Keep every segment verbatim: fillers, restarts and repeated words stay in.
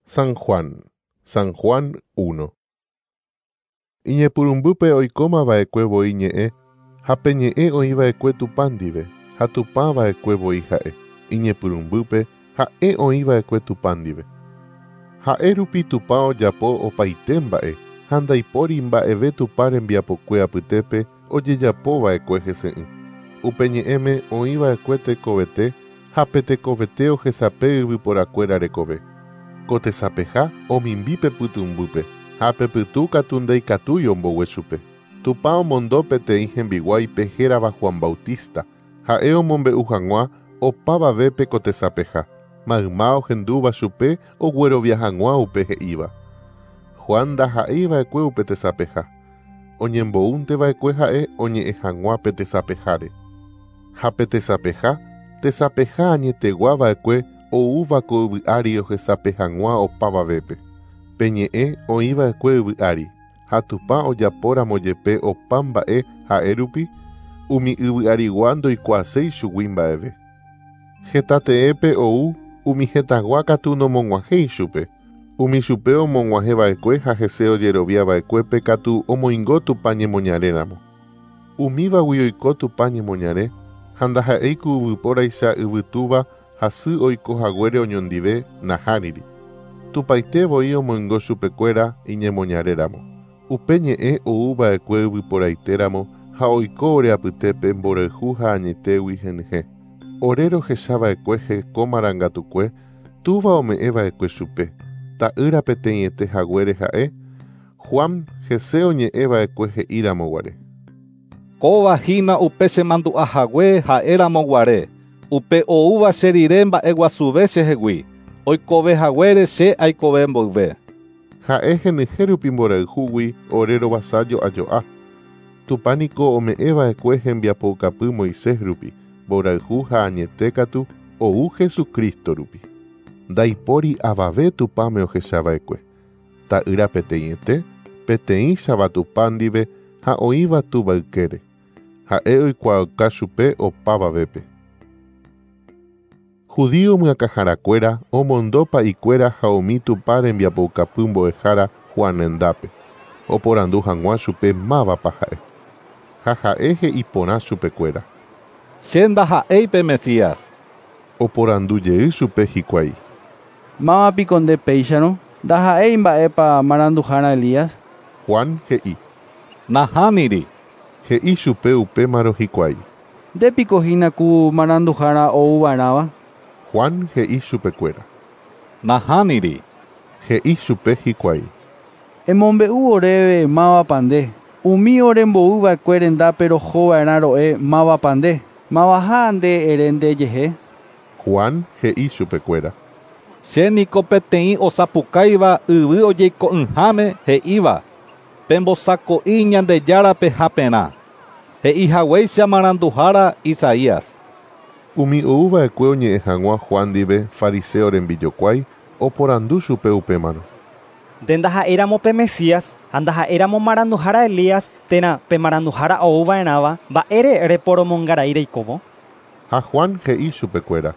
San Juan, San Juan uno. Iñepyrũmbýpe oikómava'ekue voi ñe'ẽ ha pe ñe'ẽ oĩva'ekue Tupã ndive ha Tupãva'ekue voi ha'e. Iñepyrũmbýpe ha'e oĩva'ekue Tupã ndive. Ha'e rupi Tupã ojapo opaite mba'e ha ndaipóri mba'eve Tupã rembiapokue apytépe ojejapova'ekue hese'ỹ. Upe ñe'ẽme oĩva'ekue tekovete ha pe tekovete ohesape yvyporakuéra rekove. Ko tesapeha omimbi pe pytũmbýpe ha pe pytũ katu ndaikatúi ombogue chupe. Tupã omondo peteĩ hembiguáipe hérava Juan Bautista, ha'e omombe'u hag̃ua opavavépe ko tesapeha, mayma ohendúva chupe oguerovia hag̃ua upe he'íva. Juan ndaha'eiva'ekue upe tesapeha, oñembo'únteva'ekue ha'e oñe'ẽ hag̃ua pe tesapeháre. Ha pe tesapeha, tesapeha añeteguava'ekue oúva ko yvy ári ohesape hag̃ua opavavépe. Pe ñe'ẽ oĩva'ekue yvy ári, ha Tupã ojapóramo jepe opa mba'e ha'e rupi, umi yvy arigua ndoikuaaséi chugui mba'eve. Heta teépe ou umi hetãgua katu nomog̃uahẽi chupe. Umi chupe omog̃uahẽva'ekue ha hese ojeroviava'ekuépe katu omoingo Tupã ñemoñaréramo. Umívagui oiko Tupã ñemoñare ha ndaha'éi ku yvypóraicha yvytúva ha sy oiko haguére oñondive nahániri. Tupãite voi omoingo chupekuéra iñemoñaréramo. Upe ñe'ẽ oúva'ekue yvyporaitéramo ha oiko ore apytépe mborayhu ha añetégui henyhẽ. Ore rohechava'ekue heko marangatukue túva ome'ẽva'ekue chupe. Ta'ýra peteĩete haguére ha'e, Juan hese oñe'ẽva'ekue he'íramo guare. Kóva hína upe chemandu'ahague ha'éramo guare. Upe oúva che rire mba'eguasuve chehegui. Oikove haguére che aikove mboyve. Ha'e henyhẽ rupi mborayhúgui ore rovasa jo'ajo'a. Tupã niko ome'ẽva'ekue hembiapoukapy Moisés rupi, mborayhu ha añete katu ou Jesucristo rupi. Ndaipóri avave Tupãme ohechava'ekue. Ta'ýra peteĩete, peteĩchava Tupã ndive ha oĩva túva ykére. Ha'e oikuaauka chupe opavavépe. Judío myakãharakuéra omondo pa'ikuéra ha umi Tupã rembiapoukapy mbo'ehára Juan rendápe. Oporandu hag̃ua chupe mávapa ha'e. Ha ha'e he'i porã chupekuéra. Che ndaha'éi pe Mesías. Oporandu jey chupe hikuái. Mávapiko nde péicharõ, ndaha'éi mba'épa maranduhára Elías. Juan he'i. Nahániri. He'i chupe upémarõ hikuái. Ndépiko hína ku maranduhára ouva'erãva. Juan he'i chupekuéra. Nahániri. He'i chupe hikuái. Emombe'u oréve mávapa nde. Umi orembo'uva'ekue rendápe rohova'erã ro'e mávapa nde. Mavaha nde ere ndejehe. Juan he'i chupekuéra. Che niko peteĩ osapukáiva yvy ojeiko'ỹháme he'íva. Pembosako'i Ñandejárape haperã. He'i haguéicha maranduhára Isaías. Umi oúva'ekue oñe'ẽ hag̃ua Juan ndive fariseo rembijokuái oporandu chupe upémarõ. Nde ndaha'éramo pe Mesías ha ndaha'éramo maranduhára Elías térã pe maranduhára ouva'erãva mba'ére reporomongarai reikóvo. Ha Juan he'i chupekuéra.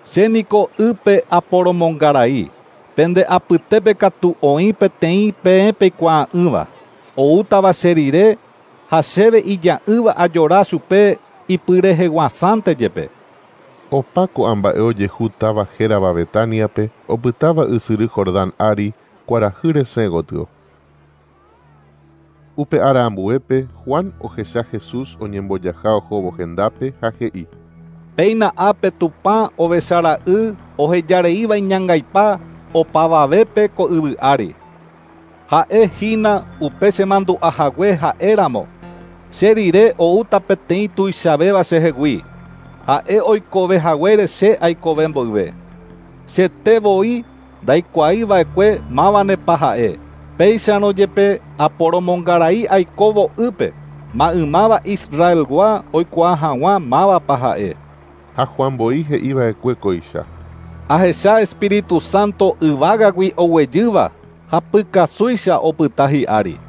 Che niko ýpe aporomongarai. Pende apytépe katu oĩ peteĩ peẽ peikuaa'ỹva. Oútava che rire ha chéve ija'ỹva ajora chupe ipyreheguasánte jepe. Opa ko'ã mba'e ojehu táva hérava Betaniape opytáva ysyry Jordán ári kuarahy resẽ gotyo. Upe ára ambuépe Juan ohecha Jesús oñembojaha ohóvo hendápe ha he'i. Péina ápe Tupã ovechara'y ohejareíva iñangaipa opavavépe ko yvy ári. Ha'e hína upe chemandu'ahague ha'éramo. Che rire oúta peteĩ tuichavéva chehegui. Ha'e oikove haguére che aikove mboyve. Chete voi ndaikuaiva'ekue mávanepa ha'e. Péicharõ jepe aporomongarai aikóvo ýpe. Maymáva Israelgua oikuaa hag̃ua mávapa ha'e. Ha Juan voi he'iva'ekue kóicha. Ahecha Espíritu Santo yvágagui oguejýva ha pykasúicha opyta hi'ári.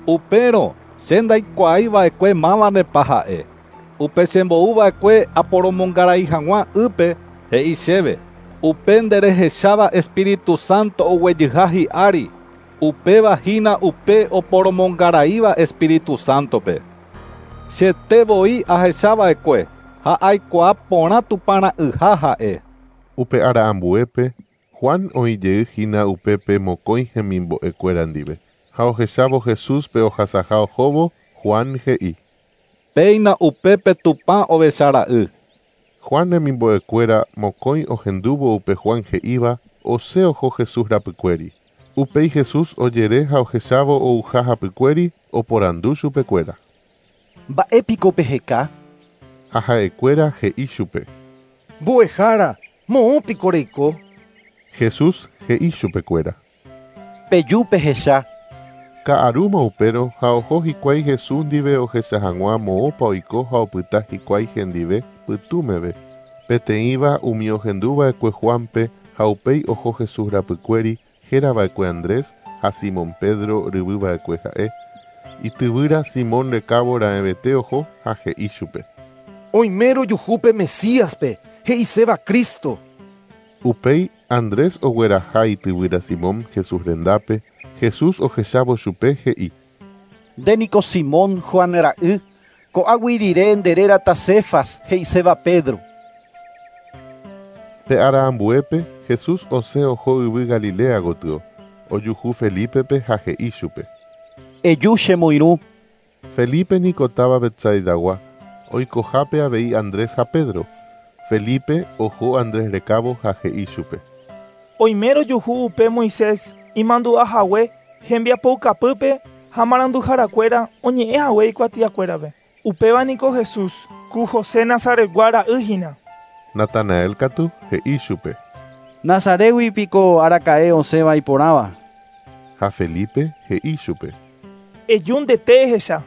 Upérõ che ndaikuaaiva'ekue mávanepa ha'e. Upe chembo'uva'ekue aporomongarai hag̃ua ýpe he'i chéve. Upe nde rehecháva Espíritu Santo oguejyha hi'ári, upéva hína upe oporomongaraíva Espíritu Santope. Chete voi ahechava'ekue ha aikuaa porã Tupãra'yha ha'e. Upe ára ambuépe, Juan oĩjey hína upépe mokõi hemimbo'ekuéra ndive. Ha ohechávo Jesúspe ohasaha ohóvo, Juan he'i: Péina upépe Tupã ovechara'y. Juan hemimbo'ekuéra mokõi ohendúvo upe Juan he'íva, osẽ oho Jesús rapykuéri. Upéi Jesús ojere ha ohechávo ouha hapykuéri oporandu chupekuéra. Mba'épiko peheka? Ha ha'ekuéra he'i chupe. Mbo'ehára, moõpiko reiko? Jesús he'i chupekuéra. Peju pehecha. Ka'arúma upérõ ha oho hikuái Jesús ndive ohecha hag̃ua moõpa oiko ha opyta hikuái hendive pytũmeve. Peteĩva umi ohenduva'ekue Juanpe ha upéi oho Jesús rapykuéri hérava'ekue Andrés ha Simón Pedro ryvyva'ekue ha'e. Ityvýra Simón rekávo raẽvete oho ha he'i chupe. Oime rojuhúpe Mesíaspe, he'iséva Cristo. Upéi Andrés ogueraha ityvýra Simón Jesús rendápe, Jesús ohechávo chupe he'i. Ndéniko Simón Juan ra'y, ko'águi rire nde rérata Cefas, he'iséva Pedro. Pe ára ambuépe, Jesús osẽ oho yvy Galilea gotyo, ojuhu Felípepe ha he'i chupe. Eju chemoirũ. Felipe niko táva Betsaidagua, oikohápe avei Andrés ha Pedro. Felipe oho Andrés rekávo ha he'i chupe. Oime rojuhu upe Moisés imandu'ahague hembiapoukapýpe ha maranduharakuéra oñe'ẽhague ikuatiakuérape. Upéva niko Jesús, ku José Nazaretgua ra'y hína. Natanael katu he'i chupe. Nazaretgui piko araka'e osẽva iporãva. Ha Felipe he'i chupe. Eju ndete ehecha.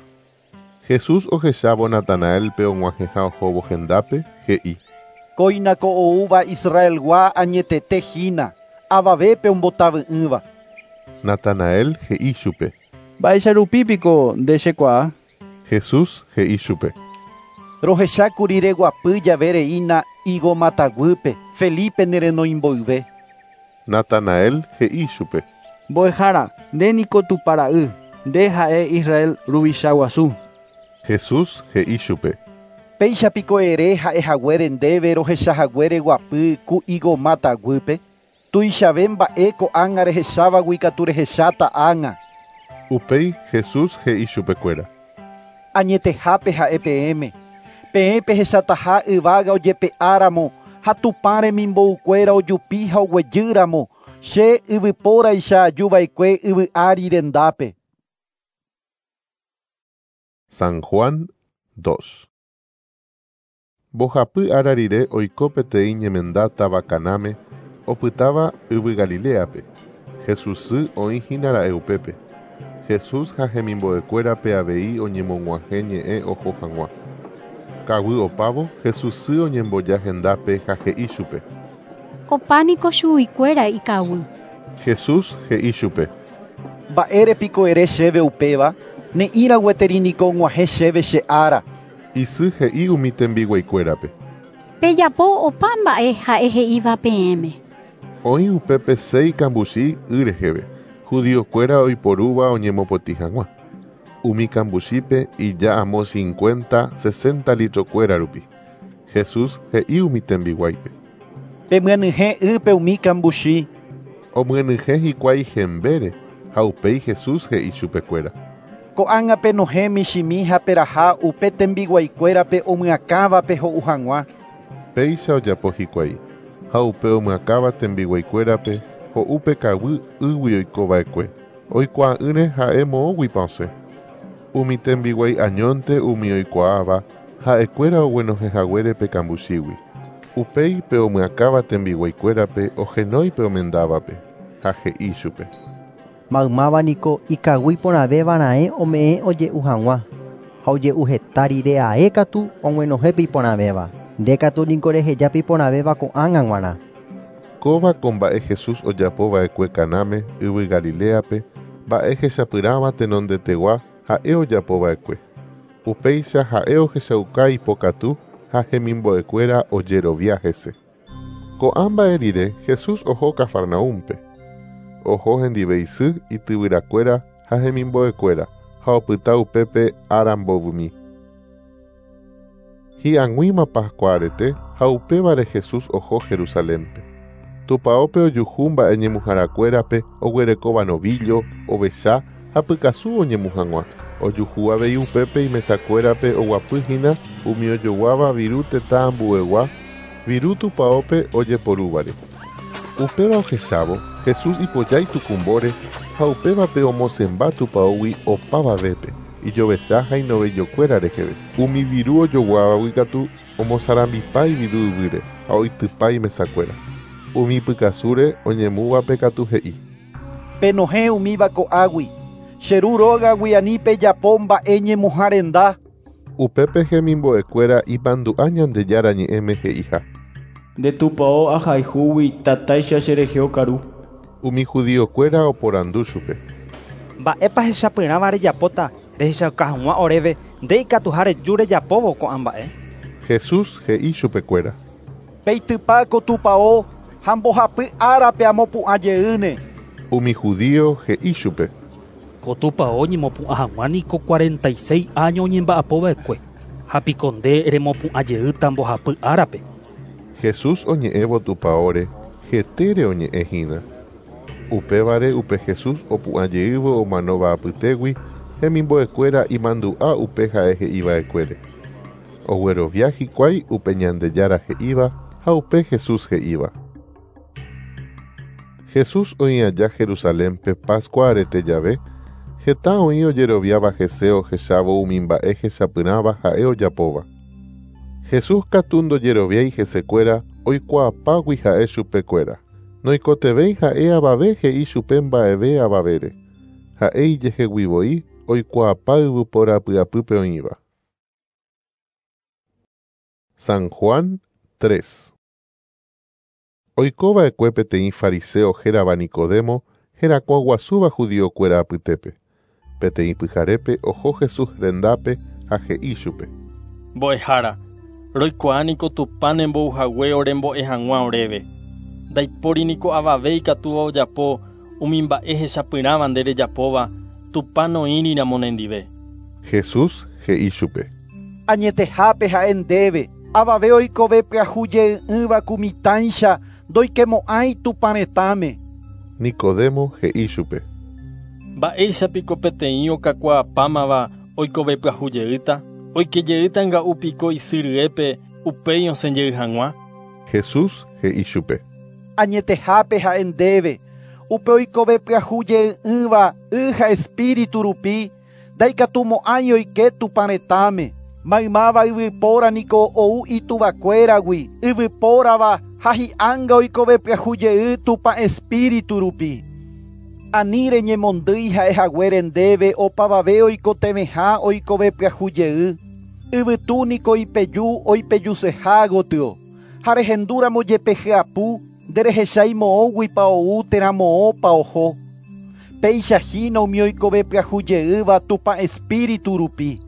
Jesús ohechávo Natanaelpe og̃uahẽha ohóvo hendápe, he'i. Kóinako oúva Israelgua añetete hína, avavépe ombotavy'ỹva. Natanael he'i chupe. Mba'éicha piko nde chekuaa? Jesús he'i chupe. Rohechákuri reguapy jave reína higo mataguýpe, Felipe nerenoimboyve. Natanael he'i chupe. Mbo'ehára, nde niko Tupãra'y, nde ha'e Israel ruvicha guasu. Jesús he'i chupe. Péicha piko ere ha'ehaguére ndéve rohechahague reguapy ku higo mataguýpe. Tuichave mba'e ko'ág̃a rehechávagui katu rehecháta ág̃a. Upéi Jesús he'i chupekuéra. Añetehápe ha'e peẽme. Peẽ pehechataha yvága ojepe'áramo ha Tupã remimboukuéra ojupi ha oguejýramo che yvypóraicha ajuva'ekue yvy ári rendápe. San Juan dos. Mbohapy ára rire oiko peteĩ ñemenda táva Canáme, opytáva yvy Galileape. Jesús sy oĩ hína ra'e upépe. Jesús ha hemimbo'ekuérape avei oñemog̃uahẽ ñe'ẽ oho hag̃ua. Kaguy opávo, Jesús sy oñemboja hendápe ha he'i chupe. Opániko chuguikuéra ikaguy. Jesús he'i chupe. Mba'érepiko ere chéve upéva, ne'ĩra gueteri niko og̃uahẽ chéve che ára. Isy he'i umi tembiguaikuérape. Pejapo opa mba'e ha'e he'íva peẽme. Oĩ upépe seis kambuchi y reheve, judiokuéra oiporúva oñemopotĩ hag̃ua. Umi kambuchípe ija amo cincuenta, sesenta litrokuéra rupi. Jesús he'i umi tembiguáipe. Pemyenyhẽ ýpe umi kambuchi. Omyenyhẽ hikuái hembére ha upéi Jesús he'i chupekuéra. Ko'ág̃a penohẽ michĩmi ha peraha upe tembiguaikuérape omyakãvape ho'u hag̃ua. Péicha ojapo hikuái ha upe omyakãva tembiguaikuérape ho'úpe kaguy ýgui oikova'ekue. Oikuaa'ỹre ha'e moõguipa osẽ. Umi tembiguái añónte umi oikuaáva ha'ekuéra oguenohẽhaguére pe kambuchígui. Upéi pe omyakãva tembiguaikuérape ohenói pe omendávape ha he'i chupe. Maymáva niko ikaguy porãvéva raẽ ome'ẽ oje'u hag̃ua ha oje'u heta rire ae katu og̃uenohẽpe iporãvéva. Nde katu niko rehejápe iporãvéva ko'ág̃a g̃uarã. Kóva ko mba'e Jesús ojapova'ekue Canáme yvy Galileape, mba'e hechapyrãva tenondetegua ha'e ojapova'ekue. Upéicha ha'e ohechauka ipokatu ha hemimbo'ekuéra ojerovia hese. Ko'ã mba'e rire Jesús oho Cafarnaúmpe. Oho hendive isy ityvyrakuéra ha hemimbo'ekuéra ha opyta upépe ára mbovymi. Hi'ag̃uíma Pascua arete ha upévare Jesús oho Jerusalénpe. Tupaópe ojuhu mba'e ñemuharakuérape oguerekóva novillo, ovecha ha pykasu oñemu hag̃ua. Ojuhu avei upépe imesakuérape oguapyhína umi ojoguáva viru tetã ambuegua, viru tupaópe ojeporúvare. Upéva ohechávo, Jesús ipojái tukumbóre ha upévape omosẽmba tupaógui opavavépe, ijovecha ha inovellokuéra reheve. Umi viru ojoguávagui katu omosarambipa iviru yvýre ha oitypa imesakuéra. Umi pykasúre oñemúvape katu he'i: Penohẽ umíva ko'águi, che ru rógagui ani pejapo mba'e ñemuha renda. Upépe hemimbo'ekuéra imandu'a Ñandejára ñe'ẽme he'iha: Nde tupão ahayhúgui tatáicha cherehe okaru. Umi judiokuéra oporandu chupe: Mba'épa hechapyrãva rejapóta rehechauka hag̃ua oréve nde ikatuha reju rejapóvo ko'ã mba'e. Jesús he'i chupekuéra: Peitypa ko tupão ha mbohapy árape amopu'ã jeýne. Umi judío he'i chupe: Ko tupão ñemopu'ã hag̃ua niko cuarenta y seis año oñemba'apova'ekue ha piko nde remopu'ã jeýta mbohapy árape. Jesús oñe'ẽvo tupaóre hetére oñe'ẽhína. Upévare upe Jesús opu'ã jeývo omanóva apytégui hemimbo'ekuéra imandu'a upe ha'e he'iva'ekuére. Oguerovia hikuái upe Ñandejára he'íva ha upe Jesús he'íva. Jesús oĩ aja Jerusalénpe Pascua arete jave, heta oĩ ojeroviáva hese ohechávo umi mba'e hechapyrãva ha'e ojapóva. Jesús katu ndojeroviái hesekuéra oikuaapágui ha'e chupekuéra. Noikotevẽi ha'e avave he'i chupe mba'eve avavére. Ha'e ijehegui voi oikuaapa yvypóra py'apýpe oĩva. San Juan tres. Oikova'ekue peteĩ fariseo hérava Nicodemo herakuã guasúva judiokuéra apytépe. Peteĩ pyharépe oho Jesús rendápe ha he'i chupe: Mbo'ehára, roikuaa niko Tupã nembo'uhague orembo'e hag̃ua oréve. Ndaipóri niko avave ikatúva ojapo umi mba'e hechapyrãva nde rejapóva Tupã noĩriramo nendive. Jesús he'i chupe: Añetehápe ha'e ndéve, avave oikove pyahu jeý'ỹva ku mitãicha ndoikemo'ãi Tupã retãme. Nicodemo he'i chupe: Mba'éicha piko peteĩ okakuaapámava oikove pyahu jeýta? Oike jeýta nga'u piko isy ryépe upéi osẽ jey hag̃ua. Jesús he'i chupe: Añetehápe ha'e ndéve, upe oikove pyahu jeý'ỹva y ha espíritu rupi ndaikatumo'ãi oike Tupã retãme. Maymáva yvypóra niko ou ituvakuéragui, yvypórava ha hi'ánga oikove pyahu jey Tupã espíritu rupi. Ani reñemondýi ha'ehaguére ndéve opavave oikotevẽha oikove pyahu jey. Yvytu niko ipeju oipejuseha gotyo. Ha rehendúramo jepe hyapu nderehechái moõguipa ou térã moõpa oho. Péicha hína umi oikove pyahu jeýva Tupã espíritu rupi.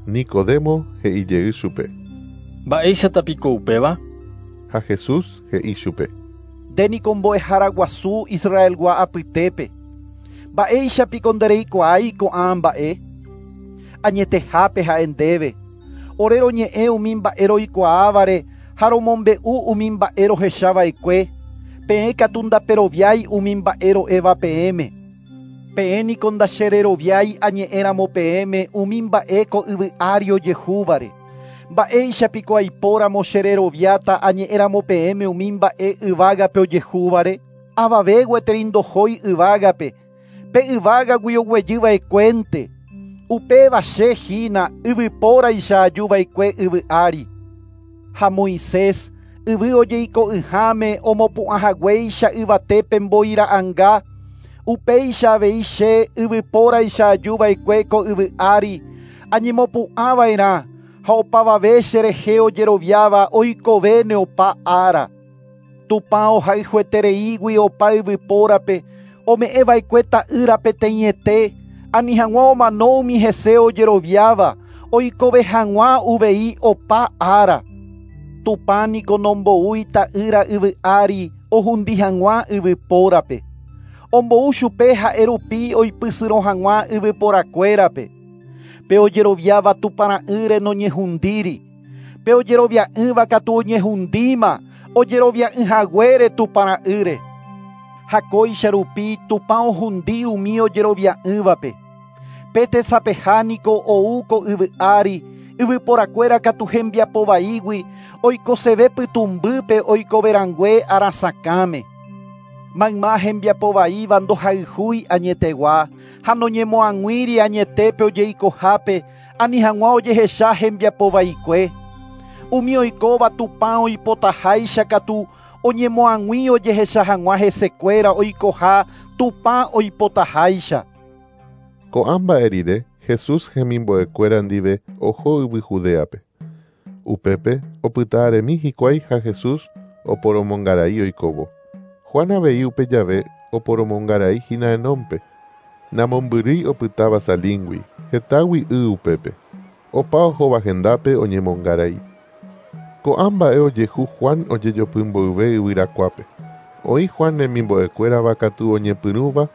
Nicodemo he'i jey chupe: Mba'éichata piko upéva? Ha Jesús he'i chupe: Nde niko mbo'ehára guasu Israelgua apytépe. Mba'éicha piko ndereikuaái ko'ã mba'e? Añetehápe ha'e ndéve, ore roñe'ẽ umi mba'e roikuaávare ha romombe'u umi mba'e rohechava'ekue, peẽ katu ndaperoviái umi mba'e ro'éva peẽme. Peẽ niko ndachereroviái añe'ẽramo peẽme umi mba'e ko yvy ári ojehúvare. Mba'éicha piko aipóramo chereroviáta añe'ẽramo peẽme umi mba'e yvágape ojehúvare? Avave gueteri ndohói yvágape, pe yvágagui oguejyva'ekuénte. Upéva che hína yvypóraicha ajuva'ekue yvy ári. Ha Moisés yvy ojeiko'ỹháme omopu'ãhaguéicha yvatépe mbo'ira'ãnga, upéicha avei che yvypóraicha ajuva'ekue ko yvy ári añemopu'ãva'erã ha opavave cherehe ojeroviáva oikovéne opa ára. Tupã ohayhuetereígui opa yvypórape ome'ẽva'ekue ta'ýra peteĩete ani hag̃ua omano umi hese ojeroviáva oikove hag̃ua uvei opa ára. Tupã niko nomboúi ta'ýra yvy ári ohundi hag̃ua yvypórape. Ombou chupe ha'e rupi oipysyrõ hag̃ua yvyporakuérape. Pe ojeroviáva Tupãra'ýre noñehundíri. Pe ojerovia'ỹva katu oñehundíma ojerovia'ỹhaguére Tupãra'ýre. Ha kóicha rupi Tupã ohundi umi ojerovia'ỹvape. Pe tesapeha niko ou ko yvy ári, yvyporakuéra katu hembiapo vaígui oikoseve pytũmbýpe oikoverangue arasakãme. Mayma hembiapo vaíva ndohayhúi añetegua ha noñemoag̃uíri añetépe ojeikohápe ani hag̃ua ojehecha hembiapo vaikue. Umi oikóva Tupã oipotaháicha katu oñemoag̃ui ojehecha hag̃ua hesekuéra oikoha Tupã oipotaháicha. Ko'ã mba'e rire Jesús hemimbo'ekuéra ndive oho yvy Judeape. Upépe opyta'aremi hikuái ha Jesús oporomongarai oikóvo. Juan avei upe jave oporomongarai hína Enónpe. Namombyrýi opytáva Salíngui, hetágui y upépe. Opa ohóva hendápe oñemongarai. Ko'ã mba'e ojehu Juan ojejopy mboyve yvyrakuápe. Oĩ Juan remimbo'ekuérava katu oñepyrũva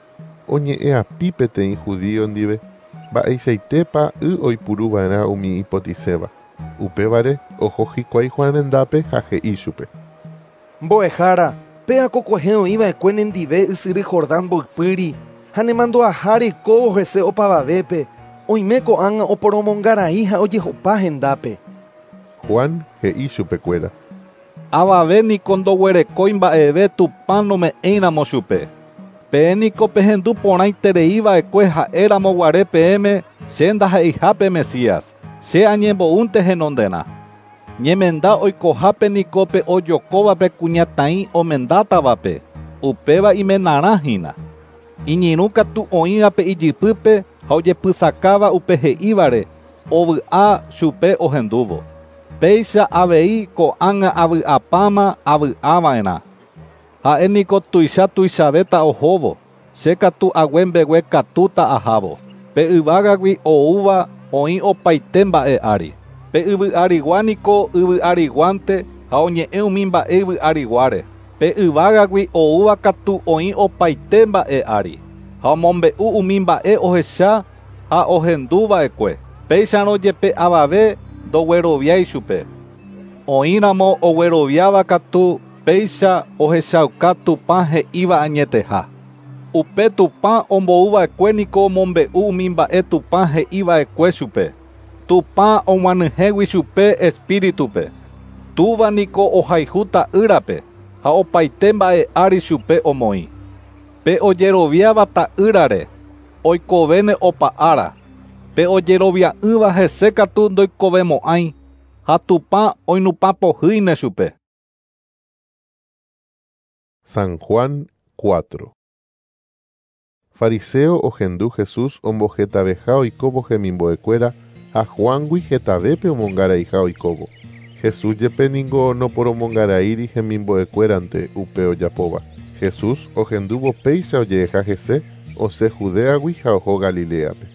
oñe'ẽapi peteĩ judío ndive mba'eichaitépa y oipuruva'erã umi ipotiséva. Upévare oho hikuái Juan rendápe ha he'i chupe. Mbo'ehára, pe akokuehe oĩva'ekue nendive ysyry Jordán mboypýri ha nemandu'aha reikóvo hese opavavépe oime ko'ág̃a oporomongarai ha ojehopa hendápe. Juan he'i chupekuéra. Avave niko ndoguerekói mba'eve Tupã nome'ẽiramo chupe. Peẽ niko pehendu porãitereiva'ekue ha'éramo guare peẽme che ndaha'eihápe Mesías, che añembo'únte henonderã. Ñemenda oikohápe niko pe ojokóvape kuñataĩ omendátavape, upéva imenarã hína. Iñirũ katu oĩvape ijypýpe ha ojepysakáva upe he'ívare ovy'a chupe ohendúvo. Péicha avei ko'ág̃a avy'apáma avy'ava'erã. Ha'e niko tuicha tuichavéta ohóvo, che katu ague mbegue katúta ahávo. Pe yvágagui oúva oĩ opaite mba'e ári. Pe yvy arigua niko yvy ariguánte ha oñe'ẽ umi mba'e yvy ariguáre. Pe yvágagui oúva katu oĩ opaite mba'e ári. Ha omombe'u umi mba'e ohecha ha ohenduva'ekue. Péicharõ jepe avave ndogueroviái chupe. Oĩramo ogueroviáva katu péicha ohechauka Tupã he'íva añeteha. Upe Tupã ombouva'ekue niko omombe'u umi mba'e Tupã he'iva'ekue chupe. Tupã og̃uahẽgui chupe Espíritupe. Túva niko ohayhu ta'ýrape ha opaite mba'e ári chupe omoĩ. Pe ojeroviáva ta'ýrare oikovéne opa ára. Pe ojerovia'ỹva hese katu ndoikovemo'ãi ha Tupã oinupãpohýine chupe. San Juan cuatro. Fariseo ohendu Jesús ombohetaveha oikóvo hemimbo'ekuéra ha Juangui hetavépe omongaraiha oikóvo. Jesús jepe ningo noporomongaraíri hemimbo'ekuérante upe ojapóva. Jesús ohendúvo péicha ojeheja hese osẽ Judeagui ha oho Galileape.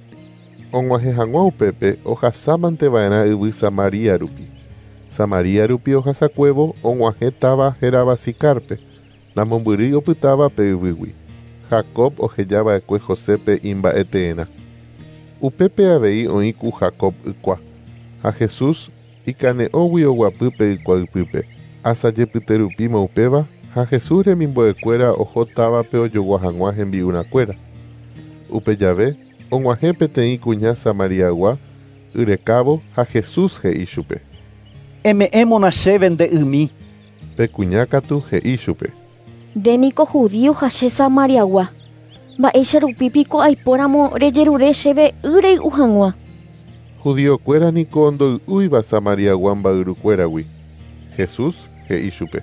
Og̃uahẽ hag̃ua upépe ohasámanteva'erã yvy Samaria rupi. Samaria rupi ohasakuévo og̃uahẽ táva hérava Sicarpe, namombyrýi opytáva pe yvýgui. Jacob ohejava'ekue Josépe imba'eteerã. Upépe avei oĩ ku Jacob ykua. Ha Jesús ikane'õgui oguapy pe ykua ypýpe. Asajepyterupíma upéva ha Jesús remimbo'ekuéra oho távape ojogua hag̃ua hembi'urãkuéra. Upe jave og̃uahẽ peteĩ kuña Samariagua yrekávo ha Jesús he'i chupe. Eme'ẽmona chéve nde ymi. Pe kuña katu he'i chupe. Nde niko judío ha che Samariagua. Mba'éicha rupi piko aipóramo rejerure chéve y rey'u hag̃ua. Judiokuéra niko ndoy'úiva Samariagua mba'yrukuéragui. Jesús he'i chupe.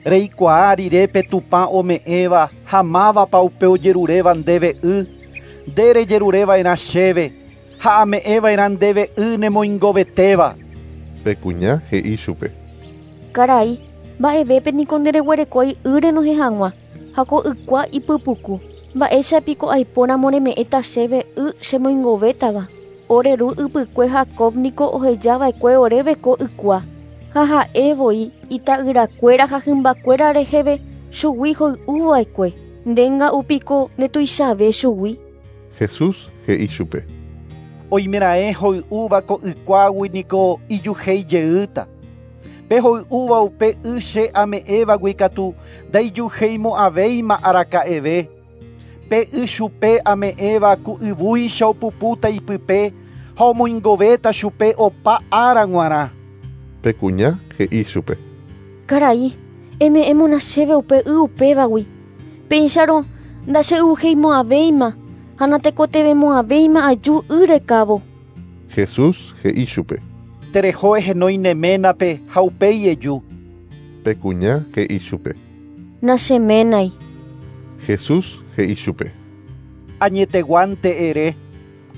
Reikuaa rire pe Tupã ome'ẽva ha mávapa upe ojeruréva ndéve y, nde rejerureva'erã chéve ha ame'ẽva'erã ndéve y nemoingovetéva. Pe kuña he'i chupe. Karai, mba'evépe niko ndereguerekói y renohẽ hag̃ua ha ko ykua ipypuku. Mba'éicha piko aipóramo reme'ẽta chéve y chemoingovétava. Ore ru ypykue Jacob niko ohejava'ekue oréve ko ykua. Ha ha'e voi ita'yrakuéra ha hymbakuéra reheve chugui hoy'uva'ekue. Ndénga'upiko ndetuichave chugui. Jesús he'i chupe. Oimeraẽ hoy'úva ko ykuágui niko ijuheijeýta. Pe hoy'úva upe y che ame'ẽvagui katu ndaijuheimo'ãvéima araka'eve. Pe y chupe ame'ẽva ku yvúicha opupúta ipype ha omoingovéta chupe opa ára g̃uarã. Pe kuña he'i chupe. Karai, eme'ẽmona chéve upe y upévagui. Péicharo ndache'uheimo'ãvéima ha natekotevẽmo'ãvéima aju y rekávo. Jesús he'i chupe. Tereho ehenói ne ménape ha upéi eju. Pe kuña he'i chupe. Nacheménai. Jesús he'i chupe. Añeteguánte ere,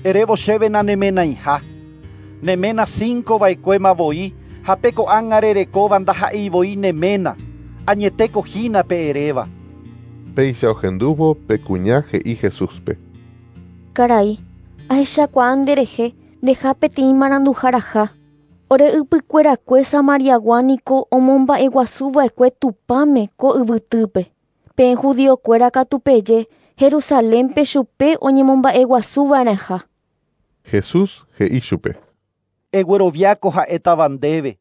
erévo chéve nanemenaiha. Ne ména cinco va'ekuéma voi ha pe ko'ág̃a rerekóva ndaha'éi voi ne ména. Añetéko hína pe eréva. Péicha ohendúvo pe kuña he'i Jesúspe. Karai, ahechakuaa nderehe ndeha peteĩ maranduharaha. Ore ypykuerakue Samariagua niko omomba'eguasuva'ekue Tupãme ko yvytýpe. Peẽ judiokuéra katu peje Jerusalénpe chupe oñemomba'eguasuva'erãha. Jesús he'i chupe. Egueroviáko ha'étava ndéve.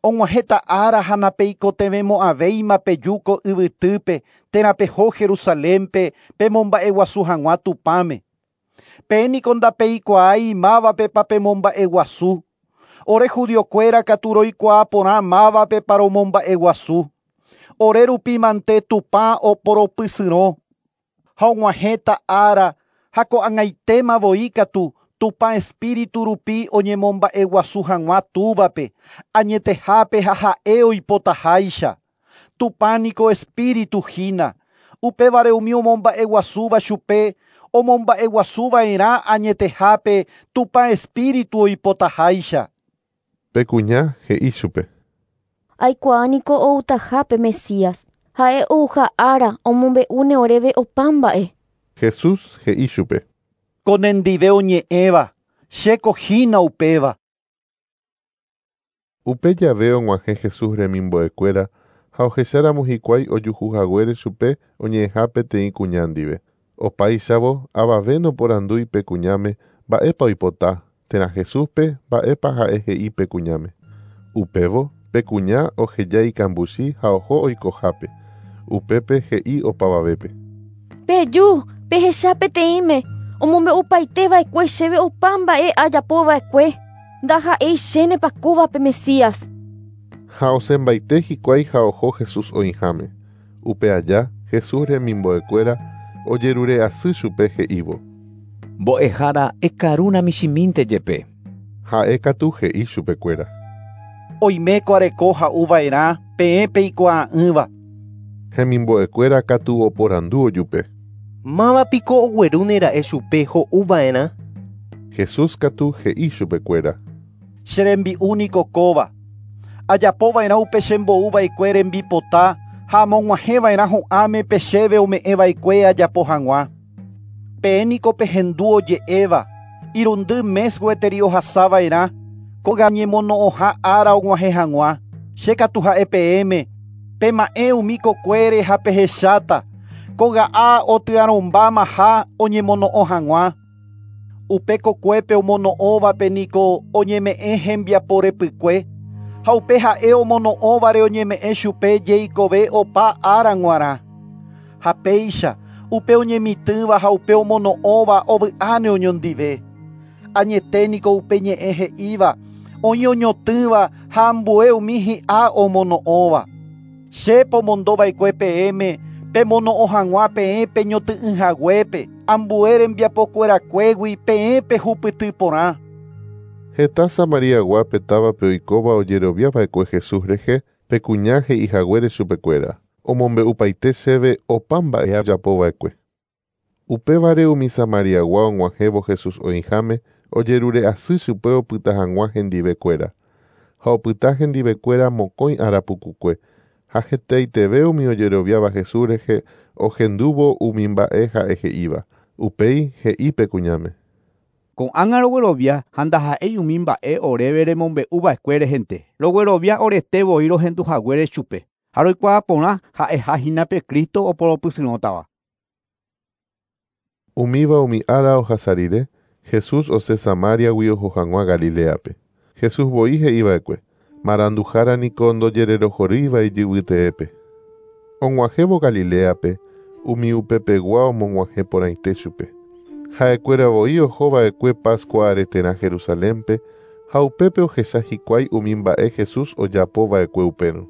Og̃uahẽta ára ha napeikotevẽmo'ãvéima peju ko yvytýpe térã peho Jerusalénpe pemomba'eguasu hag̃ua Tupãme. Peẽ niko ndapeikuaái mávapepa pemomba'eguasu. Ore judiokuéra katu roikuaa porã mávapepa romomba'eguasu. Ore rupi mante Tupã oporopysyrõ. Ha og̃uahẽta ára ha ko'ag̃aitéma voi katu Tupã espíritu rupi oñemomba'eguasu hag̃ua túvape, añetehápe ha ha'e oipotaháicha. Tupã niko espíritu hína. Upévare umi omomba'eguasúva chupe omomba'eguasuva'erã añetehápe Tupã espíritu oipotaháicha. Pe kuña he'i chupe. Aikuaa niko outaha pe Mesías. Ha'e ouha ára omombe'úne oréve opa mba'e. Jesús he'i chupe. Ko nendive oñe'ẽva, chéko hína upéva. Upe jave og̃uahẽ Jesús remimbo'ekuéra ha ohecháramo hikuái ojuhuhaguére chupe oñe'ẽha peteĩ kuña ndive. Opáichavo avave noporandúi pe kuñáme mba'épa oipota térã Jesúspe mba'épa ha'e he'i pe kuñáme. Upévo pe kuña oheja ikambuchi ha oho oikohápe. Upépe he'i opavavépe. Peju, pehecha peteĩme, omombe'upaiteva'ekue chéve opa mba'e ajapova'ekue. Ndaha'éi chénepa kóva pe Mesías. Ha osẽmbaite hikuái ha oho Jesús oĩháme. Upe aja Jesús remimbo'ekuéra ojerure asy chupe he'ívo. Mbo'ehára ekarúna michĩmínte jepe. Ha'e katu he'i chupekuéra. Oiméko areko ha'uva'erã peẽ peikuaa'ỹva. Hemimbo'ekuéra katu oporandu ojupe. Mávapiko oguerúnera'e chupe ho'uva'erã. Jesús katu he'i chupekuéra. Che rembi'u niko kóva. Ajapova'erã upe chembo'uva'ekue rembipota ha amog̃uahẽva'erã hu'ãme pe chéve ome'ẽva'ekue ajapo hag̃ua. Peẽ niko pehendu oje'éva, irundy mes gueteri ohasava'erã, kóga ñemono'õha ára og̃uahẽ hag̃ua. Che katu ha'e peẽme, pema'ẽ umi kokuére ha pehecháta, kóga'a otyarõmbámaha oñemono'õ hag̃ua. Upe kokuépe omono'õvape niko oñeme'ẽ hembiaporepykue, ha upe ha'e omono'õvare oñeme'ẽ chupe jeikove opa ára g̃uarã. Ha péicha upe oñemitỹva ha upe omono'õva ovy'áne oñondive. Añete niko upe ñe'ẽ he'íva, oĩ oñotỹva ha ambue umi hi'a omono'õva. Che pomondova'ekue peẽme pemono'õ hag̃ua peẽ peñoty'ỹhaguépe, ambue rembiapokuerakuégui peẽ pehupyty porã. Heta Samariagua távape oikóva ojeroviava'ekue Jesús rehe pe kuña he'ihaguére chupekuéra. Omombe'upaite chéve opa mba'e ajapova'ekue. Upévare umi Samariagua og̃uahẽvo Jesús oĩháme ojerure asy chupe opyta hag̃ua hendivekuéra. Ha opyta hendivekuéra mokõi ára pukukue. Ha hetaiteve umi ojeroviáva Jesús rehe ohendúvo umi mba'e ha'e he'íva. Upéi he'i pe kuñáme. Ko'ág̃a roguerovia ha ndaha'éi umi mba'e oréve remombe'uva'ekue rehente. Roguerovia orete voi rohenduhaguére chupe. Ha roikuaa porã ha'ehahína pe Cristo oporopysyrõtava. Umíva umi ára ohasa rire, Jesús osẽ Samariagui oho hag̃ua Galileape. Jesús voi he'iva'ekue, maranduhára niko ndojererohorýiva ijyvyteépe. Og̃uahẽvo Galileape, umi upepegua omog̃uahẽ porãite chupe. Ha'ekuéra voi ohova'ekue Pascua areterã Jerusalénpe ha upépe ohecha hikuái umi mba'e Jesús ojapova'ekue upérõ.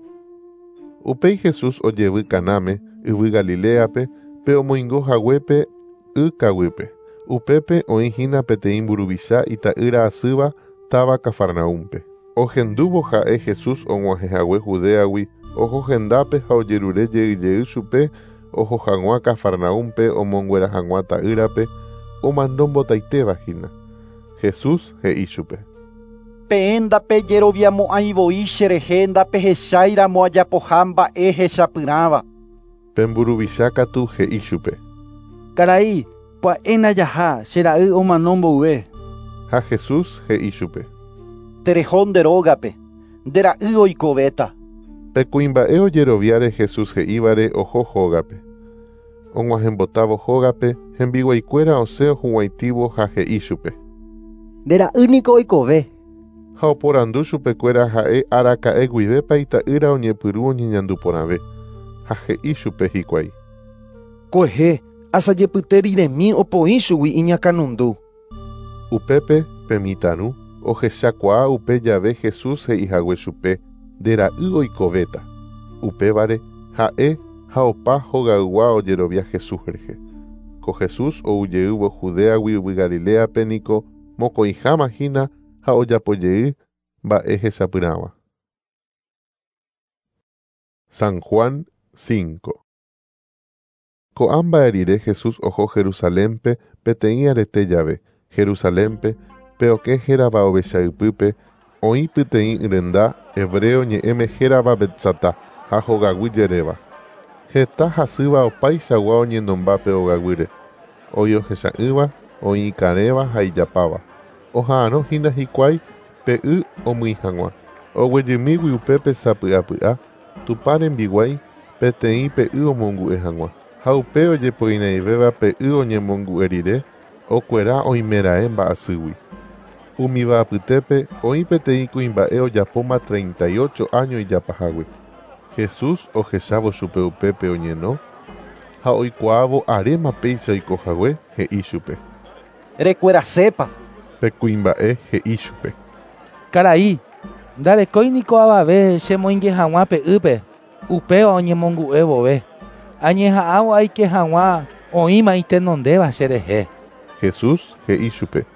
Upéi Jesús ojevy Canáme, yvy Galileape, pe omoingo haguépe y kaguýpe. Upépe oĩhína peteĩ mburuvicha ita'ýra asýva táva Cafarnaúmpe. Ohendúvo ha'e Jesús og̃uahẽhague Judeagui oho hendápe ha ojerure jeyjey chupe oho hag̃ua Cafarnaúmpe omonguera hag̃ua ta'ýrape omano mbotaitevahína. Jesús he'i chupe. Peẽ ndapejeroviamo'ãivoi cherehe ndapehecháiramo ajapoha mba'e hechapyrãva. Pe mburuvicha katu he'i chupe. Karai, pya'éna jaha che ra'y omano mboyve. Ha Jesús he'i chupe. Tereho nde rógape, nde ra'y oikovéta. Pe kuimba'e ojeroviáre Jesús he'ívare oho hógape. Og̃uahẽmbotávo hógape, hembiguaikuéra osẽ ohuguãitívo ha he'i chupe. Nde ra'y niko oikove. Ha oporandu chupekuéra ha'e araka'e guivépa ita'ýra oñepyrũ oñeñandu porãve. Ha he'i chupe hikuái. Kuehe, asajepyte riremi opoi chugui iñakãnundu. Upépe pe mitãru ohechakuaa upe jave Jesús he'ihague chupe nde ra'y oikovéta. Upévare ha'e ha opa hogaygua ojerovia Jesús rehe. Ko Jesús oujeývo Judeagui yvy Galileape niko mokõiháma hína ha ojapojey mba'e hechapyrãva. San Juan cinco. Ko'ã mba'e rire Jesús oho Jerusalénpe peteĩ arete jave. Jerusalénpe pe okẽ hérava ovechaypýpe oĩ peteĩ renda hebreo ñe'ẽme hérava Betsatá ha hogaguy jeréva. Heta hasýva opaichagua oñenomba pe ogaguýre. Oĩ ohecha'ỹva, oĩ ikarẽva ha ijapáva. Oha'arõhína hikuái pe y omýi hag̃ua. Oguejymígui upépe sapy'apy'a Tupã rembiguái peteĩ pe y omongu'e hag̃ua. Ha upe ojepoinaivéva pe y oñemongu'e rire okuera oimeraẽ mba'asýgui. Umíva apytépe oĩ peteĩ kuimba'e ojapóma treinta y ocho año ijapahague. Jesús ohechávo chupe upépe oñeno ha oikuaávo aréma péicha oikohague he'i chupe. Rekuerasépa. Pe kuimba'e he'i chupe. Karai, ndarekói niko avave chemoinge hag̃ua pe ýpe, upéva oñemongu'e vove. Añeha'ãvo aike hag̃ua oĩma itenondéva cherehe. Jesús he'i chupe.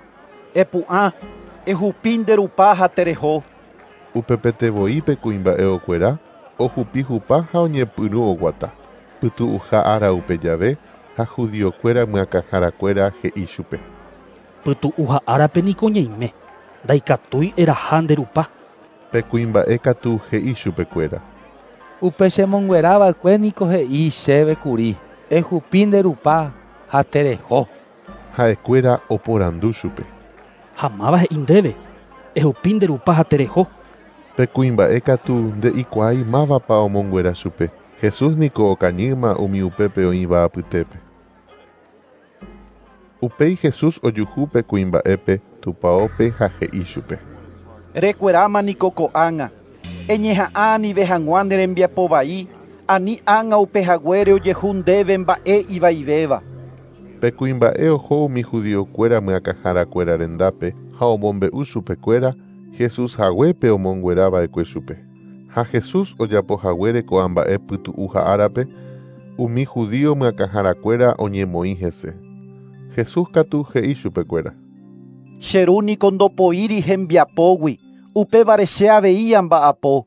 Epu'ã, ehupi nde rupa ha tereho. Upepete voi pe kuimba'e okuera, ohupi hupa ha oñepyrũ oguata. Pytu'uha ára upe jave ha judiokuéra myakãharakuéra he'i chupe. Pytu'uha árape niko ñaime, ndaikatúi eraha nde rupa. Pe kuimba'e katu he'i chupekuéra. Upe chemonguerava'ekue niko he'i chéve kuri, ehupi nde rupa ha tereho. Ha'ekuéra oporandu chupe. Ha máva he'i ndéve, ehupi nde rupa ha tereho. Pe kuimba'e katu nde'ikuaái mávapa omonguera chupe. Jesús niko okañýma umi upépe oĩva apytépe. Upéi Jesús ojuhu pe kuimba'épe tupaópe ha he'i chupe. Rekueráma niko ko'ág̃a. Eñeha'ã anive hag̃ua ne rembiapo vai, ani ág̃a upe haguére ojehu ndéve mba'e ivaivéva. Pe kuimba'e oho umi judiokuéra myakãharakuéra rendápe ha omombe'u chupekuéra Jesús haguépe omonguerava'ekue chupe. Ha Jesús ojapohaguére ko'ã mba'e pytu'uha árape, umi judío myakãharakuéra oñemoĩ hese. Jesús katu he'i chupekuéra. Che ru niko ndopoíri hembiapógui, upévare che avei amba'apo.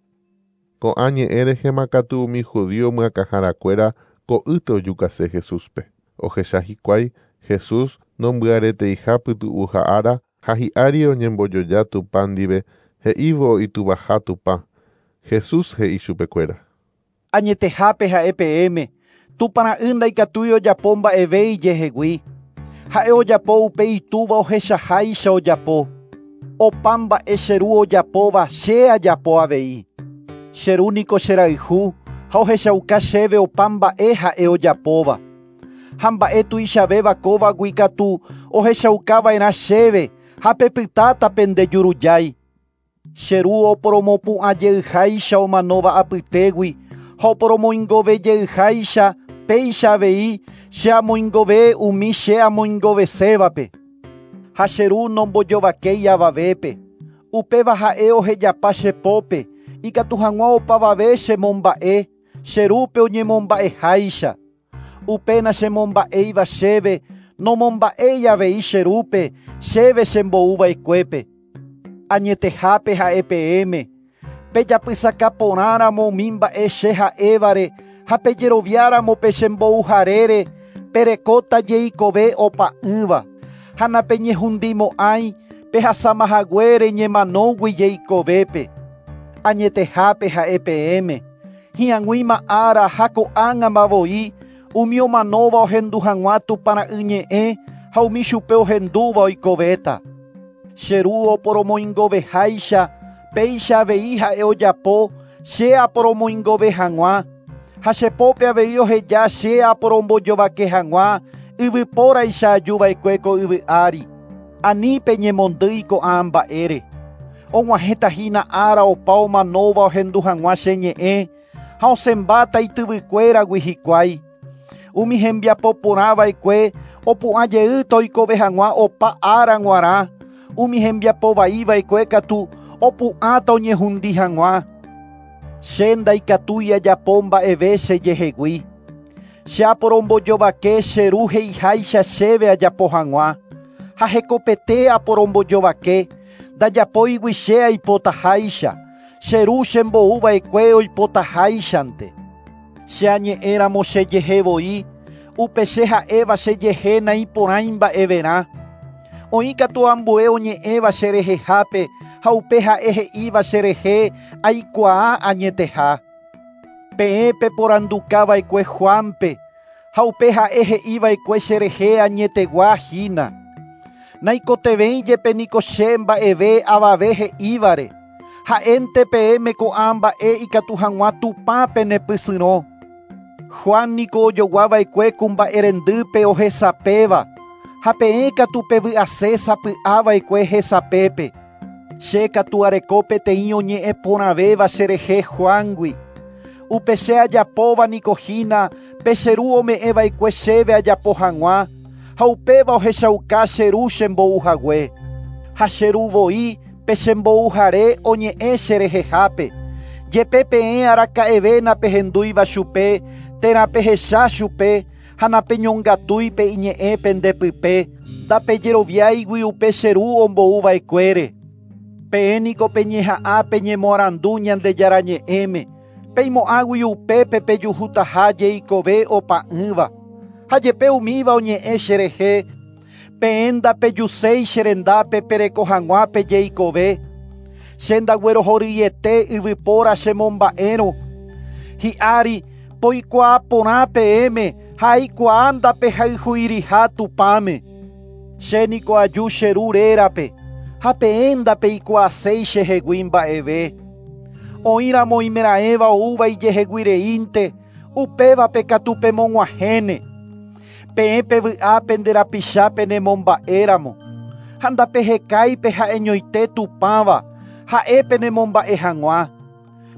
Ko'ã ñe'ẽ rehema katu umi judío myakãharakuéra ko'ýte ojukase Jesúspe. Ohecha hikuái Jesús nombyareteiha pytu'uha ára ha hi'ári oñembojoja Tupã ndive he'ívo ituvaha Tupã. Jesús he'i chupekuéra. Añetehápe ha'e peẽme, Tupã ra'y ndaikatúi ojapo mba'eve ijehegui. Ha'e ojapo upe itúva ohechaháicha ojapo. Opa mba'e che ru ojapóva che ajapo avei. Che ru niko cherayhu ha ohechauka chéve opa mba'e ha'e ojapóva. Ha mba'e tuichavéva kóvagui katu ohechaukava'erã chéve ha pepytáta pendejurujái. Che ru oporomopu'ãjeyháicha omanóva apytégui ha oporomoingovejeyháicha péicha avei che amoingove umi che amoingovesévape. Ha che ru nombojovakéi avavépe. Upéva ha'e ohejapa che pópe ikatu hag̃ua opavave chemomba'e che rúpe oñemomba'eháicha. Upéna chemomba'éiva chéve nomomba'éi avei che rúpe chéve chembo'uva'ekuépe. Añetehápe ha'e peẽme pejapysakaporãramo umi mba'e che ha'évare ha pejeroviáramo pe chembo'uharére perekóta jeikove opa'ỹva ha napeñehundimo'ãi pehasamahaguére ñemanógui jeikovépe. Añetehápe ha'e peẽme hi'ag̃uíma ára ha ko'ág̃ama voi umi omanóva ohendu hag̃ua Tupãra'y ñe'ẽ ha umi chupe ohendúva oikovéta. Che ru oporomoingoveháicha péicha avei ha'e ojapo che aporomoingove hag̃ua ha chepópe avei oheja che aporombojovake hag̃ua yvypóraicha ajuva'ekue ko yvy ári. Ani peñemondýi ko'ã mba'ére. Og̃uahẽtahína ára opa omanóva ohendu hag̃ua che ñe'ẽ ha osẽmbáta ityvykuéragui hikuái. Umi hembiapo porãva'ekue opu'ãjeýta oikove hag̃ua opa ára g̃uarã. Umi hembiapo vaiva'ekue katu opu'ãta oñehundi hag̃ua. Che ndaikatúi ajapo mba'eve chejehegui. Che aporombojovake che ru he'iháicha chéve ajapo hag̃ua. Ha hekopete aporombojovake ndajapóigui che aipotaháicha. Che ru chembo'uva'ekue oipotaháichante. Che añe'ẽramo chejehe voi, upe che ha'éva chejehe naiporãi mba'everã. Oĩ katu ambue oñe'ẽva cherehehápe ha upe ha'e he'íva cherehe aikuaa añeteha. Peẽ peporandukava'ekue Juanpe ha upe ha'e he'iva'ekue cherehe añetegua hína. Naikotevẽi jepe niko che mba'eve avave he'ívare. Ha'énte peẽme ko'ã mba'e ikatu hag̃ua Tupã penepysyrõ. Juan niko ojoguava'ekue ku mba'erendýpe ohesapéva ha peẽ katu pevy'ase sapy'ava'ekue hesapépe. Che katu areko peteĩ oñe'ẽ porãvéva cherehe Juangui. Upe che ajapóva niko hína pe che ru ome'ẽva'ekue chéve ajapo hag̃ua ha upéva ohechauka che ru chembo'uhague. Ha che ru voi pe chembo'uhare oñe'ẽ cherehehápe. Jepe peẽ araka'eve napehendúiva chupe térã pehecha chupe ha napeñongatúi pe iñe'ẽ pendepype ndapejeroviáigui upe che ru ombo'uva'ekuére. Peẽ niko peñeha'ã peñemoarandu Ñandejára ñe'ẽme peimo'ãgui upépe pejuhutaha jeikove opa'ỹva. Ha jepe umíva oñe'ẽ cherehe peẽ ndapejuséi cherendápe pereko hag̃ua pejeikove. Che ndaguerohoryete yvypóra chemomba'érõ. Hi'ári poikuaa porã peẽme ha aikuaa ndapehayhuiriha Tupãme. Che niko aju che ru rérape ha peẽ ndapeikuaaséi chehegui mba'eve. Oĩramo imera'ẽva oúva ijeheguireínte upévape katu pemog̃uahẽne. Peẽ pevy'a pende rapicha penemomba'éramo. Ha ndapehekái ha'eñoite Tupãva ha'e penemomba'e hag̃ua.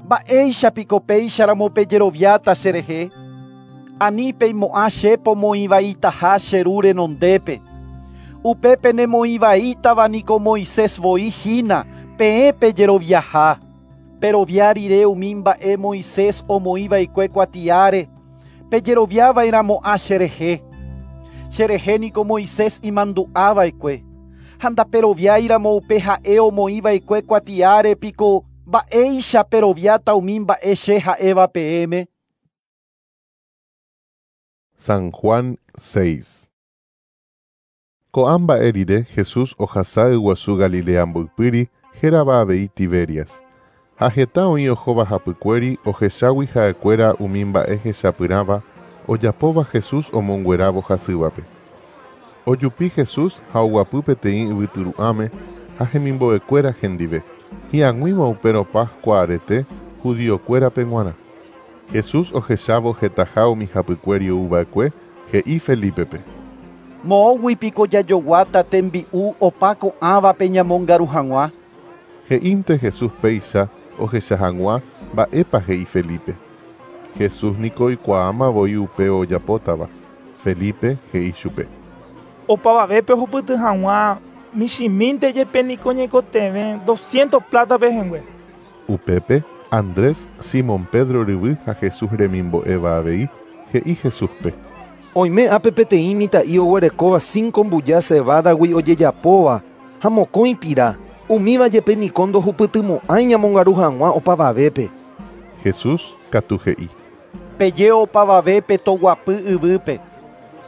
Mba'éichapiko péicharamo pejeroviáta cherehe. Ani peimo'ã che pomoĩvaitaha che ru renondépe. Upe penemoĩvaítava niko Moisés voi hína peẽ pejeroviaha. Perovia rire umi mba'e Moisés omoĩva'ekue kuatiáre pejeroviava'erãmo'ã cherehe. Cherehe niko Moisés imandu'ava'ekue. Ha ndaperoviáiramo upe ha'e omoĩva'ekue kuatiáre piko mba'éicha peroviáta umi mba'e che ha'éva peẽme. San Juan seis. Ko'ã mba'e rire Jesús ohasa yguasu Galilea mboypýri hérava avei Tiberias. Ha heta oĩ ohóva hapykuéri ohechágui ha'ekuéra umi mba'e hechapyrãva ojapóva Jesús omonguerávo hasývape. Ojupi Jesús ha oguapy peteĩ yvytyru'ãme ha hemimbo'ekuéra hendive. Hi'ag̃uíma upérõ Pascua arete judiokuérape g̃uarã. Jesús ohechávo hetaha umi hapykuéri ouva'ekue he'i Felipepe. Moõgui piko jajoguáta tembi'u opa ko'ãvape ñamongaru hag̃ua. He'ínte Jesús péicha ohecha hag̃ua mba'épa he'i Felipe. Jesús niko oikuaáma voi upe ojapótava. Felipe he'i chupe. Opavavépe ohupyty hag̃ua michĩmínte jepe niko ñaikotevẽ doscientos plata pehẽngue. Upépe Andrés, Simón Pedro ryvy ha Jesús remimbo'éva avei he'i Jesúspe. Oime ápe peteĩ mitã'i oguerekóva cinco mbuja cebadagui ojejapóva ha mokõi pira. Umíva jepe niko ndohupytymo'ãi ñamongaru hag̃ua opavavépe. Jesús katu he'i. Peje opavavépe toguapy yvýpe.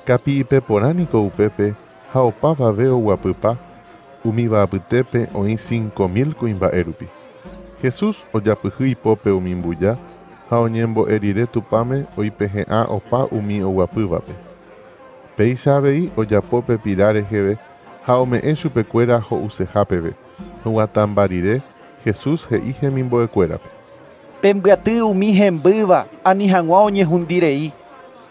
Kapi'ipeporã niko upépe ha opavave oguapypa umíva apytépe oĩ cinco mil kuimba'e rupi. Jesús ojapyhy ipópe umi mbuja ha oñembo'e rire Tupãme oipehe'ã opa umi oguapývape. Péicha avei ojapo pe pira reheve ha ome'ẽ chupekuéra ho'useha peve. Huguatãmba rire Jesús he'i hemimbo'ekuérape. Pembyaty umi hembýva ani hag̃ua oñehundirei.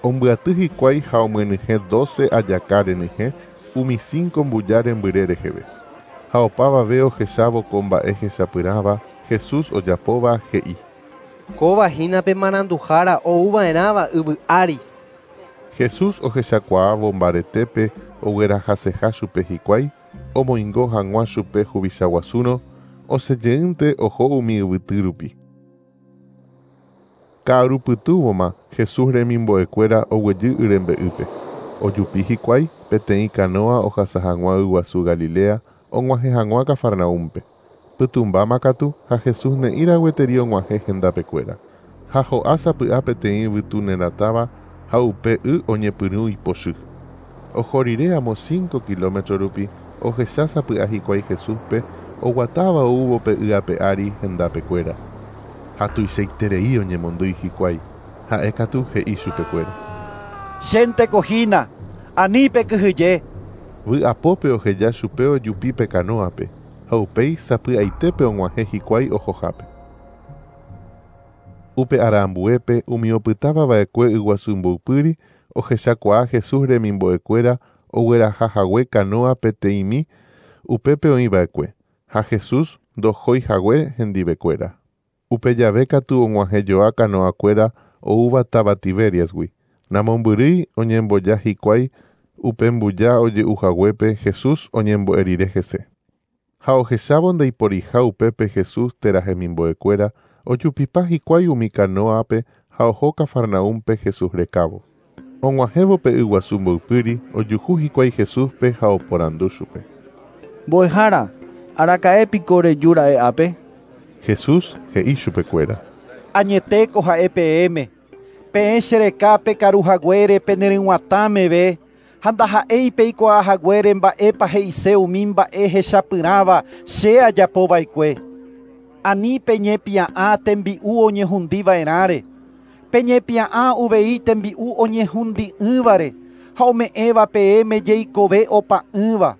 Ombyaty hikuái ha omyenyhẽ doce ajaka renyhẽ umi cinco mbuja rembyre reheve. Ha opavave ohechávo ko mba'e hechapyrãva Jesús ojapóva he'i. Kóva hína pe maranduhára ouva'erãva yvy ári. Jesús ohechakuaávo mbaretépe oguerahaseha chupe hikuái omoingo hag̃ua chupe huvichaguasúrõ osejeýnte oho umi yvyty rupi. Ka'arupytũvoma Jesús remimbo'ekuéra oguejy yrembe'ýpe. Ojupi hikuái peteĩ canoa ohasa hag̃ua yguasu Galilea og̃uahẽ hag̃ua Cafarnaúmpe. Pytũmbáma katu ha Jesús ne'ĩra gueteri og̃uahẽ hendapekuéra. Ha ho'a sapy'a peteĩ yvytu neratãva ha upe y oñepyrũ ipochy. Oho rire amo cinco kilómetro rupi ohecha sapy'a hikuái Jesúspe oguatáva oúvo pe y ape ári hendapekuéra. Ha tuichaiterei oñemondýi hikuái. Ha'e katu he'i chupekuéra. Chénteko hína, ani pekyhyje. Vy'apópe oheja chupe ojupi pe canoape ha upéi sapy'aitépe og̃uahẽ hikuái ohohápe. Upe ára ambuépe umi opytávava'ekue yguasu mboypýri ohechakuaa Jesús remimbo'ekuéra oguerahahague canoa peteĩmi upépe oĩva'ekue ha Jesús ndohóihague hendivekuéra. Upe jave katu og̃uahẽjoa canoakuéra oúva táva Tiberiasgui. Namombyrýi oñemboja hikuái upe mbuja oje'uhaguépe Jesús oñembo'e rire hese. Ha ohechávo ndaiporiha upépe Jesús térã hemimbo'ekuéra ojupipa hikuái umi canoape ha oho Cafarnaúmpe Jesús rekávo. Og̃uahẽvo pe yguasu mboypýri ojuhu hikuái Jesúspe ha oporandu chupe. Mbo'ehára, araka'e piko rejúra'e ápe? Jesús he'i chupekuéra. Añetéko ha'e peẽme. Peẽ chereka pekaruhaguére peneryg̃uatãmeve ha ndaha'éi peikuaahaguére mba'épa he'ise umi mba'e hechapyrãva che ajapova'ekue. Ani peñepia'ã tembi'u oñehundiva'erãre. Peñepia'ã uvei tembi'u oñehundi'ỹvare ha ome'ẽva peẽme jeikove opa'ỹva.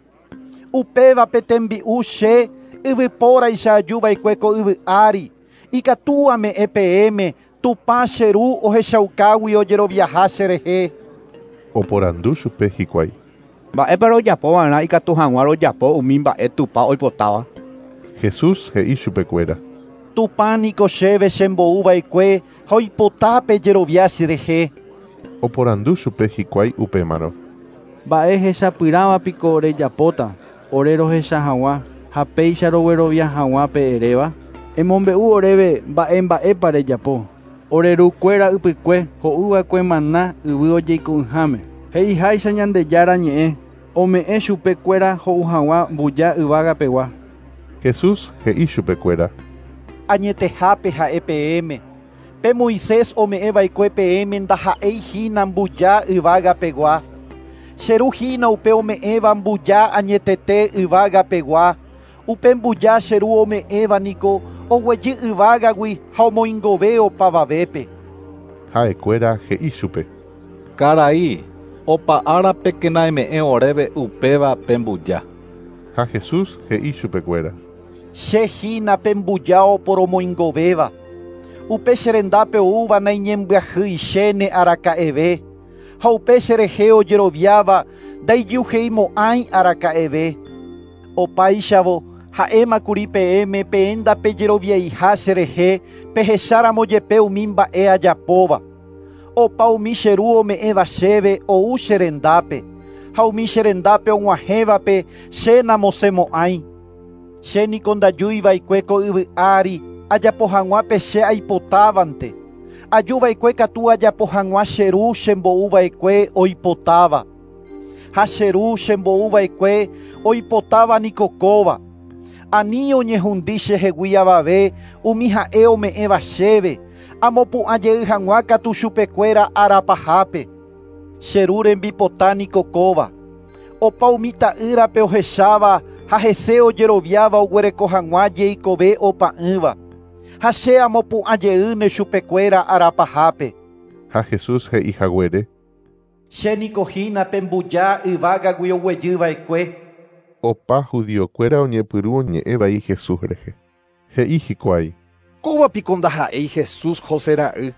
Upéva pe tembi'u che yvypóraicha ajuva'ekue ko yvy ári. Ikatu ame'ẽ peẽme Tupã che ru ohechaukágui ojeroviaha cherehe. Oporandu chupe hikuái. Mba'épa rojapova'erã ikatu hag̃ua rojapo umi mba'e Tupã oipotáva. Jesús he'i chupekuéra. Tupã niko chéve chembo'uva'ekue ha oipota pejerovia cherehe. Oporandu chupe hikuái upémarõ. Mba'e hechapyrãva piko rejapóta ore rohecha hag̃ua ha péicha roguerovia hag̃ua pe eréva. Emombe'u oréve mba'e mba'épa rejapo. Ore rukuéra ypykue ho'uva'ekue maná yvy ojeiko'ỹháme. He'iháicha Ñandejára ñe'ẽ ome'ẽ chupekuéra ho'u hag̃ua mbuja yvágapegua. Jesús he'i chupekuéra. Añetehápe ha'e peẽme. Pe Moisés ome'ẽva'ekue peẽme ndaha'éi hína mbuja yvágapegua. Che ru hína upe ome'ẽva mbuja añetete yvágapegua. Upe mbuja che ru ome'ẽva niko oguejy yvágagui ha omoingove opavavépe. Ha'ekuéra he'i chupe. Karai, Opa árapekena eme'ẽ oréve upéva pe mbuja. Ha Jesús he'i chupekuéra. Che hína pe mbuja oporomoingovéva. Upe che rendápe oúva naiñembyahýichéne araka'eve. Ha upe cherehe ojeroviáva ndaijyuheimo'ãi araka'eve. Opáichavo ha'émakuri peẽme peẽ ndapejeroviaiha cherehe pehecháramo jepe umi mba'e ajapóva. Opa umi che ru ome'ẽva chéve ou che rendápe, ha umi che rendápe og̃uahẽvape che namosẽmo'ãi. Che niko ndajúiva'ekue ko yvy ári ajapo hag̃ua pe che aipotávante. Ajuva'ekue katu ajapo hag̃ua che ru chembo'uva'ekue oipotáva. Ha che ru chembo'uva'ekue oipotáva niko kóva. Ani oñehundi chehegui avave umi ha'e ome'ẽva chéve, amopu'ã jey hag̃ua katu chupekuéra arapahápe. Che ru rembipota niko kóva. Opa umi ta'ýrape ohecháva ha hese ojeroviáva oguereko hag̃ua jeikove opa'ỹva. Ha che amopu'ã jeýne chupekuéra arapahápe. Ha Jesús he'i haguére. Che niko hína pe mbuja yvágagui oguejyva'ekue. Opa judiokuéra oñepyrũ oñe'ẽvai Jesús rehe. He'i hikuái. Kóva piko ndaha'éi Jesús José ra'y.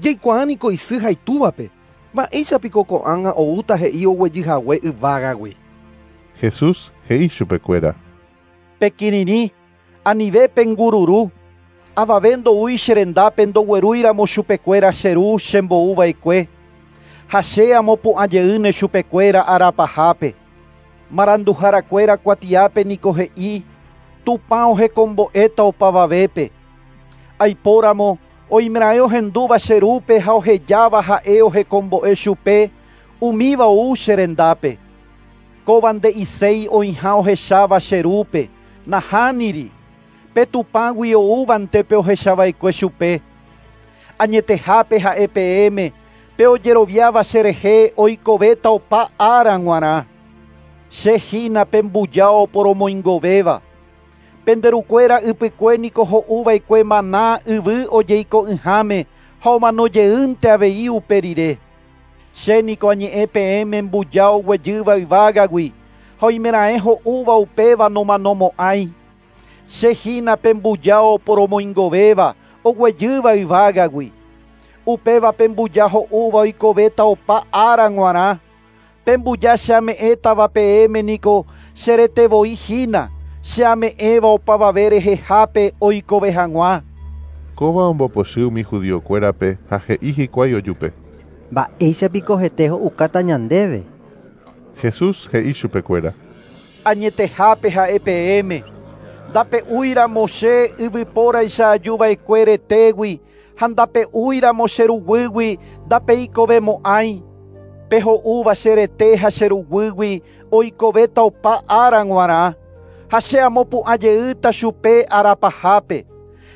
Jaikuaa niko isy ha itúvape. Mba'éichapiko ko'ág̃a oúta he'i oguejyhague yvágagui. Jesús he'i chupekuéra. Pekirirĩ, anive pengururu. Avave ndoúi che rendápe ndoguerúiramo chupekuéra che ru chembo'uva'ekue. Ha che amopu'ã jeýne chupekuéra arapahápe. Maranduharakuéra kuatiápe niko he'i Tupã ohekombo'éta opavavépe. Aipóramo oimeraẽ ohendúva che rúpe ha ohejáva ha'e ohekombo'e chupe umíva ou che rendápe. Kóva nde'iséi oĩha ohecháva che rúpe, nahániri. Pe Tupãgui oúvante pe ohechava'ekue chupe. Añetehápe ha'e peẽme, pe ojeroviáva cherehe oikovéta opa ára g̃uarã. Che hína pe mbuja oporomoingovéva. Penderukuéra ypykue niko ho'uva'ekue maná yvy ojeiko'ỹháme ha omanojeýnte avei upe rire. Che niko añe'ẽ peẽme mbuja oguejýva yvágagui ha oimeraẽ ho'úva upéva nomanomo'ãi. Che hína pe mbuja oporomoingovéva oguejýva yvágagui. Upéva pe mbuja ho'úva oikovéta opa ára g̃uarã. Pe mbuja che ame'ẽtava peẽme niko cheretevoi hína, che ame'ẽva opavave rehehápe oikove hag̃ua. Kóva ombopochy umi judiokuérape ha he'i hikuái ojupe. Mba'éichapiko hete ho'ukáta ñandéve. Jesús he'i chupekuéra. Añetehápe ha'e peẽme. Ndape'úiramo che yvypóraicha ajuva'ekue retégui ha ndape'úiramo che ruguýgui ndapeikovemo'ãi. Pe ho'úva che rete ha che ruguýgui oikovéta opa ára g̃uarã. Ha che amopu'ã jeýta chupe arapahápe.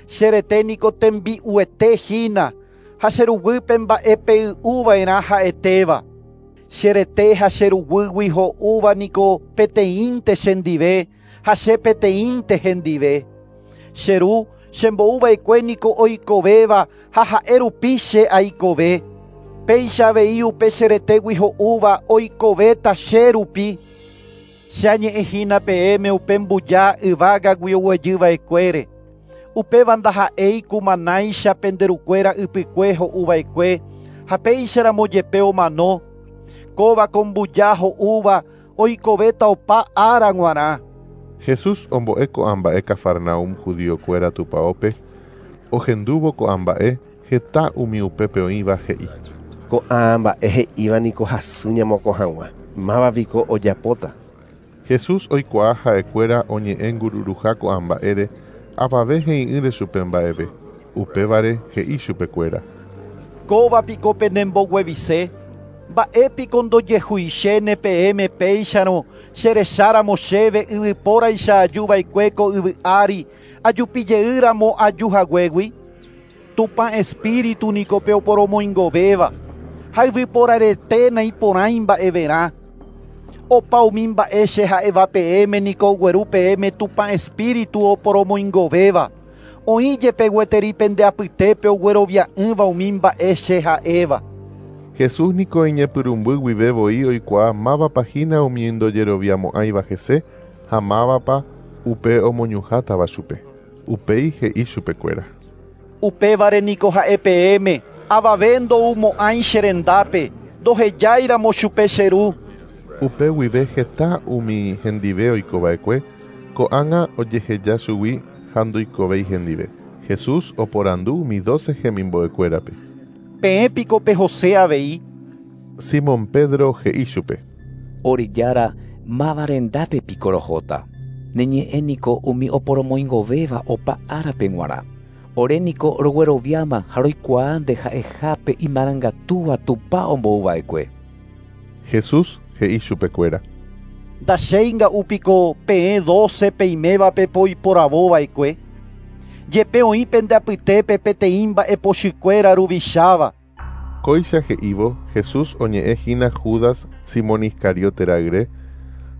Che rete niko tembi'uete hína ha che ruguýpe mba'e pey'uva'erã ha'etéva. Che rete ha che ruguýgui ho'úva niko peteĩnte chendive ha che peteĩnte hendive. Che ru chembo'uva'ekue niko oikovéva ha ha'e rupi che aikove. Péicha avei upe che retégui ho'úva oikovéta che rupi. Che añe'ẽ hína peẽme upe mbuja yvágagui oguejyva'ekuére. Upéva ndaha'éi kumanáicha penderukuéra ypykue ho'uva'ekue ha péicharamo jepe omano. Kóva ko mbuja ho'úva oikovéta opa ára g̃uarã. Jesús ombo'e ko'ã mba'e Cafarnaum judiokuéra tupãópe, ohendúvo ko'ã mba'e heta umi upépe oĩva he'i. Ko'ã mba'e he'íva niko hasy ñamokõ hag̃ua. Mávapiko ojapóta. Jesús oikuaa ha'ekuéra oñe'ẽ ngururuha ko'ã mba'ére avave he'i'ỹre chupe mba'eve. Upévare he'i chupekuéra. Kóvapiko penemboguevise. Mba'épiko ndojehuichéne peẽme péicharõ cherecháramo chéve yvypóraicha ajuva'ekue ko yvy ári ajupijeýramo ajuhaguégui. Tupã espíritu niko pe oporomoingovéva ha yvyporarete naiporãi mba'everã. Opa umi mba'e che ha'éva peẽme niko ogueru peẽme Tupã espíritu oporomoingovéva. Oĩ jepe gueteri pende apytépe oguerovia'ỹva umi mba'e che ha'éva. Jesús niko iñepyrũmby guive voi oikuaa mávapa hína umi ndojeroviamo'ãiva hese ha mávapa upe omoñuhãtava chupe. Upéi he'i chupekuéra. Upévare niko ha'e peẽme, avave ndoumo'ãi che rendápe, ndohejáiramo chupe che ru. Upe guive heta umi hendive oikova'ekue, ko'ág̃a ojeheja chugui ha ndoikovéi hendive. Jesús oporandu umi doce hemimbo'ekuérape. Peẽ piko pehose avei. Simón Pedro he'i chupe. Ore Jára, máva rendápe piko rohóta. Ne ñe'ẽ niko umi oporomoingovéva opa árape g̃uarã. Ore niko rogueroviáma ha roikuaa nde ha'ehápe imarangatúva Tupã ombouva'ekue. Jesús he'i chupekuéra. Ndachéinga'u piko peẽ doce peimévape poiporavóva'ekue. Jepe oĩ pende apytépe peteĩ mba'epochykuéra ruvicháva. Kóicha he'ívo, Jesús oñe'ẽ hína Judas Simón Iscariote ra'yre.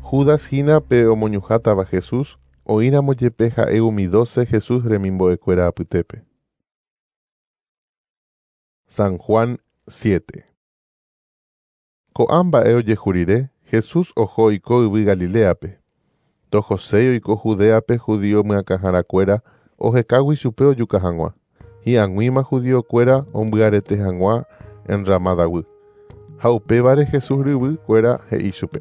Judas hína pe omoñuhãtava Jesús, oĩramo jepe ha'e umi doce Jesús remimbo'ekuéra apytépe. San Juan siete. Ko'ã mba'e ojehu rire, Jesús oho oiko yvy Galileape. Ndohoséi oiko Judeape judío myakãharakuéra ohekágui chupe ojuka hag̃ua. Hi'ag̃uíma judíokuéra ombyarete hag̃ua enramadaguy. Ha upévare Jesús ryvykuéra he'i chupe.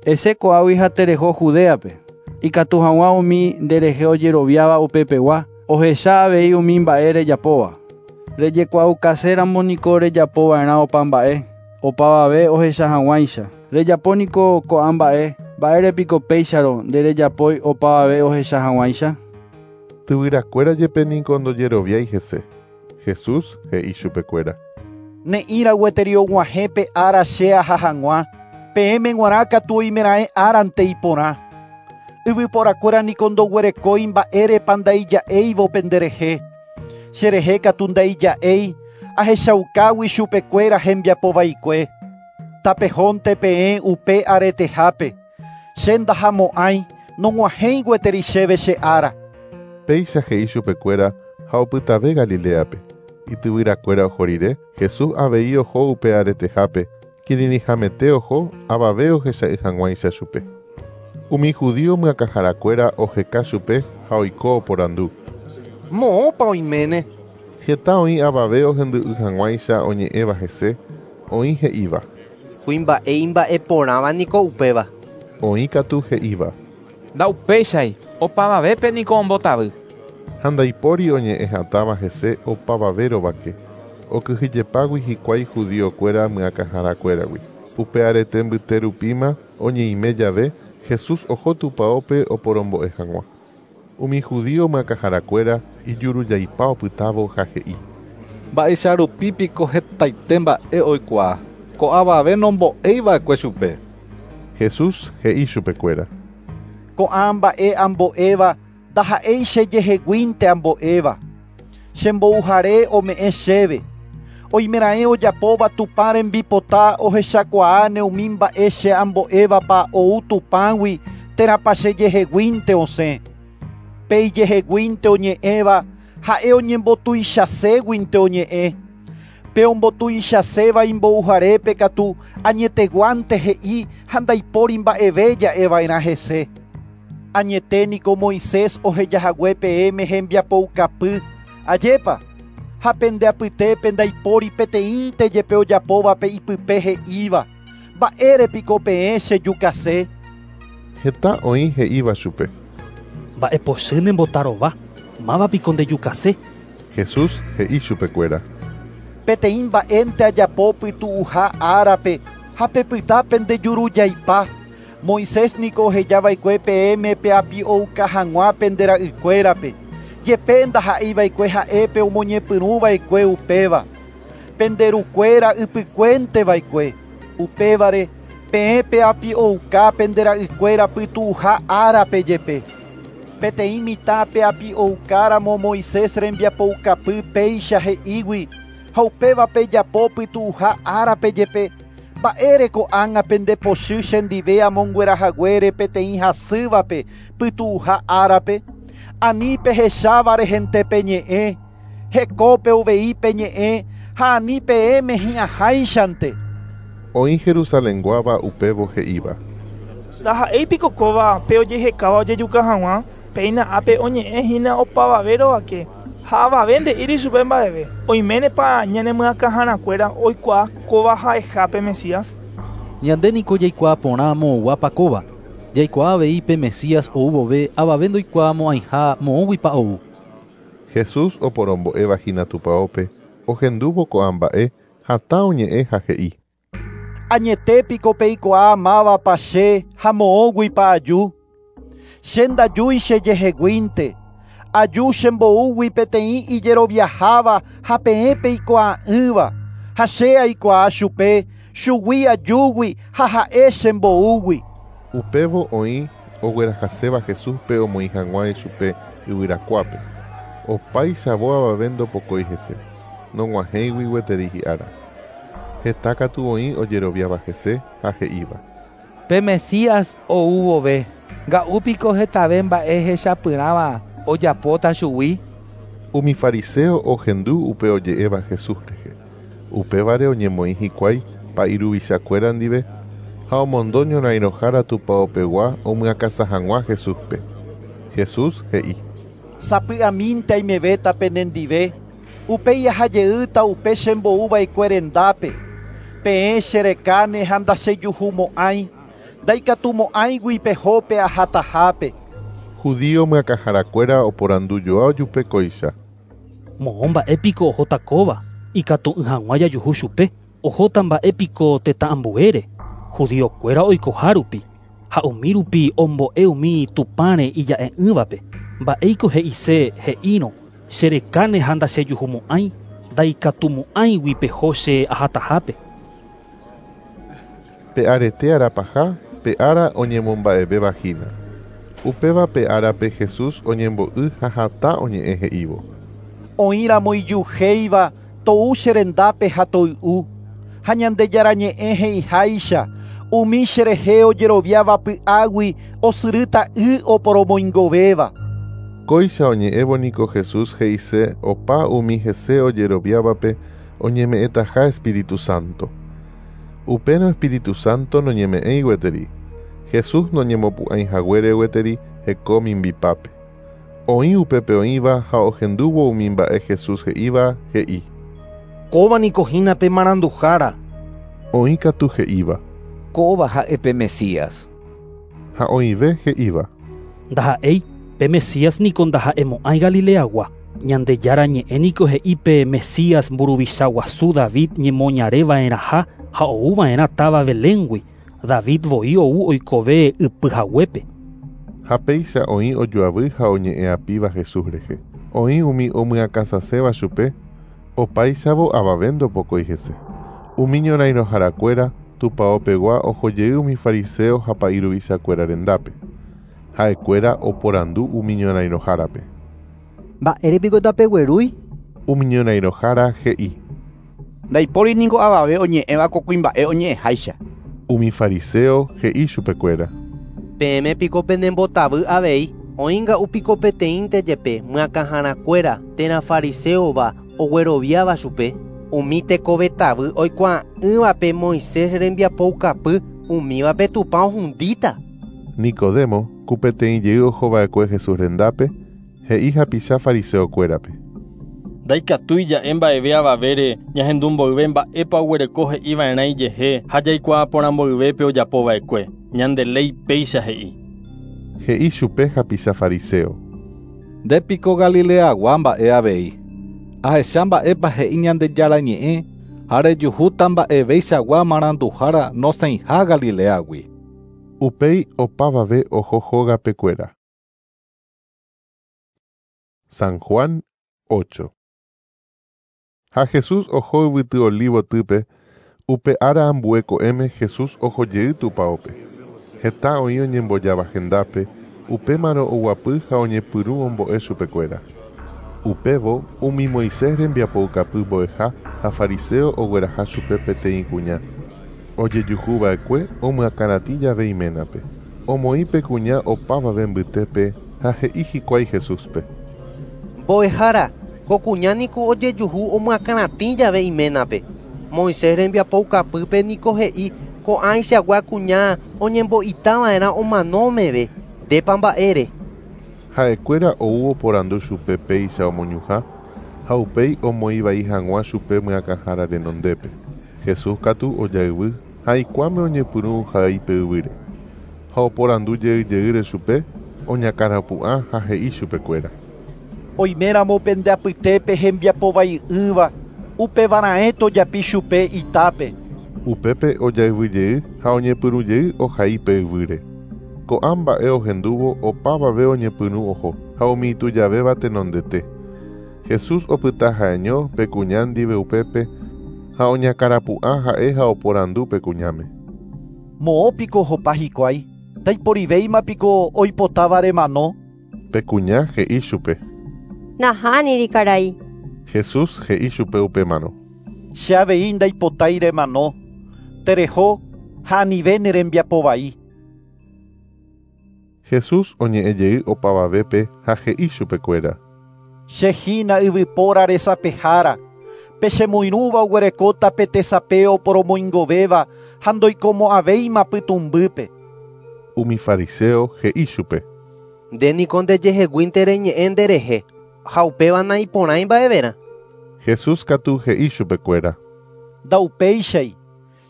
Ese ko'águi ha tereho Judeape. Ikatu hag̃ua umi nderehe ojeroviáva upepegua, ohecha avei umi mba'e rejapóva. Rejekuaukaséramo niko rejapova'erã opa mba'e, opavave ohecha hag̃uáicha. Rejapo niko ko'ã mba'e, mba'érepiko péicharo nderejapói opavave ohecha hag̃uáicha. Tyvyrakuéra jepe niko ndojeroviái hese. Jesús he'i chupekuéra. Ne'ĩra gueteri og̃uahẽ pe ára che aha hag̃ua, peẽme g̃uarã katu oimeraẽ árante iporã. Yvyporakuéra niko ndoguerekói mba'érepa ndaija'éivo penderehe. Cherehe katu ndaija'éi, ahechaukágui chupekuéra hembiapovaikue. Tapehónte peẽ upe aretehápe. Che ndahamo'ãi, nog̃uahẽi gueteri chéve che ára. Péicha he'i chupekuéra ha opytave Galileape. Ityvyrakuéra oho rire, Jesús avei oho upe aretehápe, kirirĩhamete oho avave ohecha'ỹ hag̃uáicha chupe. Umi judío myakãharakuéra oheka chupe ha oiko oporandu. Moõpa oiméne. Heta oĩ avave ohendu'ỹ hag̃uáicha oñe'ẽva hese, oĩ he'íva. Kuimba'e imba'eporãva niko upéva. Oĩ katu he'íva. Ndaupéichai, opavavépe niko ombotavy. Ha ndaipóri oñe'ẽ hatãva hese opavave rovake. Okyhyjepágui hikuái judíokuéra myakãharakuéragui. Upe arete mbyte rupíma oñeime jave, Jesús oho tupãópe oporombo'e hag̃ua. Umi judío myakãharakuéra ijurujaipa opytávo ha he'i. Mba'eicharupi piko hetaite mba'e oikuaa, ko'avave nombo'eiva'ekue chupe. Jesús he'i chupekuéra. Ko'ã mba'e ambo'éva ndaha'éi chejeheguínte ambo'éva. Chembouhare ome'ẽ chéve. Oimeraẽ ojapóva Tupã rembipota ohechakuaáne umi mba'e che ambo'évapa ou Tupãgui térãpa chejeheguínte osẽ. Pe ijeheguínte oñe'ẽva ha'e oñembotuichaséguinte oñe'ẽ. Pe ombotuichaséva imbouharépe katu añeteguánte he'i ha ndaipóri mba'eve ja'eva'erã hese. Añete niko Moisés ohejahague peẽme hembiapoukapy. Ajépa, ha pende apytépe ndaipóri peteĩnte jepe ojapóvape ipype he'íva. Mba'érepiko peẽ chejukase. Heta oĩ he'íva chupe. Mba'epochy nembotarova, mávapiko ndejukase. Jesús he'i chupekuéra. Peteĩ mba'énte ajapo pytu'uha árape ha pepyta pendejurujaipa. Moisés niko ohejava'ekue peẽme peapi'ouka hag̃ua pende ra'ykuérape. Jepe ndaha'eiva'ekue ha'épe omoñepyrũva'ekue upéva. Penderukuéra ypykuénteva'ekue. Upévare peẽ peapi'ouka pende ra'ykuéra pytu'uha árape jepe. Peteĩ mitã peapi'oukáramo Moisés rembiapoukapy péicha he'ígui ha upéva pejapo pytu'uha árape jepe. Mba'ére ko'ág̃a pendepochy chendive amonguerahaguére peteĩ hasývape pytu'uha árape. Ani pehecháva rehente peñe'ẽ, hekópe uvei peñe'ẽ Ha ani peẽme hi'ãháichante. Oĩ Jerusalenguáva upévo he'íva. Ndaha'éipiko kóva pe ojehekáva ojejuka hag̃ua, péina ápe oñe'ẽhína opavave rovake ha avave nde'íri chupe mba'eve. Oiménepa ñanemyakãharakuéra oikuaa kóva ha'eha pe Mesías? Ñande niko jaikuaa porã moõguápa kóva. Jaikuaa avei pe Mesías ou vove avave ndoikuaamo'ãiha moõguipa ou. Jesús oporombo'éva hína tupãópe ohendúvo ko'ã mba'e hatã oñe'ẽ ha he'i. Añetépiko peikuaa mávapa che ha moõguipa aju. Che ndajúi chejeheguínte. Aju chemboúgui peteĩ ijeroviaháva ha peẽ peikuaa'ỹva. Ha che aikuaa chupe, chugui ajúgui ha ha'e chemboúgui. Upévo oĩ oguerahaséva Jesúspe omoĩ hag̃ua ichupe yvyrakuápe. Opáichavo avave ndopokói hese, nog̃uahẽigui gueteri hi'ára. Heta katu oĩ ojeroviáva hese ha he'íva. Pe Mesías ou vove, nga'úpiko hetave mba'e hechapyrãva ojapóta chugui. Umi fariseo ohendu upe oje'éva Jesús rehe. Upévare oñemoĩ hikuái pa'iruvichakuéra ndive ha omondo ñorairõhára tupãopegua omyakãsa hag̃ua Jesúspe. Jesús he'i. Sapy'amínte aimevéta penendive, upéi ahajeýta upe chemboúva'ekue rendápe. Peẽ cherekáne ha ndachejuhumo'ãi, ndaikatumo'ãigui pehópe ahatahápe. Judío myakãharakuéra oporandujoa ojupe kóicha. Moõ mba'épiko ohóta kóva, ikatu'ỹ hag̃ua jajuhu chupe, ohóta mba'épiko tetã ambuére, judíokuéra oikoha rupi, ha umi rupi ombo'e umi Tupãre ija'e'ỹvape. Mba'éiko he'ise he'írõ cherekáne ha ndachejuhumo'ãi, ndaikatumo'ãigui peho che ahatahápe. Pe arete arapaha, pe ára oñemomba'evéva hína. Upéva pe árape Jesús oñembo'y ha hatã oñe'ẽ he'ívo. Oĩramo ijuhéiva tou cherendápe ha toy'u. Ha Ñandejára ñe'ẽ he'iháicha, umi cherehe ojeroviáva py'águi osyrýta y oporomoingovéva. Kóicha oñe'ẽvo niko Jesús he'ise opa umi hese ojeroviávape oñeme'ẽtaha Espíritu Santo. Upérõ Espíritu Santo noñeme'ẽi gueteri. Jesús noñemopu'ãi haguére gueteri heko mimbipápe. Oĩ upépe oĩva ha ohendúvo umi mba'e Jesús he'íva he'i. Kóva niko hína pe maranduhára. Oĩ katu he'íva. Kóva ha'e pe Mesías. Ha oĩve he'íva. Ndaha'éi pe Mesías niko ndaha'emo'ãi Galileagua. Ñandejára ñe'ẽ niko he'i pe Mesías mburuvicha guasu David ñemoñareva'erãha ha ouva'erã táva Beléngui. David voi ou oikove ypyhaguépe. Ha péicha oĩ ojoavy ha oñe'ẽapíva Jesús rehe. Oĩ umi omyakãsaséva chupe, opáichavo avave ndopokói hese. Umi ñorairõharakuéra tupãopegua ohojey umi fariseo ha pa'iruvichakuéra rendápe. Ha'ekuéra oporandu umi ñorairõhárape. Mba'érepiko tapeguerúi? Umi ñorairõhára he'i. Ndaipóri niko avave oñe'ẽva ko kuimba'e oñe'ẽháicha. Umi fariseo he'i chupekuéra. Peẽme piko penembotavy avei, oĩnga'úpiko peteĩnte jepe myakãharakuéra térã fariseóva ogueroviáva chupe. Umi tekovetavy oikuaa'ỹvape Moisés rembiapoukapy, umívape Tupã ohundíta. Nicodemo, ku peteĩ jey ohova'ekue Jesús rendápe, he'i hapicha fariseokuérape. Ndaikatúi ja'e mba'eve avavére ñahendu mboyve mba'épa oguereko he'iva'erã ijehe ha jaikuaa porã mboyvépe ojapova'ekue. Ñande léi péicha he'i. He'i chupe hapicha fariseo. Ndépiko Galileagua mba'e avei. Ahecha mba'épa he'i Ñandejára ñe'ẽ ha rejuhúta mba'eveichagua maranduhára nosẽiha Galileagui. Upéi opavave oho hógapekuéra. San Juan ocho. Ha Jesús oho yvyty Olivotýpe, upe ára ambue ko'ẽme Jesús ohojey tupãópe. Heta oĩ oñembojáva hendápe, upémarõ oguapy ha oñepyrũ ombo'e chupekuéra. Upévo umi Moisés rembiapoukapy mbo'eha ha fariseo ogueraha chupe peteĩ kuña. Ojejuhuva'ekue omyakãratĩ jave iménape. Omoĩ pe kuña opavave mbytépe ha he'i hikuái Jesúspe. Mbo'ehára, Ko kuña niko ojejuhu omyakãratĩ jave iménape. Moisés rembiapoukapýpe niko he'i ko'ãichagua kuña oñembo'itava'erã omano meve. Ndépa mba'ére. Ha'ekuéra ou oporandu chupe péicha omoñuhã ha upéi omoĩvai hag̃ua chupe myakãhára renondépe. Jesús katu ojayvy ha ikuáme oñepyrũ ohai pe yvýre. Ha oporandu jeyjeýre chupe oñakãrapu'ã ha he'i chupekuéra. Oiméramo pende apytépe hembiapovai'ỹva upevarãe tojapi chupe itápe. Upépe ojayvyjey ha oñepyrũjey ohai pe yvýre. Ko'ã mba'e ohendúvo opavave oñepyrũ oho ha umi itujavéva tenondete. Jesús opyta ha'eño pe kuña ndive upépe ha oñakãrapu'ã ha'e ha oporandu pe kuñáme. Moõpiko ohopa hikuái, ndaiporivéimapiko oipotáva remano. Pe kuña he'i chupe. Nahániri karai. Jesús he'i chupe upémarõ. Che avei ndaipotái remano. Tereho ha anive ne rembiapovai. Jesús oñe'ẽjey opavavépe ha he'i chupekuéra. Che hína yvypóra resapehára. Pe chemoirũva oguerekóta pe tesape oporomoingovéva ha ndoikomo'ãvéima pytũmbýpe. Umi fariseo he'i chupe. Nde niko ndejeheguínte reñe'ẽ nderehe ha upéva naiporãi mba'everã. Jesús katu he'i chupekuéra. Ndaupéichai.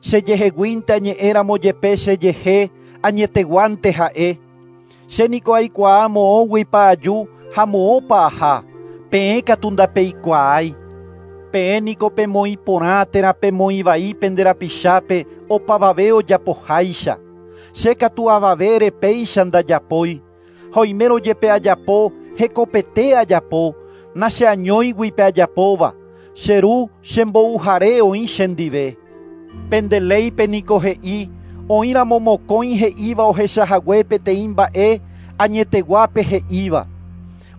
Chejeheguínte añe'ẽramo jepe chejehe añeteguánte ha'e. Che niko aikuaa moõguipa aju ha moõpa aha. Peẽ katu ndapeikuaái. Peẽ niko pemoĩ porã térã pemoĩ vai pende rapichápe opavave ojapoháicha. Che katu avavére péicha ndajapói. Ha oimérõ jepe ajapo hekopete ajapo, nacheañóigui pe ajapóva. Che ru chembouhare oĩ chendive. Pende léipe niko he'i oĩramo mokõi he'íva ohechahague peteĩ mba'e añeteguápe he'íva.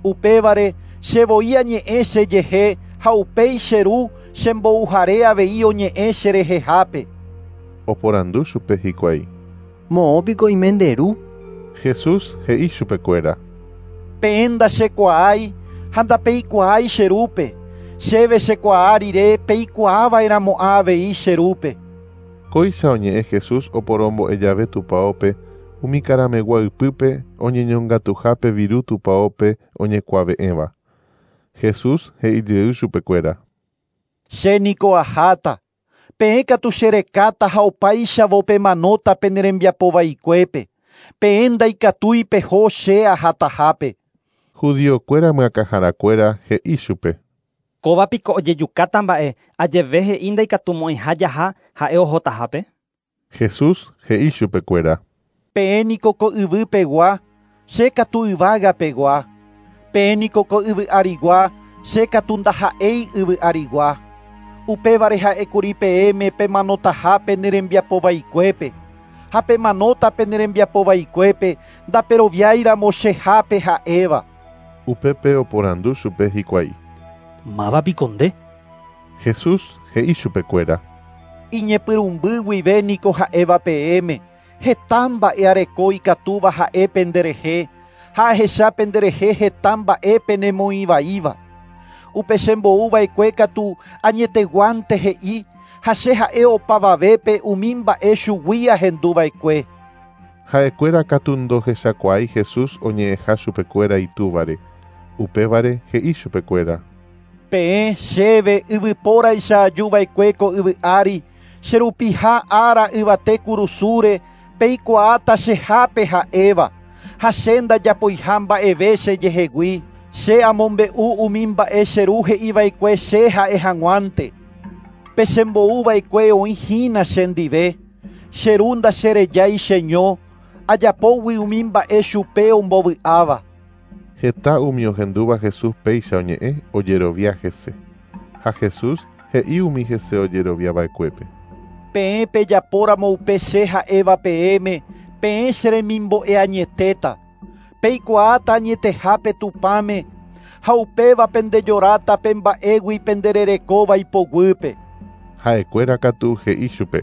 Upévare chevoi añe'ẽ chejehe ha upéi che ru chembouhare avei oñe'ẽ cherehehápe. Oporandu chupe hikuái. Moõpiko oime nde ru. Jesús he'i chupekuéra. Peẽ ndachekuaái ha ndapeikuaái che rúpe. Chéve chekuaa rire peikuaava'erãmo'ã avei che rúpe. Kóicha oñe'ẽ Jesús oporombo'e jave tupãópe umi karamegua ypýpe oñeñongatuhápe viru tupãópe oñekuave'ẽva. Jesús he'ijey chupekuéra. Che niko aháta. Peẽ katu cherekáta ha opáichavo pemanóta pene rembiapovaikuépe. Peẽ ndaikatúi peho che ahatahápe. Judiokuéra myakãharakuéra he'i chupe. Kóva piko ojejukáta mba'e ajeve he'i ndaikatumo'ãiha jaha ha'e ohotahápe. Jesús he'i chupekuéra. Peẽ niko ko yvýpegua, che katu yvágapegua. Peẽ niko ko yvy arigua, che katu ndaha'éi yvy arigua. Upévare ha'ékuri peẽme pemanotaha pene rembiapovaikuépe. Ha pemanóta pene rembiapovaikuépe ndaperoviáiramo chehápe ha'éva. Upépe oporandu chupe hikuái. Mávapiko nde. Jesús he'i chupekuéra. Iñepyrũmby guive niko ha'éva peẽme. Heta mba'e areko ikatúva ha'e penderehe ha ahecha penderehe heta mba'e penemoĩvaíva. Upe chembouva'ekue katu añeteguánte he'i ha che ha'e opavavépe umi mba'e chugui ahenduva'ekue. Ha'ekuéra katu ndohechakuaái Jesús oñe'ẽha chupekuéra itúvare. Upévare he'i chupekuéra. Peẽ chéve yvypóraicha ajuva'ekue ko yvy ári, cherupiha ára yvate kurusúre peikuaáta chehápe ha'éva. Ha che ndajapoiha mba'eve chejehegui. Che amombe'u umi mba'e che ru he'iva'ekue che ha'e hag̃uánte. Pe chembouva'ekue oĩhína chendive. Che ru ndacherejái cheño, ajapógui umi mba'e chupe ombovy'áva. Heta umi ohendúva Jesús péicha oñe'ẽ ojerovia hese. Ha Jesús he'i umi hese ojeroviava'ekuépe. Peẽ pejapóramo upe che ha'éva peẽme, peẽ che remimbo'e añetéta. Peikuaáta añetehápe Tupãme ha upéva pendejoráta pe mba'égui pendererekóva ipoguýpe. Ha'ekuéra katu he'i chupe.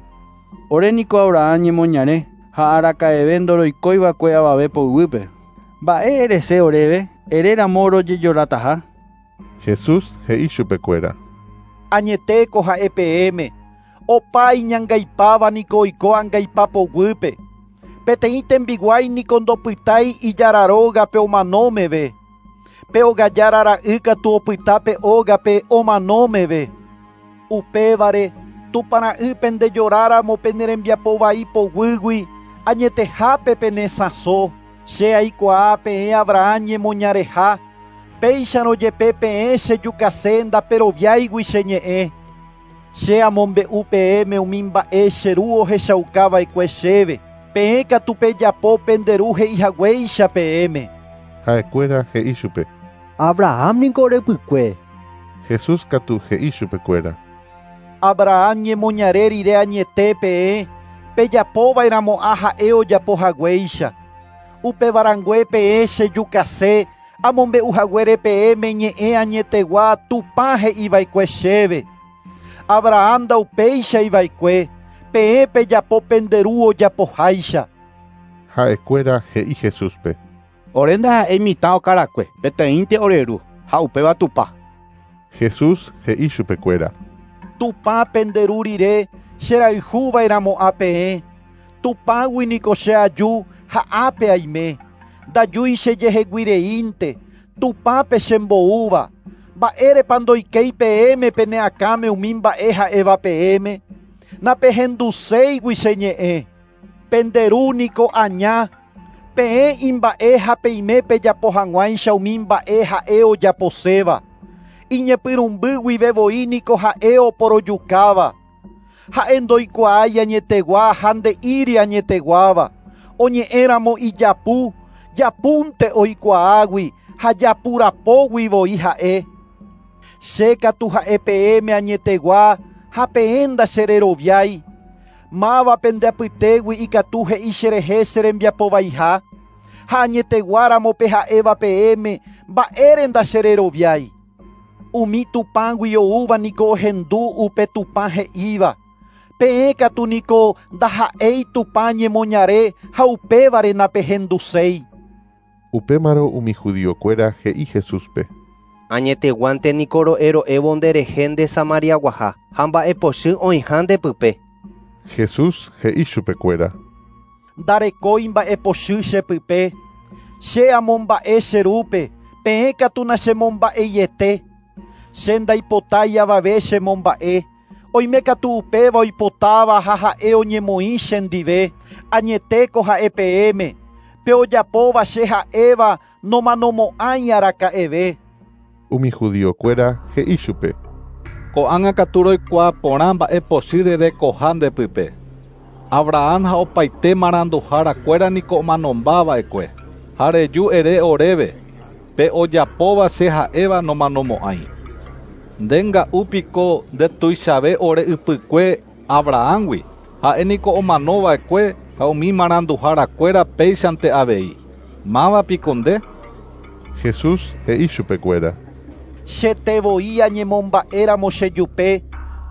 Ore niko Abraham ñemoñare ha araka'eve ndoroikóiva'ekue avave poguýpe. Mba'e erese oréve, eréramo rojejorataha. Jesús he'i chupekuéra. Añetéko ha'e peẽme, opa iñangaipáva niko oiko angaipa poguýpe. Peteĩ tembiguái niko ndopytái ijára rógape omano meve. Pe ogajára ra'y katu opyta pe ógape omano meve. Upévare Tupã ra'y pendejoráramo pene rembiapo vai poguýgui añetehápe penesãso. Che aikuaa peẽ Abraham ñemoñareha, péicharõ jepe peẽ chejukase ndaperoviáigui che ñe'ẽ. Che amombe'u peẽme umi mba'e che ru ohechaukava'ekue chéve. Peẽ katu pejapo pende ru he'ihaguéicha peẽme. Ha'ekuéra he'i chupe. Abraham niko orepykue. Jesús katu he'i chupekuéra. Abraham ñemoñare rire añete peẽ, pejapova'erãmo'ã ha'e ojapohaguéicha. Upevarãngue peẽ chejukase, amombe'uhaguére peẽme ñe'ẽ añetegua Tupã he'iva'ekue chéve. Abraham ndaupeichaiva'ekue, peẽ pejapo pende ru ojapoháicha. Ha'ekuéra he'i Jesúspe. Ore ndaha'éi mitã okarakue, peteĩnte ore ru, ha upéva Tupã. Jesús he'i chupekuéra. Tupã pende ru rire cherayhuva'erãmo'ã peẽ. Tupãgui niko che aju ha ápe aime. Ndajúi chejeheguireínte, Tupãpe chemboúva. Mba'érepa ndoikéi peẽme pene akãme umi mba'e ha'éva peẽme. Napehenduséigui che ñe'ẽ. Pende ru niko aña. Peẽ imba'e ha peime pejapo hag̃uáicha umi mba'e ha'e ojaposéva. Iñepyrũmby guive voi niko ha'e oporojukáva. Ha'e ndoikuaái añetegua ha nde'íri añeteguáva. Oñe'ẽramo ijapu, japúnte oikuaágui ha japurapógui voi ha'e. Che katu ha'e peẽme añetegua ha peẽ ndachereroviái. Máva pende apytégui ikatu he'i cherehe che rembiapovaiha. Ha añeteguáramo pe ha'éva peẽme mba'ére ndachereroviái. Umi Tupãgui oúva niko ohendu upe Tupã he'íva. Peẽ katu niko ndaha'éi Tupã ñemoñare ha upévare napehenduséi. Upémarõ umi judiokuéra he'i Jesúspe. Añeteguánte niko ro'ero'évo nderehe nde Samariaguaha ha mba'epochy oĩha ndepype. Jesús he'i chupekuéra. Ndarekói mba'epochy chepype. Che amomba'e che rúpe, peẽ katu nachemomba'eiete. Che ndaipotái avave chemomba'e. Oime katu upéva oipotáva ha ha'e oñemoĩ chendive. Añetéko ha'e peẽme. Pe ojapóva che ha'éva nomanomo'ãi araka'eve. Umi judiokuéra he'i chupe. Ko'ág̃a katu roikuaa porã mba'epochy rerekoha ndepype. Abraham ha opaite maranduharakuéra niko omanombava'ekue. Ha reju ere oréve, pe ojapóva che ha'éva nomanomo'ãi. Nde nga'u piko ndetuichave ore ypykue Abrahamgui. Ha'e niko omanova'ekue ha umi maranduharakuéra péichante avei. Máva piko nde? Jesús he'i chupekuéra. Chete voi añemomba'éramo chejupe,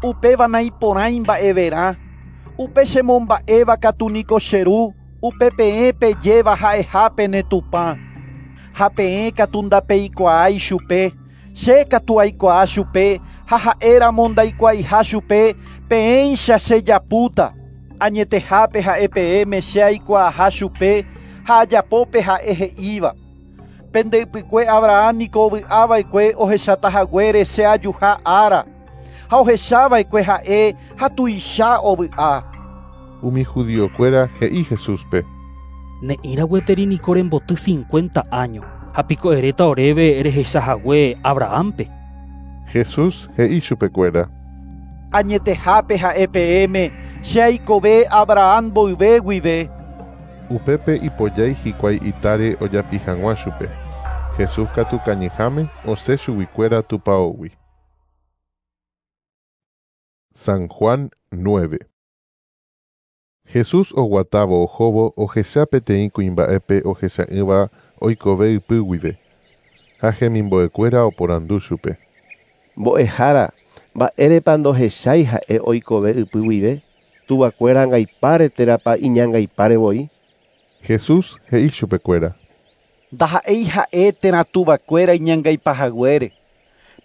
upéva naiporãi mba'everã. Upe chemomba'éva katu niko che ru, upe peẽ pejéva ha'eha pene Tupã. Ha peẽ katu ndapeikuaái chupe, che katu aikuaa chupe, ha ha'éramo ndaikuaaiha chupe, peẽicha chejapúta. Añetehápe ha'e peẽme che aikuaaha chupe, ha ajapópe ha'e he'íva. Pende ypykue Abraham niko ovy'ava'ekue ohechatahaguére che ajuha ára. Ha ohechava'ekue ha'e ha tuicha ovy'a. Umi judiokuéra he'i Jesúspe. Ne'ĩra gueteri niko remboty cincuenta año, ha piko eréta oréve rehechahague Abrahampe. Jesús he'i chupekuéra. Añetehápe ha'e peẽme, che aikove Abraham mboyve guive. Upépe ipojái hikuái itáre ojapi hag̃ua chupe. Jesús katu kañyháme osẽ chuguikuéra tupãógui. San Juan nueve. Jesús oguatávo ohóvo ohecha peteĩ kuimba'épe ohecha'ỹva oikove ypy guive. Ha hemimbo'ekuéra oporandu chupe. Mbo'ehára, mba'érepa ndohechái ha'e oikove ypy guive? Tuvakuéra angaipáre térãpa iñangaipáre voi? Jesús he'i chupekuéra. Ndaha'éi ha'e térã tuvakuéra iñangaipahaguére.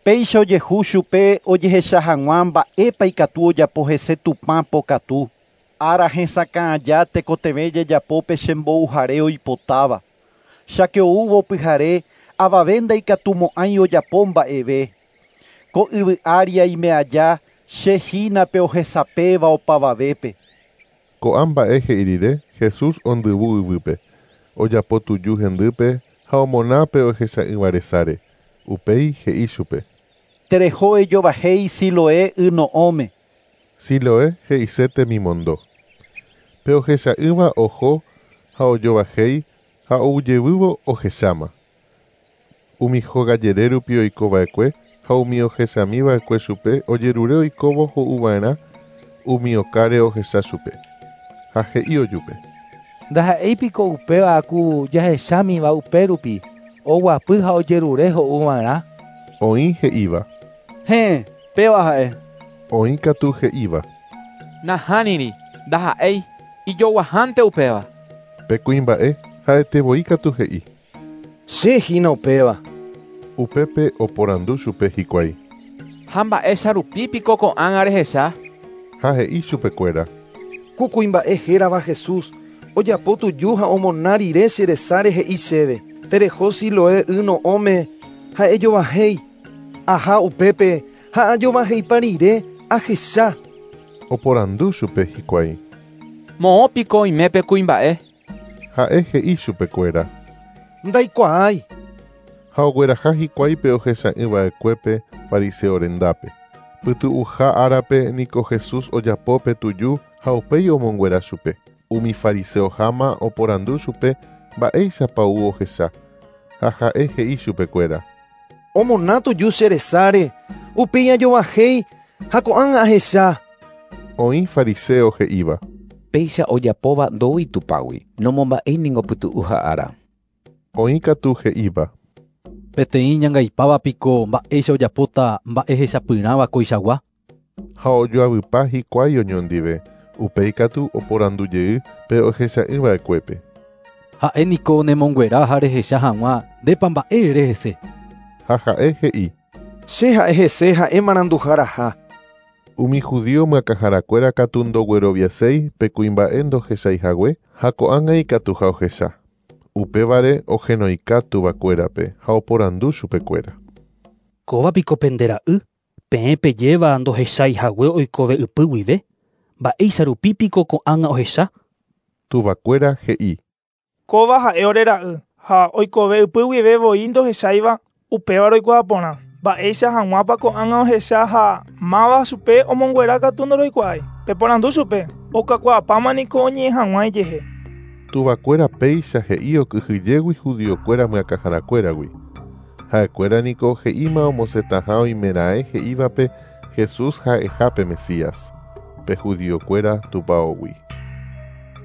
Péicha ojehu chupe ojehecha hag̃ua mba'épa ikatu ojapo hese Tupã pokatu. Ára hesakã aja tekotevẽ jajapo pe chembouhare oipotáva. Cháke oúvo pyhare avave ndaikatumo'ãi ojapo mba'eve. Ko yvy ári aime aja che hína pe ohesapéva opavavépe. Ko'ã mba'e he'i rire Jesús ondyvu yvýpe, ojapo tuju hendýpe ha omona pe ohecha'ỹva resáre. Upéi he'i chupe. Tereho ejovahéi Siloé yno'õme. Siloé he'ise temimondo. Pe ohecha'ỹva oho ha ojovahéi ha oujevývo ohecháma. Umi hóga rupi oikova'ekue ha umi ohechamiva'ekue chupe ojerure oikóvo ho'uva'erã umi okáre ohecha chupe. Ha he'i ojupe. Ndaha'éipiko upéva ku jahechámiva upérupi oguapy ha ojerure ho'uva'erã. Oĩ he'íva. Héẽ, péva ha'e. Oĩ katu he'íva. Nahániri, ndaha'éi, ijoguahánte upéva. Pe kuimba'e ha'etevoi katu he'i. Che hína upéva. Upépe oporandu chupe hikuái. Ha mba'éicha rupi piko ko'ág̃a rehecha? Ha he'i chupekuéra. Ku kuimba'e hérava Jesús ojapo tuju ha omona rire che resáre he'i chéve. Tereho Siloé yno'õme ha ejovahéi. Aha upépe ha ajovahéipa rire ahecha. Oporandu chupe hikuái. Moõ piko oime pe kuimba'e? Ha'e he'i chupekuéra. Ndaikuaái. Ha ogueraha hikuái pe ohecha'ỹva'ekuépe fariseo rendápe. Pytu'uha árape niko Jesús ojapo pe tuju ha upéi omonguera chupe. Umi fariseoháma oporandu chupe mba'éichapa ou ohecha. Ha ha'e he'i chupekuéra. Omona tuju che resáre, upéi ajovahéi ha ko'ág̃a ahecha. Oĩ fariseo he'íva. Péicha ojapóva ndoúi Tupãgui, nomomba'éi niko pytu'uha ára. Oĩ katu he'íva. Peteĩ ñangaipáva piko mba'éicha ojapóta mba'e hechapyrãva koichagua. Ha ojoavypa hikuái oñondive, upéi katu oporandu jey pe ohecha'ỹva'ekuépe. Ha'e niko nemonguera ha rehecha hag̃ua ndépa mba'e rehese. Ha ha'e he'i. Che ha'e hese ha'e maranduharaha. Umi judío myakãharakuéra katu ndogueroviaséi pe kuimba'e ndohechaihague ha ko'ág̃a ikatuha ohecha. Upévare ohenoika tuvakuérape ha oporandu chupekuéra. Kóva piko pende ra'y, peẽ pejéva ndohechaihague oikove ypy guive, mba'éicha rupi piko ko'ág̃a ohecha? Tuvakuéra he'i. Kóva ha'e ore ra'y ha oikove ypy guive voi ndohecháiva upéva roikuaa porã. Mba'éicha hag̃uápa ko'ág̃a ohecha ha máva chupe omonguera katu ndoroikuaái. Peporandu chupe, okakuaapáma niko oñe'ẽ hag̃ua ijehe. Tuvakuéra péicha he'i okyhyjégui judiokuéra myakãharakuéragui. Ha'ekuéra niko he'íma omosẽtaha oimeraẽ he'ívape Jesús ha'eha pe Mesías, pe judiokuéra tupãógui.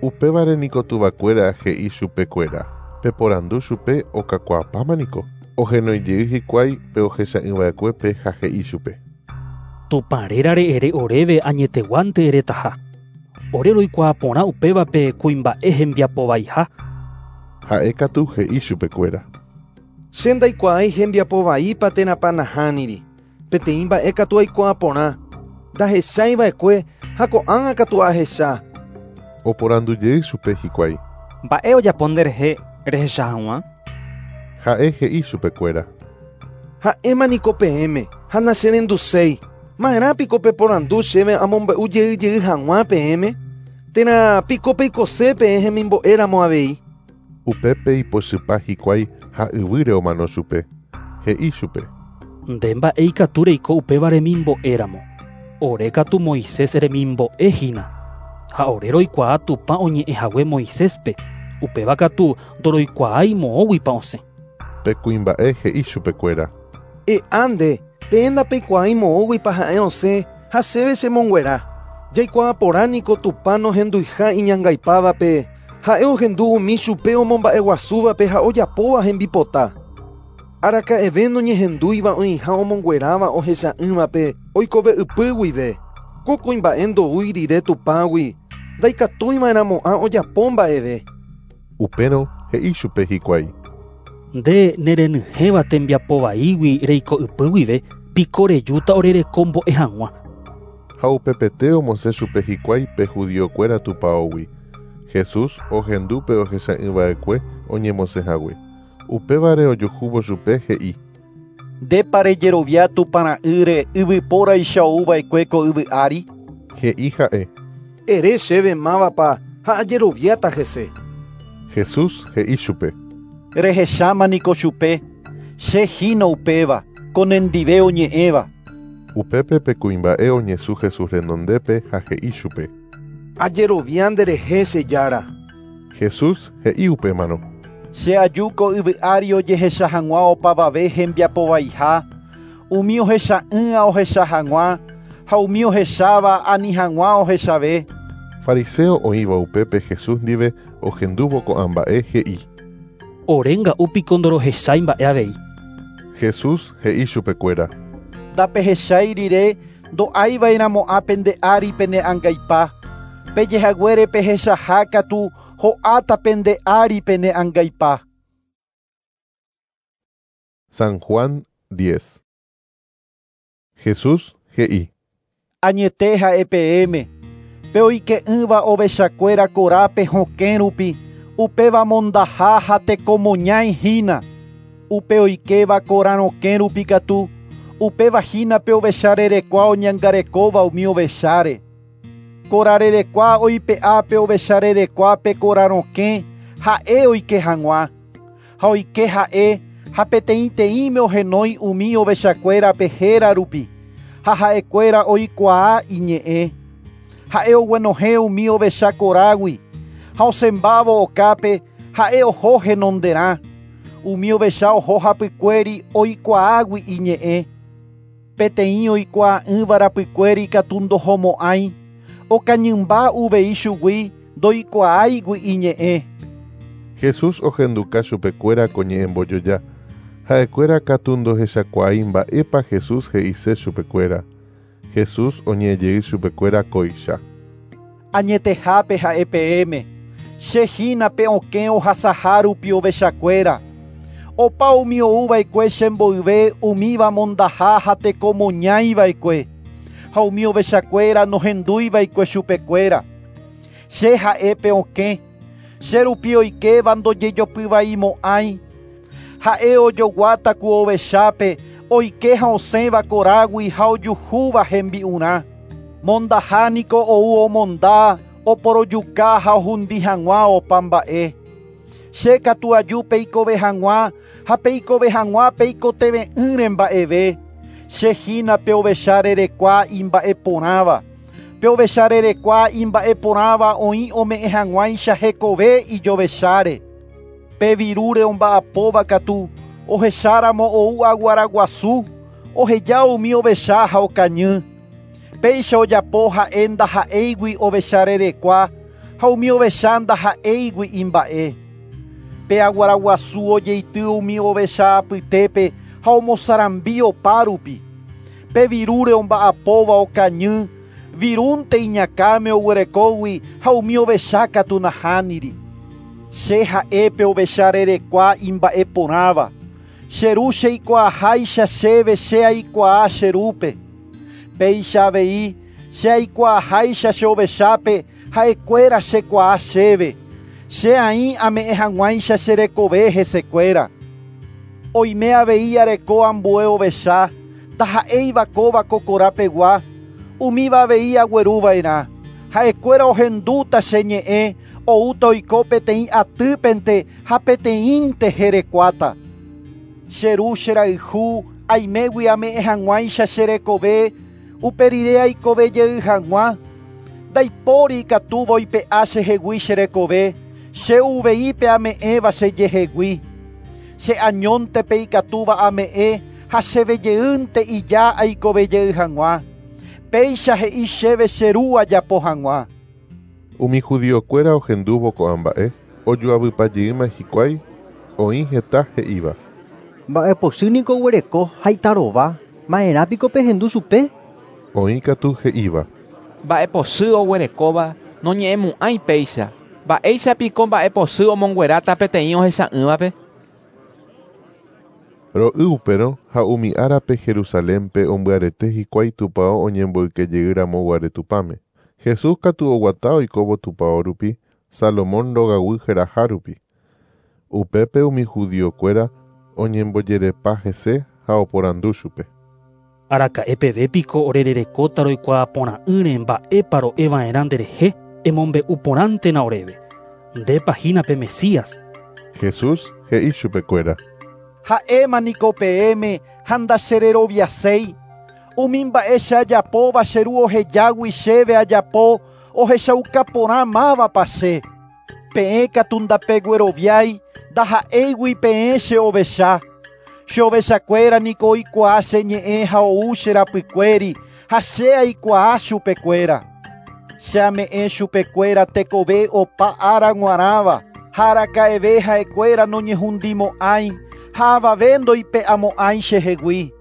Upévare niko tuvakuéra he'i chupekuéra. Peporandu chupe okakuaapáma niko. Ohenoijey hikuái pe ohecha'ỹva'ekuépe ha he'i chupe. Tupã rérare ere oréve añeteguánte eretaha. Ore roikuaa porã upévape kuimba'e hembiapovaiha. Ha'e katu he'i chupekuéra. Che ndaikuaái hembiapovaípa térãpa nahániri. Peteĩ mba'e katu aikuaa porã. Ndahecháiva'ekue ha ko'ág̃a katu ahecha. Oporandujey chupe hikuái. Mba'e ojapo nderehe rehecha hag̃ua? Ha'e he'i chupekuéra. Ha'éma niko peẽme ha nacherenduséi. Ma'erã piko peporandu chéve amombe'u jey jey hag̃ua peẽme? Térã piko peikose peẽ hemimbo'éramo avei. Upépe ipochypa hikuái ha yvýre omano chupe. He'i chupe. Nde mba'e ikatu reiko upéva remimbo'éramo. Ore katu Moisés remimbo'e hína. Ha ore roikuaa Tupã oñe'ẽhague Moiséspe. Upéva katu ndoroikuaái moõguipa osẽ. Pe kuimba'e he'i chupekuéra. E'a nde, peẽ ndapeikuaái moõguipa ha'e osẽ ha chéve chemonguera. Jaikuaa porã niko Tupã nohenduiha iñangaipávape, ha'e ohendu umi chupe omomba'eguasúvape ha ojapóva hembipota. Araka'eve noñehendúiva oĩha omongueráva ohecha'ỹvape oikove ypy guive. Ko kuimba'e ndoúi rire Tupãgui, ndaikatúiva'erãmo'ã ojapo mba'eve. Upérõ he'i chupe hikuái. Nde nerenyhẽva tembiapovaígui reiko ypy guive piko rejúta orerekombo'e hag̃ua. Ha upepete omosẽ chupe hikuái pe judiokuéra tupãógui. Jesús ohendu pe ohecha'ỹva'ekue oñemosẽhague. Upévare ojuhúvo chupe he'i: Ndépa rejerovia Tupãra'ýre yvypóraicha ouva'ekue ko yvy ári? He'i ha'e: Ere chéve mávapa ha ajeroviáta hese. Jesús he'i chupe: Rehecháma niko chupe, che hína upéva, ko nendive oñe'ẽva. Upépe pe kuimba'e oñesũ Jesús renondépe ha he'i chupe: Ajerovia nderehe che Jára. Jesús he'i upémarõ: Che aju ko yvy ári ojehecha hag̃ua opavave hembiapovaiha, umi ohecha'ỹa ohecha hag̃ua ha umi ohecháva ani hag̃ua ohechave. Fariseo oĩva upépe Jesús ndive ohendúvo ko'ã mba'e he'i: Orénga'u piko ndorohechái mba'e avei. Jesús he'i chupekuéra: Ndapehechái rire ndo'aiva'erãmo'ã pende ári pene angaipa. Pejehaguére pehechaha katu ho'áta pende ári pene angaipa. San Juan diez. Jesús he'i: Añete ha'e peẽme, pe oike'ỹva ovechakuéra korápe hokẽ rupi, upéva mondaha ha tekomoñái hína. Upe oikéva kora rokẽ rupi katu, upéva hína pe ovecharerekua oñangarekóva umi ovecháre. Kora rerekua oipe'a pe ovecharerekua pe kora rokẽ ha'e oike hag̃ua. Ha oike ha'e ha peteĩteĩme ohenói umi ovechakuérape héra rupi, ha ha'ekuéra oikuaa iñe'ẽ. Ha'e oguenohẽ umi ovecha korágui, ha osẽmbávo okápe ha'e oho henonderã. Umi ovecha oho hapykuéri oikuaágui iñe'ẽ. Peteĩ oikuaa'ỹva rapykuéri katu ndohomo'ãi, okañymba uvei chugui ndoikuaáigui iñe'ẽ. Jesús ohenduka chupekuéra ko ñe'ẽmbojoja. Ha'ekuéra katu ndohechakuaái mba'épa Jesús he'ise chupekuéra. Jesús oñe'ẽjey chupekuéra kóicha: Añetehápe ha'e peẽme, che hína pe okẽ ohasaha rupi ovechakuéra. Opa umi ouva'ekue chemboyve umíva mondaha ha tekomoñaiva'ekue, ha umi ovechakuéra nohendúiva'ekue chupekuéra. Che ha'e pe okẽ, che rupi oikéva ndojejopyvaimo'ãi. Ha'e ojoguáta ku ovechápe oike ha osẽva korágui ha ojuhúva hembi'urã. Mondaha niko ou omonda, oporojuka ha ohundi hag̃ua opa mba'e. Che katu aju peikove hag̃ua ha peikove hag̃ua peikoteve'ỹre mba'eve. Che hína pe ovecharerekua imba'eporãva. Pe ovecharerekua imba'eporãva oĩ ome'ẽ hag̃uáicha hekove ijovecháre. Pe virúre omba'apóva katu ohecháramo ou aguaraguasu, oheja umi ovecha ha okañy. Péicha ojapo ha'e ndaha'éigui ovecharerekua ha umi ovecha ndaha'éigui imba'e. Pe aguaraguasu ojeity umi ovecha apytépe ha omosarambi opa rupi. Pe virúre omba'apóva okañy, virúnte iñakãme oguerekógui ha umi ovecha katu nahániri. Che ha'e pe ovecharerekua imba'eporãva. Che ru cheikuaaháicha chéve che aikuaa che rúpe. Péicha avei che aikuaaháicha che ovechápe ha'ekuéra chekuaa chéve. Che aĩ ame'ẽ hag̃uáicha che rekove hesekuéra. Oime avei areko ambue ovecha, ndaha'éiva kóva ko korapegua, umíva avei agueruva'erã. Ha'ekuéra ohendúta che ñe'ẽ, oúta oiko peteĩ atýpente ha peteĩnte herekuáta. Che ru cherayhu aimégui ame'ẽ hag̃uáicha che rekove, upe rire aikove jey hag̃ua. Ndaipóri ikatúva oipe'a chehegui che rekove, che uvei pe ame'ẽva chejehegui. Che añónte pe ikatúva ame'ẽ ha chevejeýnte ija aikove jey hag̃ua. Péicha he'i chéve che ru ajapo hag̃ua. Umi judiokuéra ohendúvo ko'ã mba'e, ojoavypajeýma hikuái, oĩ heta he'íva: Mba'epochy niko oguereko ha itarova, ma'erã piko pehendu chupe? Oĩ katu he'íva: Mba'epochy oguerekóva noñe'ẽmo'ãi péicha. Mba'éicha piko mba'epochy omongueráta peteĩ ohecha'ỹvape? Ro'y upérõ ha umi árape Jerusalénpe ombyarete hikuái tupão oñemboykejeýramoguare Tupãme. Jesús katu oguata oikóvo tupão rupi, Salomón rogaguy heraha rupi. Upépe umi judiokuéra oñembojerepa hese ha oporandu chupe. Araka'e peve piko orererekóta roikuaaporã'ỹre mba'épa ro'eva'erã nderehe emombe'u porãntena oréve. Ndépa hína pe Mesías. Jesús he'i chupekuéra. Ha'éma niko peẽme ha ndachereroviaséi. Umi mba'e che ajapóva che ru ohejágui chéve ajapo ohechauka porã mávapa che. Peẽ katu ndapegueroviái ndaha'éigui peẽ che ovecha. Che ovechakuéra niko oikuaa che ñe'ẽ ha ou che rapykuéri ha che aikuaa chupekuéra. Che ame'ẽ chupekuéra tekove opa ára g̃uarãva ha araka'eve ha'ekuéra noñehundimo'ãi ha avave ndoipe'amo'ãi chehegui.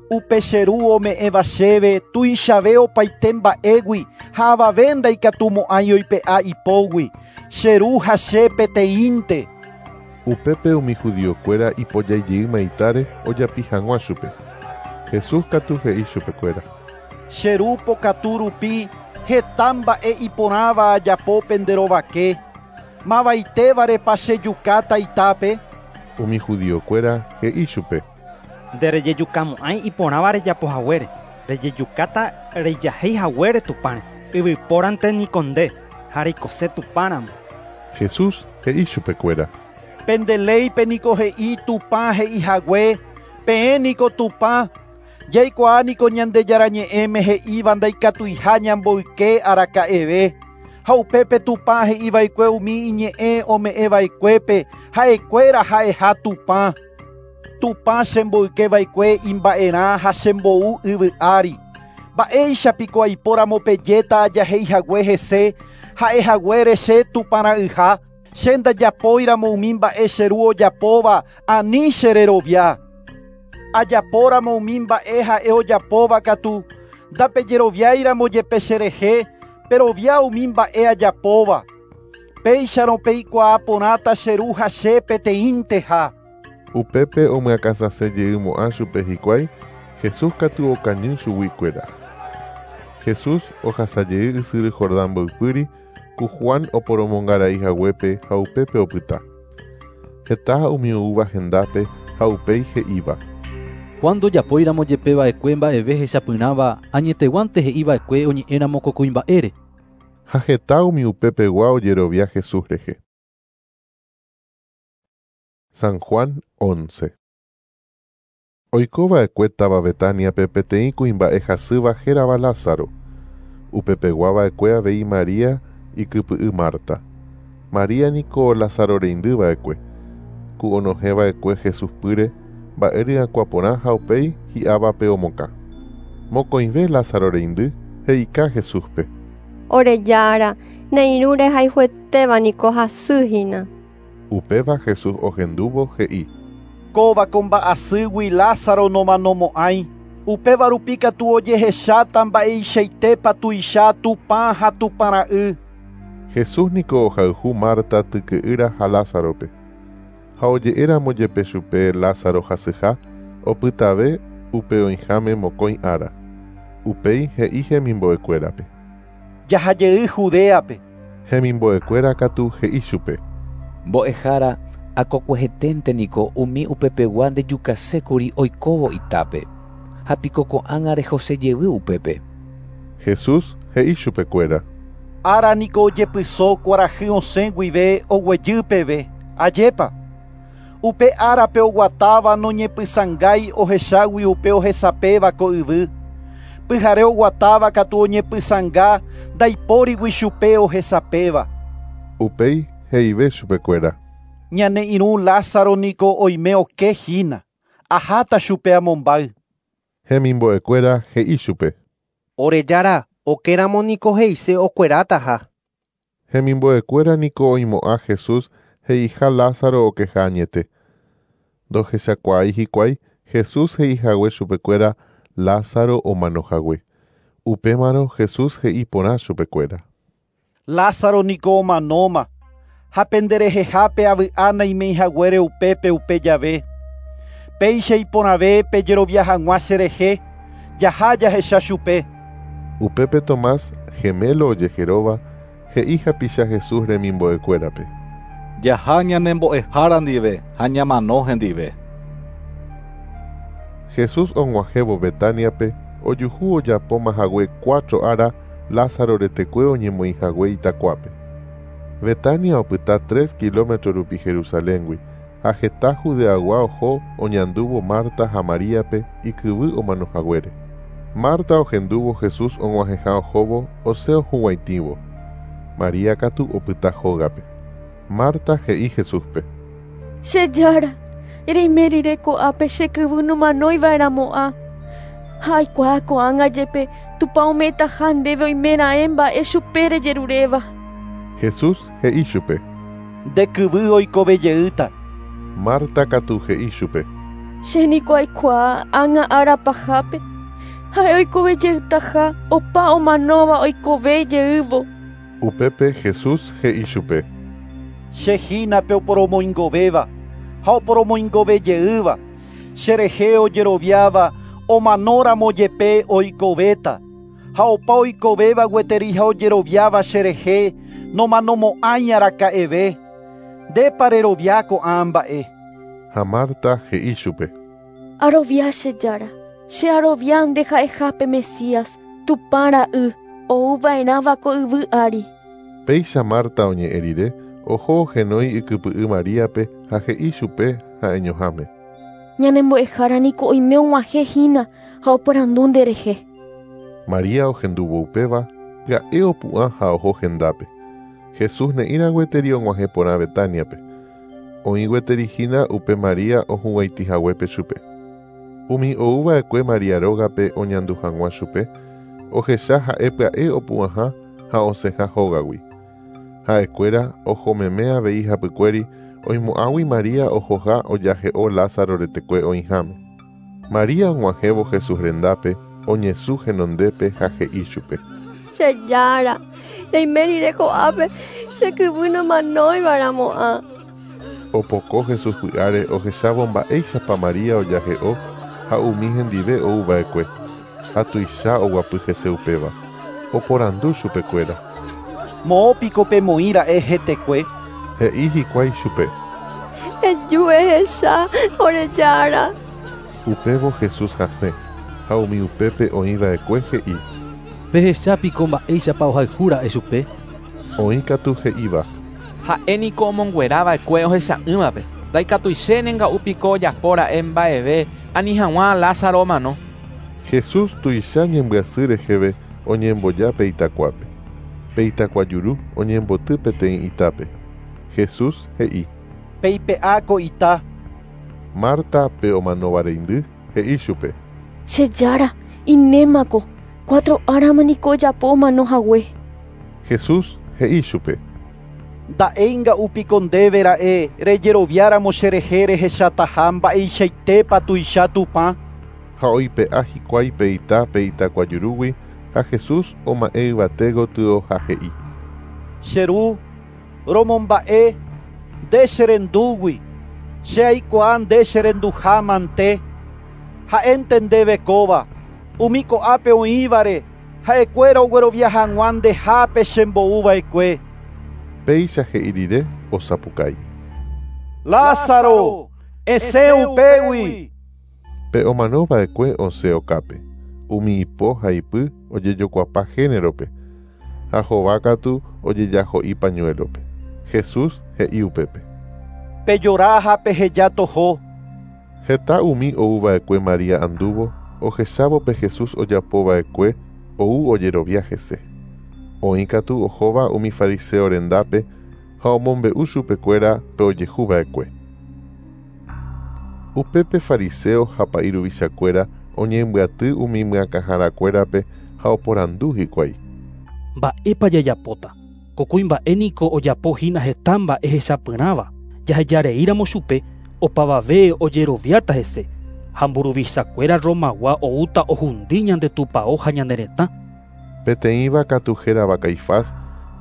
Upe che ru ome'ẽva chéve tuichave opaite mba'égui ha avave ndaikatumo'ãi oipe'a ipógui. Che ru ha che peteĩnte. Upépe umi judiokuéra ipojaijey itáre ojapi hag̃ua chupe. Jesús katu he'i chupekuéra. Che ru pokatu rupi heta mba'e iporãva ajapo penderovake. Mavaitévarepa chejukáta itápe. Umi judiokuéra he'i chupe. Nderejejukamo'ãi iporãva rejapo haguére. Rejejukáta rejahéi haguére Tupãre. Yvypórante niko nde ha reikose Tupãramo. Jesús he'i chupekuéra. Pende léipe niko he'i Tupã he'i hague, peẽ niko Tupã. Jaikuaa niko Ñandejára ñe'ẽme he'íva ndaikatuiha ñamboyke araka'eve. Ha upépe Tupã he'iva'ekue umi iñe'ẽ ome'ẽva'ekuépe ha'ekuéra ha'eha Tupã. Tupã chemboykeva'ekue imba'erã ha chembou yvy ári. Mba'éichapiko aipóramo pejéta ajahéi hague hese ha'ehaguére che Tupãra'yha. Che ndajapóiramo umi mba'e che ru ojapóva ani chererovia. Ajapóramo umi mba'e ha'e ojapóva katu ndapejeroviáiramo jepe cherehe perovia umi mba'e ajapóva. Péicharõ peikuaa porãta che ru ha che peteĩnteha. Upépe omyakãsasejeymo'ã chupe hikuái, Jesús katu okañy chuguikuéra. Jesús ohasajey ysyry Jordán mboypýri ku Juan oporomongarai haguépe ha upépe opyta. Heta umi oúva hendápe ha upéi he'íva. Juan ndojapóiramo jepe va'ekue mba'eve hechapyrãva añeteguánte he'iva'ekue oñe'ẽramo ko kuimba'ére. Ha heta umi upepegua ojerovia Jesús rehe. San Juan once. Oikova'ekue táva Betaniape peteĩ kuimba'e hasýva hérava Lázaro. Upepegua va'ekue avei María ikypy'y Marta. María niko Lázaro reindýva'ekue. Ku onohẽva'ekue Jesús pýre mba'e ryakuã porã ha upéi hi'ávape omokã. Mokõive Lázaro reindy he'ika Jesúspe. Orejára, ne irũ rehayhuetéva niko hasyhína. Upéva Jesús ohendúvo he'i. Kóva ko mba'asýgui Lázaro nomanomo'ãi. Upéva rupi katu ojehecháta mba'eichaitépa tuicha Tupã ha Tupãra'y. Jesús niko ohayhu Marta tyky'ýra ha Lázarope. Ha oje'éramo jepe chupe Lázaro hasyha opytave upe oĩháme mokõi ára. Upéi he'i hemimbo'ekuérape. Jahajey Judeape. Hemimbo'ekuéra katu he'i chupe. Mbo'ehára akokueheténte niko umi upepegua ndejukasékuri oikóvo itápe. Ha piko ko'ág̃a rehosejevy upépe. Jesús he'i chupekuéra. Ára niko ojepyso kuarahy osẽ guive oguejy peve. Ajépa. Upe árape oguatáva noñepysãngái ohechágui upe ohesapéva ko yvy. Pyhare oguatáva katu oñepysãnga ndaipórigui chupe ohesapéva. Upéi he'ive chupekuéra. Ñane irũ Lázaro niko oime oke hína. Aháta chupe amombáy. Hemimbo'ekuéra he'i chupe. Orejára, okéramo niko he'ise okuerátaha. Hemimbo'ekuéra niko oimo'ã Jesús he'iha Lázaro okeha añete. Ndohechakuaái hikuái Jesús he'ihague chupekuéra Lázaro omanohague. Upémarõ Jesús he'i porã chupekuéra. Lázaro niko omanóma. Ha penderehehápe avy'a naimeihaguére upépe upe jave. Péicha iporãve pejerovia hag̃ua cherehe, jaha jahecha chupe. Upépe Tomás, gemelo ojeheróva, he'i hapicha Jesús remimbo'ekuérape. Jaha ñanembo'ehára ndive ha ñamano hendive. Jesús og̃uahẽvo Betaniape ojuhu ojapóma hague cuatro ára Lázaro retekue oñemoĩ hague itakuápe. Betania opyta tres kilómetro rupi Jerusaléngui ha heta Judeagua oho oñandúvo Marta ha Maríape ikyvy omanohaguére. Marta ohendúvo Jesús og̃uahẽha ohóvo osẽ ohuguãitĩvo. María katu opyta hógape. Marta he'i Jesúspe. Che Jára, reime rire ko'ápe che kyvy nomanoiva'erãmo'ã. Ha aikuaa ko'ág̃a jepe Tupã ome'ẽtaha ndéve oimeraẽ mba'e chupe rejeruréva. Jesús he'i chupe. Nde kyvy oikovejeýta. Marta katu he'i chupe. Che niko aikuaa ág̃a ára pahápe ha'e oikovejeýtaha opa omanóva oikovejeývo. Upépe Jesús he'i chupe. Che hína pe oporomoingovéva ha oporomoingovejeýva. Cherehe ojeroviáva omanóramo jepe oikovéta. Ha opa oikovéva gueteri ha ojeroviáva cherehe nomanomo'ãi araka'eve. Ndépa rerovia ko'ã mba'e. Ha Marta he'i chupe. Arovia che Jára, che arovia nde ha'eha pe Mesías, Tupã ra'y, ouva'erãva ko yvy ári. Péicha Marta oñe'ẽ rire, oho ohenói ikypy'y Maríape ha he'i chupe ha'eñoháme. Ñanembo'ehára niko oime og̃uahẽhína ha oporandu nderehe. María ohendúvo upéva, pya'e opu'ã ha oho hendápe. Jesús ne'ĩra gueteri og̃uahẽ porã Betaniape. Oĩ gueteri hína upe María ohuguãitĩhaguépe chupe. Umi ouva'ekue María rógape oñandu hag̃ua chupe, ohecha ha'e pya'e opu'ãha ha osẽha hógagui. Ha'ekuéra ohomeme avei hapykuéri oimo'ãgui María ohoha ojahe'o Lázaro retekue oĩháme. María og̃uahẽvo Jesús rendápe oñesũ henondépe ha he'i chupe. Che Jára, reime rire ko'ápe che kyvy nomanoiva'erãmo'ã. Opoko Jesús py'áre ohechávo mba'éichapa María ojahe'o ha umi hendive ouva'ekue. Ha tuicha oguapy hese upéva. Oporandu chupekuéra. Moõpiko pemoĩra'e hetekue. He'i hikuái chupe. Eju ehecha ore Jára. Upévo Jesús hasẽ ha umi upépe oĩva'ekue he'i. Pehechápiko mba'éichapa ohayhúra'e chupe. Oĩ katu he'íva. Ha'e niko omonguerava'ekue ohecha'ỹvape. Ndaikatuichéne nga'úpiko ojapóra'e mba'eve ani hag̃ua Lázaro omano. Jesús tuicha ñembyasy reheve oñemboja pe itakuápe. Pe itakuajuru oñemboty peteĩ itápe. Jesús he'i. Peipe'a ko ita. Marta pe omanóvareindy he'i chupe. Che Jára, inémako, cuatro árama niko ojapo omanohague. Jesús he'i chupe. Nda'éi nga'úpiko ndéve ra'e rejeroviáramo cherehe rehechataha mba'eichaitépa tuicha Tupã. Ha oipe'a hikuái pe ita pe itakuajurúgui ha Jesús oma'ẽ yvate gotyo ha he'i. Che ru, romomba'e nde cherendúgui, che aikuaa nde cherenduha mante. Ha'énte ndéve kóva, umi ko'ápe oĩvare ha'ekuéra oguerovia hag̃ua ndehápe chembo'uva'ekue. Péicha he'i rire osapukái. Lázaro, esẽ upégui. Pe omanova'ekue osẽ okápe. Umi ipo ha ipy ojejokuapa génerope ha hova katu ojejaho'i pañuelope. Jesús he'i upépe. Pejora ha peheja toho. Heta umi ouva'ekue María andúvo ohechávo pe Jesús ojapova'ekue ou ojerovia hese. Oĩ katu ohóva umi fariseo rendápe ha omombe'u chupekuéra pe ojehuva'ekue. Upépe fariseo ha pa'i ruvichakuéra oñembyaty umi myakãharakuérape ha oporandu hikuái. Mba'épa jajapóta. Ko kuimba'e niko ojapohína heta mba'e hechapyrãva. Jahejareíramo chupe opavave ojeroviáta hese. Ha mburuvichakuéra Romagua oúta ohundi ñande tupão ha ñane retã. Peteĩva katu hérava Caifás,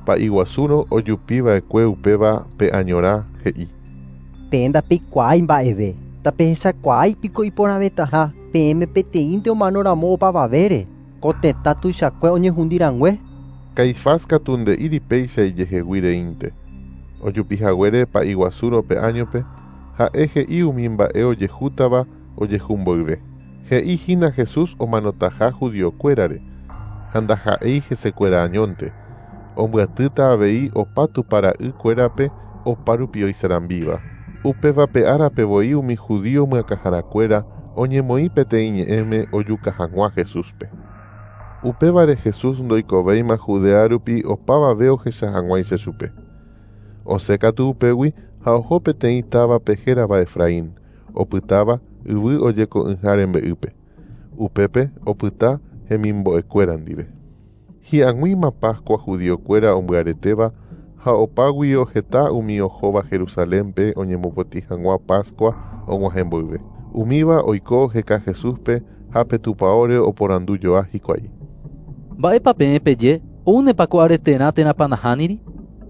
pa'i guasúrõ ojupiva'ekue upéva pe añorã he'i. Peẽ ndapeikuaái mba'eve. Ndapehechakuaái piko iporãvetaha peẽme peteĩnte omanoramo opavavére, ko tetã tuichakue oñehundirangue. Caifás katu nde'íri péicha ijehegui reínte. Ojupihaguére pa'i guasúrõ pe áñope, ha'e he'i umi mba'e ojehútava ojehumboyve. He'i hína Jesús omanotaha judiokuérare, ha ndaha'éi hesekuéra añónte. Ombyatýta avei opa tupara'ykuérape oparupi oisarambíva. Upévape árape voi umi judío myakãharakuéra oñemoĩ peteĩ ñe'ẽme ojuka hag̃ua Jesúspe. Upévare Jesús ndoikovéima Judea rupi opavave ohecha hag̃uáicha chupe. Osẽ katu upégui ha oho peteĩ távape hérava Efraín, opytáva yvy ojeko'ỹha rembe'ýpe. Upépe opyta hemimbo'ekuéra ndive. Hi'ag̃uíma Pascua judiokuéra ombyaretéva ha opáguio heta umi ohóva Jerusalénpe oñemopotĩ hag̃ua Pascua og̃uahẽ mboyve. Umíva oiko oheka Jesúspe ha pe tupãóre oporandujoa hikuái. Mba'épa peẽ peje oúnepa ko areterã térãpa nahániri?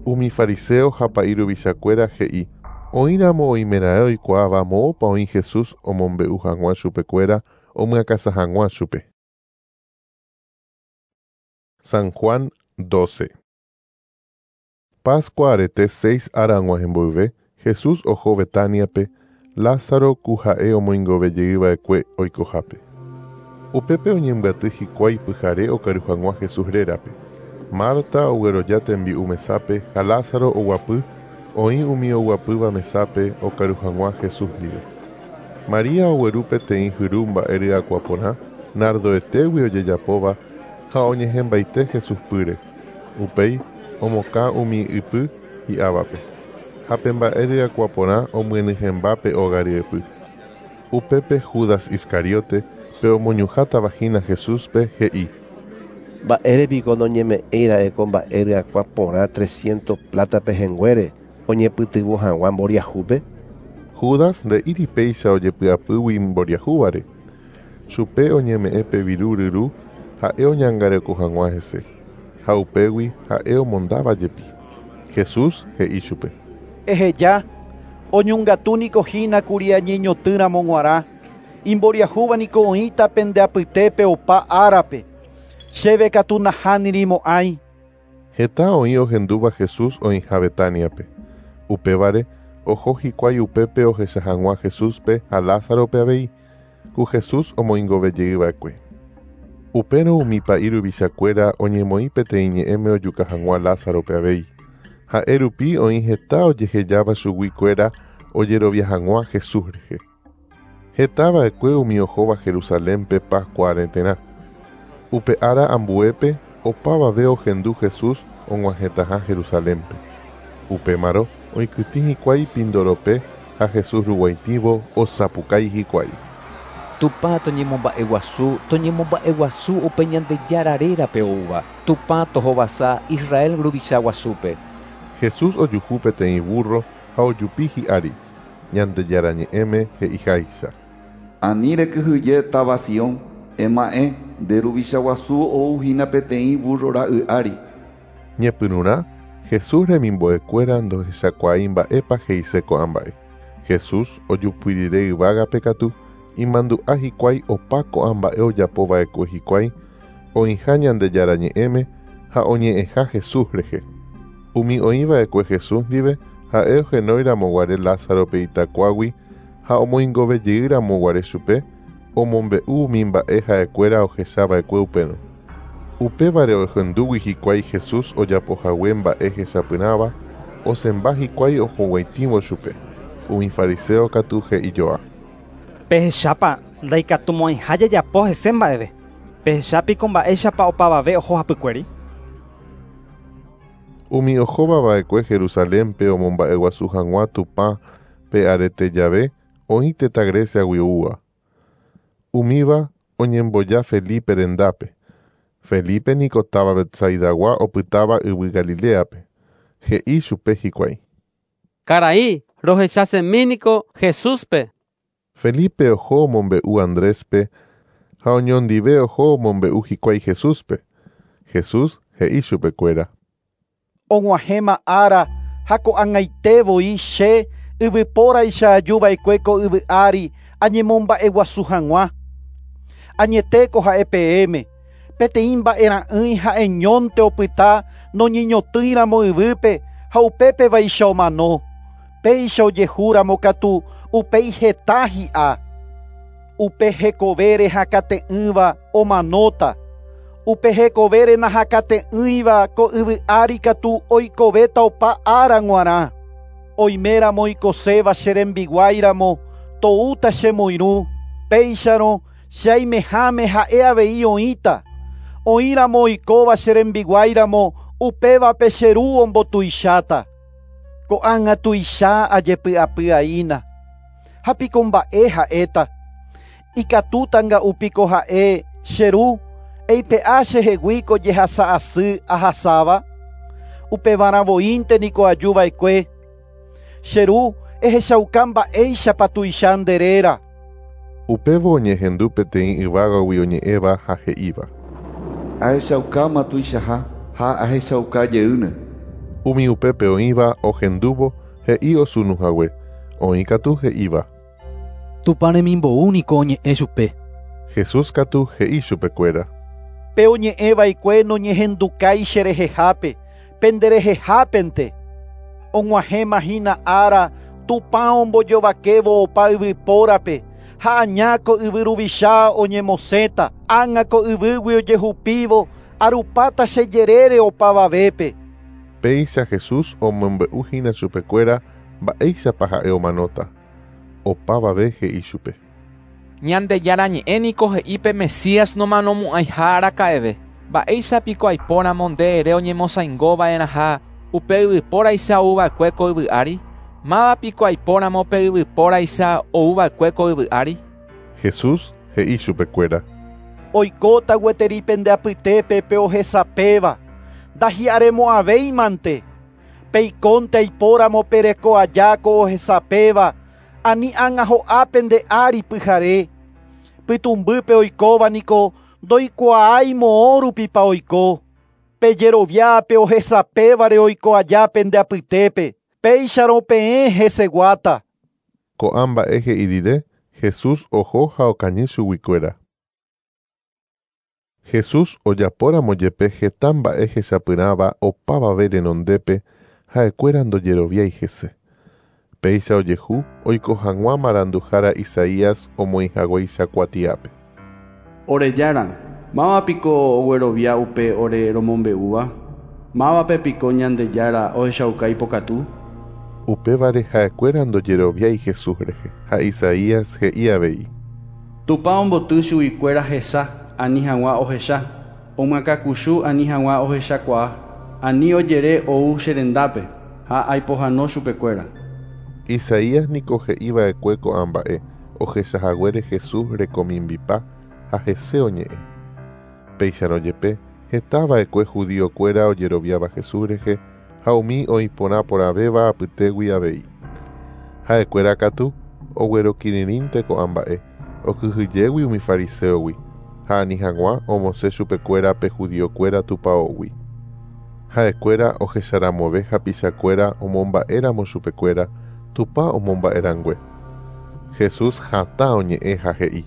Umi fariseo ha pa'i ruvichakuéra he'i oĩramo oimeraẽ oikuaáva moõpa oĩ Jesús omombe'u hag̃ua chupekuéra omyakãsa hag̃ua chupe. San Juan doce. Pascua arete seis ára og̃uahẽ mboyve, Jesús oho Betaniape, Lázaro ku ha'e omoingovejeyva'ekue oikohápe. Upépe oñembyaty hikuái pyhare okaru hag̃ua Jesús rérape. Marta ogueroja tembi'u mesápe ha Lázaro oguapy oĩ umi oguapýva mesápe okaru hag̃ua Jesús ndive. María ogueru peteĩ hyru mba'e ryakuã porã nardoetégui ojejapóva ha oñehẽmbaite Jesús pýre. Upéi omokã umi ypy hi'ávape. Ha pe mba'e ryakuã porã omyenyhẽmba pe óga ryepy. Upépe Judas Iscariote pe omoñuhátava hína Jesúspe he'i: Mba'érepiko noñeme'ẽira'e ko mba'e ryakuã porã trescientos plata pehẽnguére oñepytyvõ hag̃ua mboriahúpe? Judas nde'íri péicha ojepy'apýgui mboriahúvare. Chupe oñeme'ẽ pe viru ryru ha'e oñangareko hag̃ua hese. Ha upégui ha'e omondáva jepi. Jesús he'i chupe: Eheja, oñongatúniko hína kuri añeñotỹramo g̃uarã. Imboriahúva niko oĩta pende apytépe opa árape. Chéve katu nahánirimo'ãi. Heta oĩ ohendúva Jesús oĩha Betaniape. Upévare oho hikuái upépe ohecha hag̃ua Jesúspe ha Lázarope avei, ku Jesús omoingovejeyva'ekue. Upérõ umi pa'i ruvichakuéra oñemoĩ peteĩ ñe'ẽme ojuka hag̃ua Lázarope avei. Ha'e rupi oĩ heta ojehejáva chuguikuéra ojerovia hag̃ua Jesús rehe. Hetava'ekue umi ohóva Jerusalénpe Pascua areterã. Upe ára ambuépe opavave ohendu Jesús og̃uahẽtaha Jerusalénpe. Upémarõ oikytĩ hikuái Pindorope ha Jesús ruguaitĩvo osapukái hikuái. Tupã toñemomba'eguasu, toñemomba'eguasu upe Ñandejára rérape oúva. Tupã tohovasa Israel ruvicha guasúpe. Jesús ojuhu peteĩ burro ha ojupi hi'ári. Ñandejára ñe'ẽme he'iháicha. Ani rekyhyje táva Sion, ema'ẽ nde ruvicha guasu ouhína peteĩ burro ra'y ári. Ñepyrũrã Jesús remimbo'ekuéra ndohechakuaái mba'épa he'ise ko'ã mba'e. Jesús ojupyrire yvágape katu imandu'a hikuái opa ko'ã mba'e ojapova'ekue hikuái oĩha Ñandejára ñe'ẽme ha oñe'ẽha Jesús rehe. Umi oĩva'ekue Jesús ndive ha'e ohenóiramoguare Lázarope itakuágui ha omoingovejeyramoguare chupe omombe'u umi mba'e ha'ekuéra ohechava'ekue upérõ. Upévare ohendúgui hikuái Jesús ojapohague mba'e hechapyrãva osẽmba hikuái ohoguaitĩvo chupe. Umi fariseo katu he'ijoa: Pehechápa ndaikatumo'ãiha jajapo hese mba'eve. Pehechápiko mba'éichapa opavave oho hapykuéri. Umi ohóvava'ekue Jerusalénpe omomba'eguasu hag̃ua Tupã pe arete jave oĩ tetã Greciagui oúva. Umíva oñemboja Felipe rendápe. Felipe niko táva Betsaidagua opytáva yvy Galileape. He'i chupe hikuái: Karai, rohechasemíniko Jesúspe. Felipe oho omombe'u Andréspe ha oñondive oho omombe'u hikuái Jesúspe. Jesús he'i chupekuéra: Og̃uahẽma ára ha ko'ag̃aite voi che Yvypóraicha ajuva'ekue ko yvy ári añemomba'eguasu hag̃ua. Añetéko ha'e peẽme, peteĩ mba'era'ỹi ha'eñónte opyta noñeñotỹiramo yvýpe ha upépe vaicha omano. Péicha ojehúramo katu upéi heta hi'a. Upe hekovére hakate'ỹva omanóta. Upe hekovére nahakate'ỹiva ko yvy ári katu oikovéta opa ára g̃uarã. Oiméramo oikoséva che rembiguáiramo toúta chemoirũ, péicharõ che aimeháme ha'e avei oĩta. Oĩramo oikóva che rembiguáiramo upévape che ru ombotuicháta. Ko'ág̃a tuicha ajepy'apy'aína. Ha piko mba'e ha'éta. Ikatútanga'u piko ha'e che ru eipe'a chehegui ko jehasa asy ahasáva. Upevarã voínte niko ajuva'ekue. Che ru ehechauka mba'éichapa tuicha nde réra. Upévo oñehendu peteĩ yvágagui oñe'ẽva ha he'íva. Ahechaukáma tuichaha ha ahechauka jeýne. Umi upépe oĩva ohendúvo he'i osunuhague, oĩ katu he'íva. Tupã remimbou niko oñe'ẽ chupe. Jesús katu he'i chupekuéra. Pe oñe'ẽva'ekue noñehendukái cherehehápe, penderehehápente. Og̃uahẽma hína ára Tupã ombojovakévo opa yvypórape ha aña ko yvy ruvicha oñemosẽta, ág̃a ko yvýgui ojehupívo arupáta che jerére opavavépe. Péicha Jesús omombe'u hína chupekuéra mba'éichapa ha'e omanóta. Opavave he'i chupe. Ñandejára ñe'ẽ niko he'i pe Mesías nomanomo'ãiha araka'eve. Mba'éicha piko aipóramo nde ere oñemosãingova'erãha upe yvypóraicha ouva'ekue ko yvy ári? Máva piko aipóramo pe yvypóraicha ouva'ekue ko yvy ári? Jesús he'i chupekuéra. Oikóta gueteri pende apytépe pe ohesapéva, ndahi'aremo'ãvéimante. Peikónte aipóramo pereko aja ko ohesapéva, ani ág̃a ho'a pende ári pyhare. Pytũmbýpe oikóva niko ndoikuaái moõ rupipa oiko. Pejerovia pe ohesapévare oiko aja pende apytépe, péicharõ peẽ heseguáta. Ko'ã mba'e he'i rire, Jesús oho ha okañy chuguikuéra. Jesús ojapóramo jepe heta mba'e hechapyrãva opavave renondépe ha'ekuéra ndojeroviái hese. Péicha ojehu oiko hag̃ua maranduhára Isaías omoĩhaguéicha kuatiápe. Ore Jára, máva piko oguerovia upe ore romombe'úva? Mávape piko Ñandejára ohechauka ipokatu? Upévare ha'ekuéra ndojeroviái Jesús rehe ha Isaías he'i avei. Tupã omboty chuguikuéra hesa ani hag̃ua ohecha, omyakãkuchu ani hag̃ua ohechakuaa, ani ojere ou che rendápe ha aipohãno chupekuéra. Isaías niko he'iva'ekue ko'ã mba'e ohechahaguére Jesús rekomimbipa ha hese oñe'ẽ. Péicharõ jepe hetava'ekue judiokuéra ojeroviáva Jesús rehe ha umi oĩporãporãvéva apytégui avei. Ha'ekuéra katu oguerokirirĩnte ko'ã mba'e okyhyjégui umi fariseogui ha ani hag̃ua omosẽ chupekuéra pe judiokuéra tupãógui. Ha'ekuéra ohecharamove hapichakuéra omomba'éramo chupekuéra Tupã omomba'erangue. Jesús hatã oñe'ẽ ha he'i.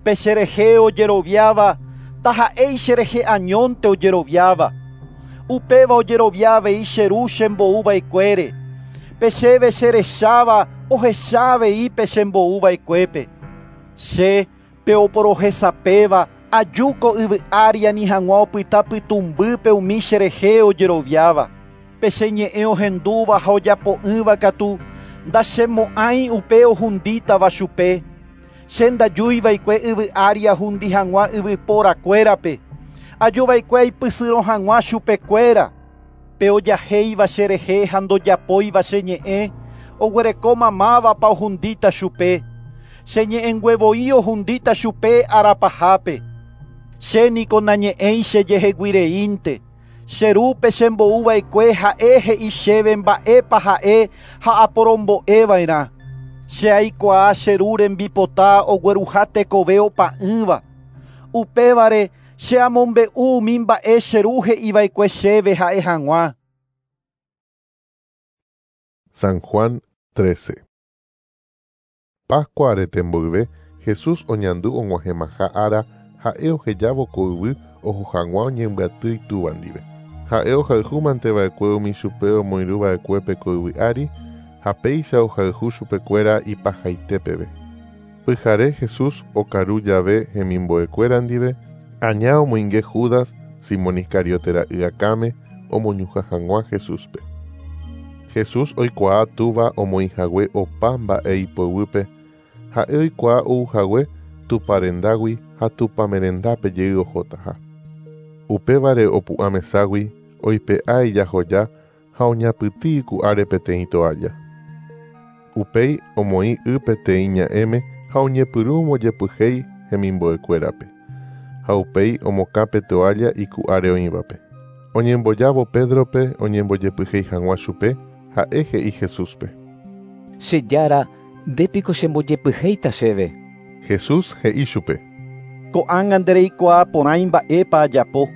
Pe cherehe ojeroviáva ndaha'éi cherehe añónte ojeroviáva. Upéva ojerovia avei che ru chembo'uva'ekuére. Pe chéve cherecháva ohecha avei pe chembo'uva'ekuépe. Che pe oporohesapéva aju ko yvy ári ani hag̃ua opyta pytũmbýpe umi cherehe ojeroviáva. Pe che ñe'ẽ ohendúva ha ojapo'ỹva katu ndachemo'ãi upe ohundítava chupe. Che ndajúiva'ekue yvy ári ahundi hag̃ua yvyporakuérape. Ajuva'ekue aipysyrõ hag̃ua chupekuéra. Pe ojahéiva cherehe ha ndojapóiva che ñe'ẽ, oguerekóma mávapa ohundíta chupe. Che ñe'ẽngue ohundíta chupe arapahápe. Che niko nañe'ẽi chejeheguireínte. Che rúpe chembo'uva'ekue ha'e he'i chéve mba'épa ha'e ha aporombo'eva'erã. Che aikuaa che ru rembipota ogueruha tekove opa'ỹva. Upévare che amombe'u umi mba'e che ru he'iva'ekue chéve ha'e hag̃ua. San Juan trece. Pascua arete mboyve, Jesús oñandu og̃uahẽmaha ára ha'e ohejávo ko yvy oho hag̃ua oñembyaty itúva ndive. Ha'e ohayhúmanteva'ekue umi chupe omoirũva'ekuépe ko yvy ári ha péicha ohayhu chupekuéra ipahaite peve. Pyhare Jesús okaru jave hemimbo'ekuéra ndive, aña omoinge Judas, Simón Iscariote ra'y akãme omoñuhã hag̃ua Jesúspe. Jesús oikuaa túva omoĩhague opa mba'e ipoyvýpe, ha'e oikuaa ouhague Tupã rendágui ha Tupãme rendápe jey ohotaha. Upévare opu'ã meságui oipe'a ijahoja ha oñapytĩ iku'áre peteĩ toalla. Upéi omoĩ y peteĩ ña'ẽme ha oñepyrũ ombojepyhéi hemimbo'ekuérape. Ha upéi omokã pe toalla iku'áre oĩvape. Oñembojávo Pédrope oñembojepyhéi hag̃ua chupe, ha'e he'i Jesúspe. Che Jára, ndépiko chembojepyhéita chéve. Jesús he'i chupe. Ko'ág̃a ndereikuaa porãi mba'épa ajapo.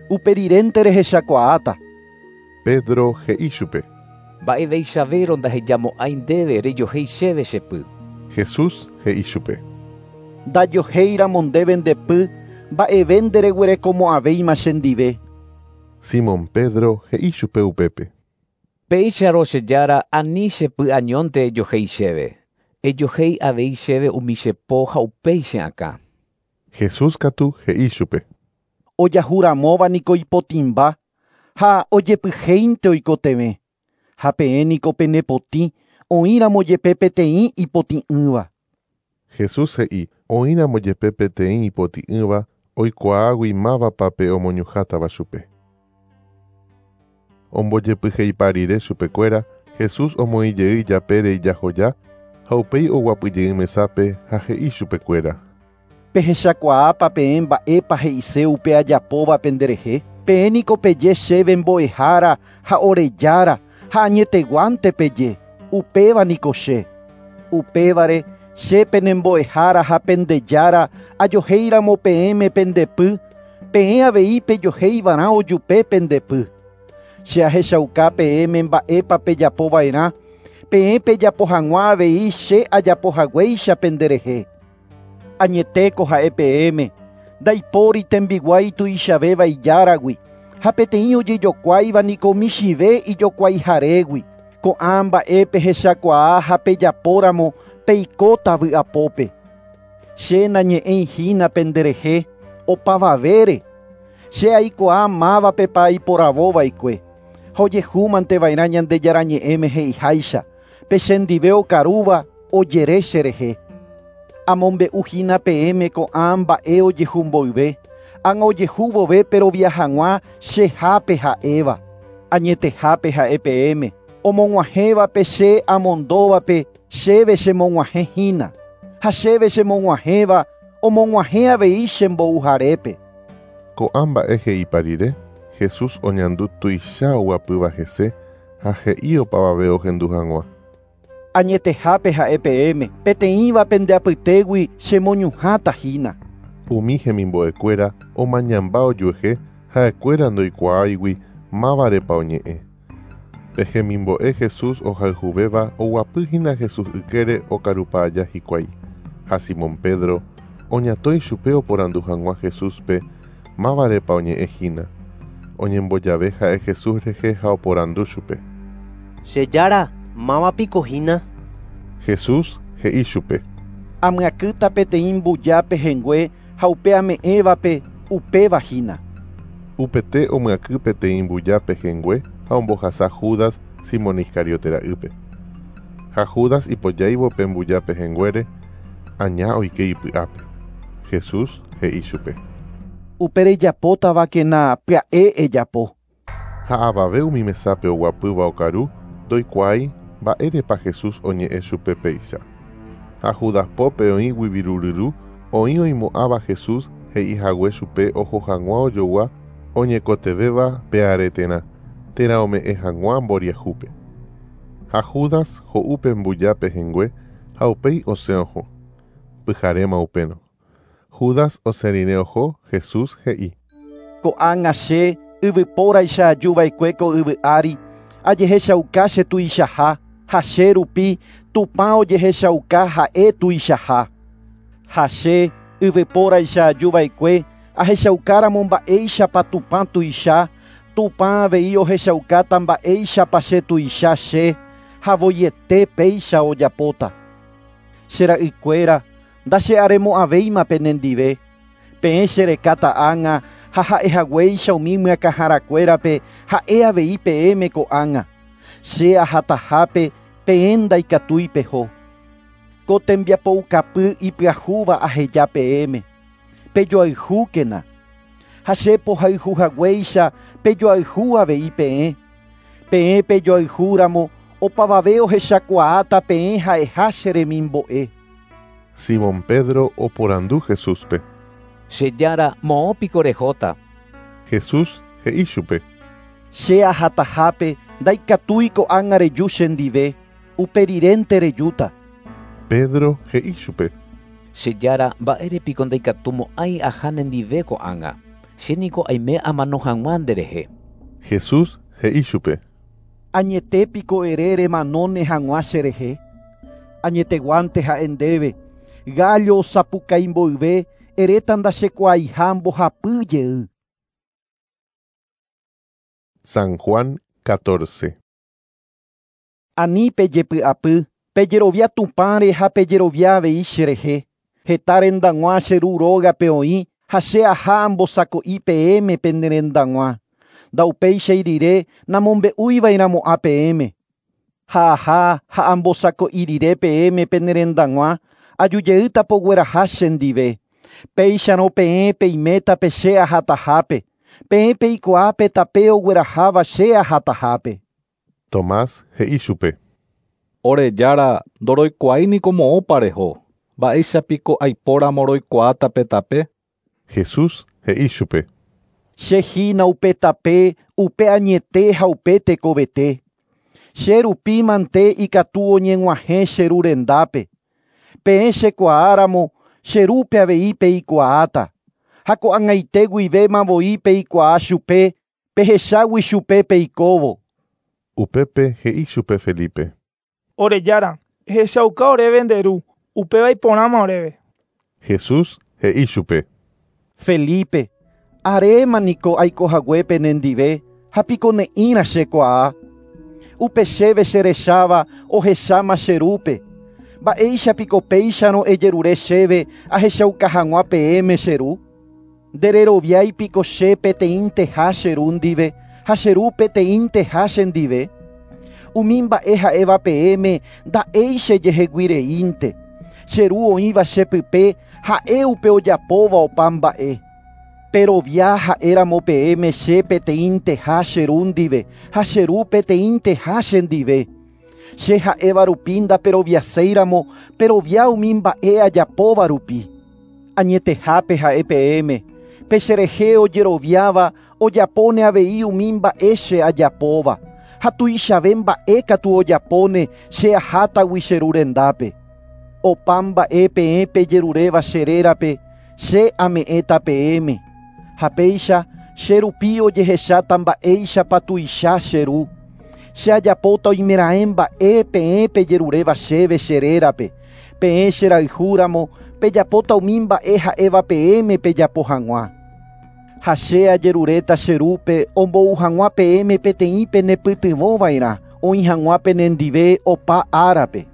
Uperirénte rehechakuaáta. Pedro he'i chupe. Mba'eveichavérõ ndahejamo'ãi ndéve rejohéi chéve che py. Jesús he'i chupe. Ndajohéiramo ndéve nde py, mba'eve ndereguerekomo'ãvéima chendive. Simón Pedro he'i chupe upépe. Péicharõ che Jára ani che py añónte ejohéi chéve. Ejohéi avei chéve umi che po ha upéi che akã. Jesús katu he'i chupe. Ojahuramóva niko ipotĩmba ha ojepyhéinte oikotevẽ. Ha peẽ niko penepotĩ oĩramo jepe peteĩ ipotĩ'ỹva. Jesús he'i oĩramo jepe peteĩ ipotĩ'ỹva oikuaágui mávapa pe omoñuhãtava chupe. Ombojepyheipa rire chupekuéra, Jesús omoĩ jey ijapére ijahoja ha upéi oguapyjey mesápe ha he'i chupekuéra. Pehechakuaápa peẽ mba'épa he'ise upe ajapóva penderehe. Peẽ niko peje chéve mbo'ehára ha ore Jára ha añeteguánte peje. Upéva niko che. Upévare che penembo'ehára ha pende Jára ajohéiramo peẽme pendepy, peẽ avei pejohéivarã ojupe pendepy. Che ahechauka peẽme mba'épa pejapova'erã, peẽ pejapo hag̃ua avei che ajapohaguéicha penderehe. Añetéko ha'e peẽme, ndaipóri tembiguái tuichavéva ijáragui, ha peteĩ ojejokuáiva niko michĩve ijokuaiharégui. Ko'ã mba'e pehechakuaa ha pejapóramo peikóta vy'apópe. Che nañe'ẽihína penderehe opavavére. Che aikuaa mávapepa aiporavóva'ekue. Ha ojehúmanteva'erã Ñandejára ñe'ẽme he'iháicha, pe chendive okarúva ojere cherehe. Amombe'uhína peẽme ko'ã mba'e ojehu mboyve, ág̃a ojehu vove perovia hag̃ua chehápe ha'éva. Añetehápe ha'e peẽme, omog̃uahẽvape che amondóvape chéve chemog̃uahẽhína, ha chéve chemog̃uahẽva omog̃uahẽ avei chembouharépe. Ko'ã mba'e he'ipa rire, Jesús oñandu tuicha oguapýva hese ha he'i opavave ohendu hag̃ua. Añetehápe ha'e peẽme, peteĩva pende apytégui chemoñuhãtahína. Umi hemimbo'ekuéra omañamba ojuehe ha'ekuéra ndoikuaáigui mávarepa oñe'ẽ. Pe hemimbo'e Jesús ohayhuvéva oguapýhína Jesús ykére okarupa aja hikuái. Ha Simón Pedro oñatõi chupe oporandu hag̃ua Jesúspe mávarepa oñe'ẽhína. Oñembojave ha'e Jesús rehe ha oporandu chupe. Che Jára, mávapiko hína? Jesús he'i chupe. Amyakýta peteĩ mbuja pehẽngue ha upe ame'ẽvape upéva hína. Upete omyakỹ peteĩ mbuja pehẽngue ha ombohasa Judas Simón Iscariote ra'ýpe. Ha Judas ipojáivo pe mbuja pehẽnguére, aña oike ipy'ápe. Jesús he'i chupe. Upe rejapótavakena pya'e ejapo. Ha avave umi mesápe oguapýva okaru ndoikuaái mba'érepa Jesús oñe'ẽ chupe péicha. Ha Judas pópe oĩgui viruryru oĩ oimo'ãva Jesús he'ihague chupe oho hag̃ua ojogua oñekotevẽva pe areterã térã ome'ẽ hag̃ua mboriahúpe. Ha Judas ho'u pe mbuja pehẽngue ha upéi osẽ oho. Pyharéma upérõ. Judas osẽ rire oho, Jesús he'i. Ko'ág̃a che yvypóraicha ajuva'ekue ko yvy ári, ajehechauka che tuichaha Ha che rupi Tupã ojehechauka ha'e tuichaha. Ha che yvypóraicha ajuva'ekue ahechaukáramo mba'éichapa Tupã tuicha, Tupã avei ohechaukáta mba'éichapa che tuicha che ha voiete péicha ojapóta. Che ra'ykuéra ndache'aremo'ãvéima penendive. Peẽ cherekáta ág̃a ha ha'ehaguéicha umi myakãharakuérape ha'e avei peẽme ko'ág̃a. Che ahatahápe peẽ ndaikatúi peho. Ko tembiapoukapy ipyahúva aheja peẽme. Pejoayhúkena. Ha che pohayhuhaguéicha pejoayhu avei peẽ. Peẽ pejoayhúramo opavave ohechakuaáta peẽ ha'eha che remimbo'e. Simón Pedro oporandu Jesúspe. Che Jára, moõ piko rehóta. Jesús he'i chupe. Che ahatahápe ndaikatúi ko'ág̃a reju chendive, uperirénte rejúta. Pedro he'i chupe. Che Jára, mba'érepiko ndaikatumo'ãi aha nendive ko'ág̃a. Che niko aime amano hag̃ua nderehe. Jesús he'i chupe. Añetépiko ere remanóne hag̃ua cherehe. Añeteguánte ha'e ndéve. Gallo osapukái mboyve eréta ndachekuaaiha mbohapy jey. San Juan catorce. Ani pejepy'apy, pejerovia Tupãre ha pejerovia avei cherehe. Heta rendag̃ua che ru rógape oĩ ha che aha ambosako'i peẽme pene rendag̃ua. Ndaupéichai rire namombe'uiva'erãmo'ã peẽme. Ha aha ha ambosako'i rire peẽme pene rendag̃ua ajujeýta pogueraha chendive. Péicharõ peẽ peiméta pe che ahatahápe. Peẽ peikuaa pe tape ogueraháva che ahatahápe. Tomás he'i chupe. Ore Jára, ndoroikuaái niko moõpa reho. Mba'éichapiko aipóramo roikuaáta pe tape? Jesús he'i chupe. Che hína upe tape, upe añete ha upe tekovete. Che rupi mante ikatu oñeg̃uahẽ che ru rendápe. Peẽ chekuaáramo che rúpe avei peikuaáta. Ha ko'ag̃aite guivéma voi peikuaa chupe, pehechágui chupe peikóvo. Upépe he'i chupe Felipe. Ore Jára, ehechauka oréve nde ru, upéva iporãma oréve. Jesús he'i chupe. Felipe, aréma niko aikohaguépe nendive ha piko ne'ĩra chekuaa. Upe chéve cherecháva ohecháma che rúpe. Mba'éichapiko péicharõ ejerure chéve ahechauka hag̃ua peẽme che ru. Ndereroviáipiko che peteĩnteha che ru ndive ha che ru peteĩnteha chendive. Umi mba'e ha'éva peẽme nda'éi chejeheguireínte. Che ru oĩva chepype ha'e upe ojapóva opa mba'e. Perovia ha'éramo peẽme che peteĩnteha che ru ndive ha che ru peteĩnteha chendive. Che ha'éva rupi ndaperoviaséiramo perovia umi mba'e ajapóva rupi. Añetehápe ha'e peẽme. Pe cherehe ojeroviáva ojapóne avei umi mba'e che ajapóva. Ha tuichave mba'e katu ojapóne che ahátagui che ru rendápe. Opa mba'e peẽ pejeruréva che rérape, che ame'ẽta peẽme. Ha péicha che rupi ojehecháta mba'éichapa tuicha che ru. Che ajapóta oimeraẽ mba'e peẽ pejeruréva chéve che rérape. Peẽ cherayhúramo pejapóta umi mba'e ha'éva peẽme pejapo hag̃ua. Ha che ajeruréta che rúpe ombou hag̃ua peẽme peteĩ penepytyvõva'erã oĩ hag̃ua penendive opa árape.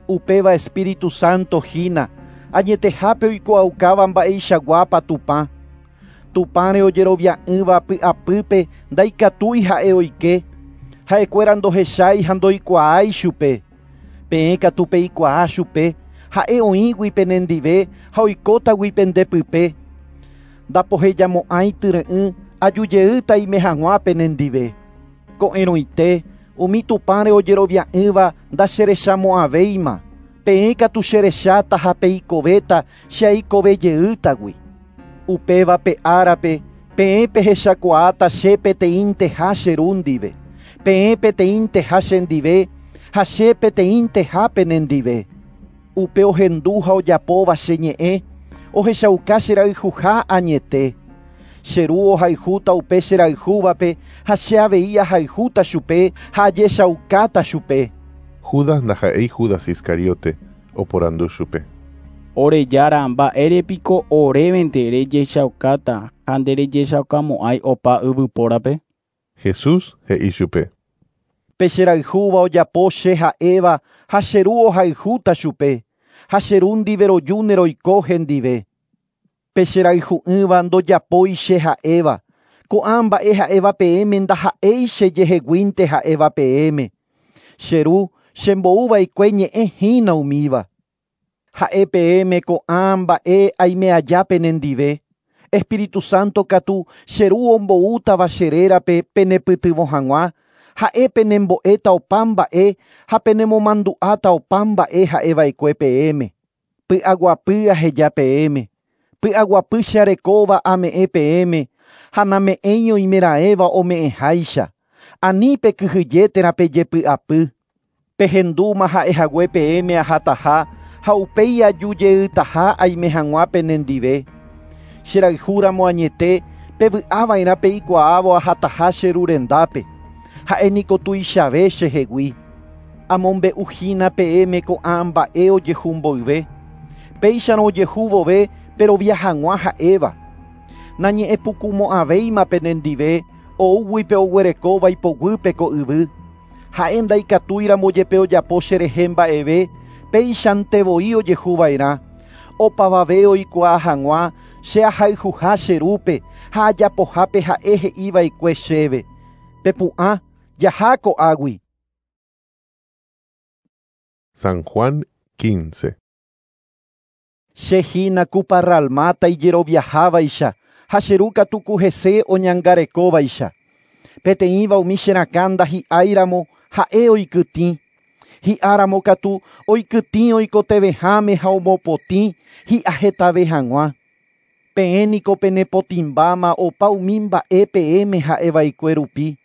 Upéva Espíritu Santo hína añetehápe oikuaaukáva mba'eichaguápa Tupã. Tupãre ojerovia'ỹva py'apýpe ndaikatúi ha'e oike. Ha'ekuéra ndohechái ha ndoikuaái chupe. Peẽ katu peikuaa chupe ha'e oĩgui penendive ha oikótagui pendepype. Ndapohejamo'ãi tyre'ỹ ajujeýta ime hag̃ua penendive. Ko'ẽrõite umi Tupãre ojerovia'ỹva ndacherechamo'ãvéima. Peẽ katu cherecháta ha peikovéta che aikovejeýtagui. Upéva pe árape peẽ pehechakuaáta che peteĩnteha che ru ndive. Peẽ peteĩnteha chendive ha che peteĩnteha penendive. Upe ohendu ha ojapóva che ñe'ẽ ohechauka cherayhuha añete. Che ru ohayhúta upe cherayhúvape ha che avei ahayhúta chupe ha ajechaukáta chupe. Judas ndaha'éi Judas Iscariote oporandu chupe. Ore jára, mba'ére piko orévente rejechaukáta ha nderejechaukamo'ãi opa yvypórape? Jesús he'i chupe. Pe cherayhúva ojapo che ha'éva ha che ru ohayhúta chupe ha che ru ndive rojúne roiko hendive. Pe cherayhu'ỹva ndojapói che ha'éva. Ko'ã mba'e ha'éva peẽme ndaha'éi chejeheguínte ha'éva peẽme. Che ru chembo'uva'ekue ñe'ẽ hína umíva. Ha'e peẽme ko'ã mba'e aime aja penendive. Espíritu Santo katu che ru omboútava che rérape penepytyvõ hag̃ua, ha'e penembo'éta opa mba'e ha penemomandu'áta opa mba'e ha'eva'ekue peẽme. Py'aguapy aheja peẽme. Py'aguapy che arekóva ame'ẽ peẽme ha name'ẽi oimeraẽva ome'ẽháicha. Ani pekyhyje térã pejepy'apy. Pehendúma ha'ehague peẽme ahataha ha upéi ajujeytaha aime hag̃ua penendive. Cherayhúramo añete pevy'ava'erã peikuaávo ahataha che ru rendápe. Ha'e niko tuichave chehegui. Amombe'uhína peẽme ko'ã mba'e ojehu mboyve. Péicharõ ojehu vove perovia hag̃ua ha'éva. Nañe'ẽpukumo'ãvéima penendive oúgui pe oguerekóva ipoguýpe ko yvy. Ha'e ndaikatúiramo jepe ojapo cherehe mba'eve péichante voi ojehuva'erã. Opavave oikuaa hag̃ua che ahayhuha che rúpe ha ajapohápe ha'e he'iva'ekue chéve. Pepu'ã jaha ko'águi. San Juan quince. Che hína ku parralmáta ijeroviahávaicha ha che ru katu ku hese oñangarekóvaicha. Peteĩva umi che rakã ndahi'áiramo ha'e oikytĩ. Hi'áramo katu oikytĩ oikotevẽháme ha omopotĩ hi'ahetave hag̃ua. Peẽ niko penepotĩmbáma opa umi mba'e peẽme ha'eva'ekue rupi.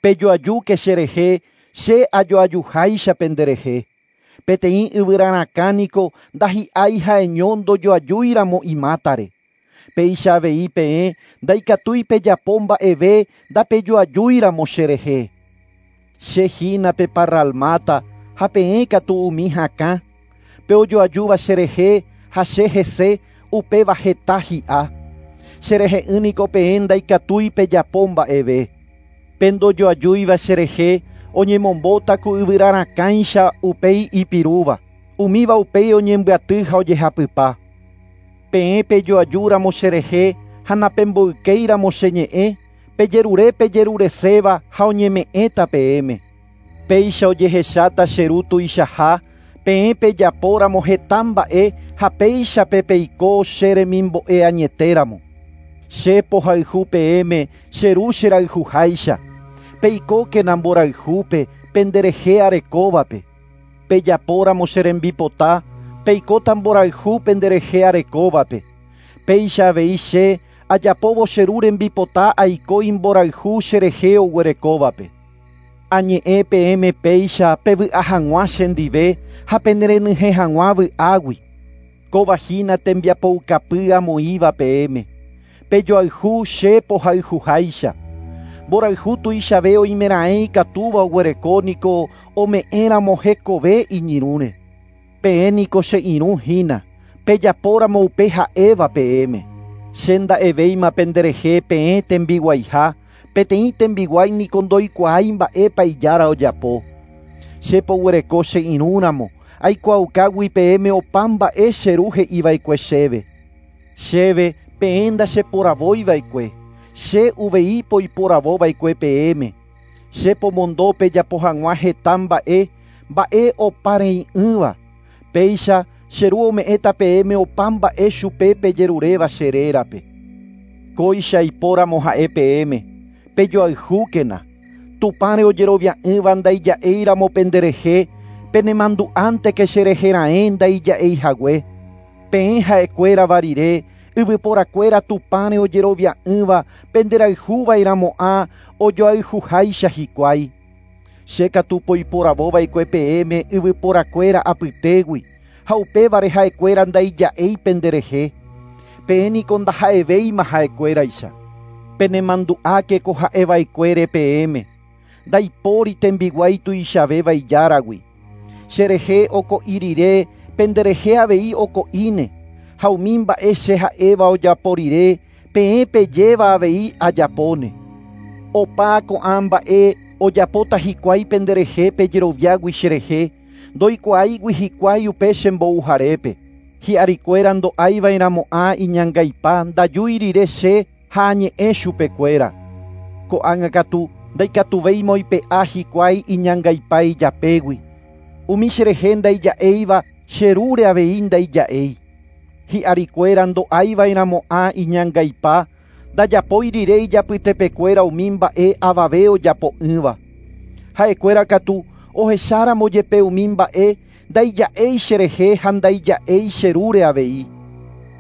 Pejoajúke cherehe che ajoajuháicha penderehe. Peteĩ yvyrarakã niko ndahi'ái ha'eño ndojoajúiramo imátare. Péicha avei peẽ ndaikatúi pejapo mba'eve ndapejoajúiramo cherehe. Che hína pe parralmáta ha peẽ katu umi hakã. Pe ojoajúva cherehe ha che hese upéva heta hi'a. Cherehe'ỹ niko peẽ ndaikatúi pejapo mba'eve. Pe ndojoajúiva cherehe oñemombóta ku yvyrarakãicha upéi ipirúva. Umíva upéi oñembyaty ha ojehapypa. Peẽ pejoajúramo cherehe ha napemboykéiramo che ñe'ẽ, pejerure pejerureséva ha oñeme'ẽta peẽme. Péicha ojehecháta che ru tuichaha, peẽ pejapóramo heta mba'e ha péichape peiko che remimbo'e añetéramo. Che pohayhu peẽme che ru cherayhuháicha. Peikókena mborayhúpe penderehe arekóvape. Pejapóramo che rembipota, peikóta mborayhu penderehe arekóvape. Péicha avei che ajapóvo che ru rembipota aiko imborayhu cherehe oguerekóvape. Añe'ẽ peẽme péicha pevy'a hag̃ua chendive ha penerenyhẽ hag̃ua vy'águi. Kóva hína tembiapoukapy amoĩva peẽme. Pejoayhu che pohayhuháicha. Mborayhu tuichave oimeraẽ ikatúva oguereko niko ome'ẽramo hekove iñirũre. Peẽ niko che irũ hína, pejapóramo upe ha'éva peẽme. Che nda'evéima penderehe peẽ tembiguaiha, peteĩ tembiguái niko ndoikuaái mba'épa ijára ojapo. Che poguereko che irũramo, aikuaukágui peẽme opa mba'e che ru he'iva'ekue chéve. Chéve peẽ ndacheporavóiva'ekue. Che uvei poiporavóva'ekue peẽme. Che pomondo pejapo hag̃ua heta mba'e, mba'e oparei'ỹva. Péicha che ru ome'ẽta peẽme opa mba'e chupe pejeruréva che rérape. Kóicha ipóramo ha'e peẽme. Pejoayhúkena. Tupãre ojerovia'ỹva ndaija'éiramo penderehe, penemandu'ánteke cherehe raẽ ndaija'eihague. Peẽ ha'ekuérava rire, yvyporakuéra Tupãre ojerovia'ỹva penderayhuva'erãmo'ã ojoayhuháicha hikuái. Che katu poiporavóva'ekue peẽme yvyporakuéra apytégui ha upévare ha'ekuéra ndaija'éi penderehe. Peẽ niko ndaha'evéima ha'ekuéraicha. Penemandu'áke ko ha'eva'ekuére peẽme. Ndaipóri tembiguái tuichavéva ijáragui. Cherehe oko'i rire, penderehe avei oko'íne. Ha umi mba'e che ha'éva ojapo rire, peẽ pejéva avei ajapóne. Opa ko'ã mba'e ojapóta hikuái penderehe pejeroviágui cherehe, ndoikuaáigui hikuái upe chembouharépe. Hi'arikuéra ndo'aiva'erãmo'ã iñangaipa ndajúi rire che ha añe'ẽ chupekuéra. Ko'ág̃a katu ndaikatuvéima oipe'a hikuái iñangaipa ijapégui. Umi cherehe ndaija'éiva cherúre avei ndaija'éi. Hi'arikuéra ndo'aiva'erãmo'ã iñangaipa ndajapói rire ijapytepekuéra umi mba'e avave ojapo'ỹva. Ha'ekuéra katu ohecháramo jepe umi mba'e ndaija'éi cherehe ha ndaija'éi cherúre avei.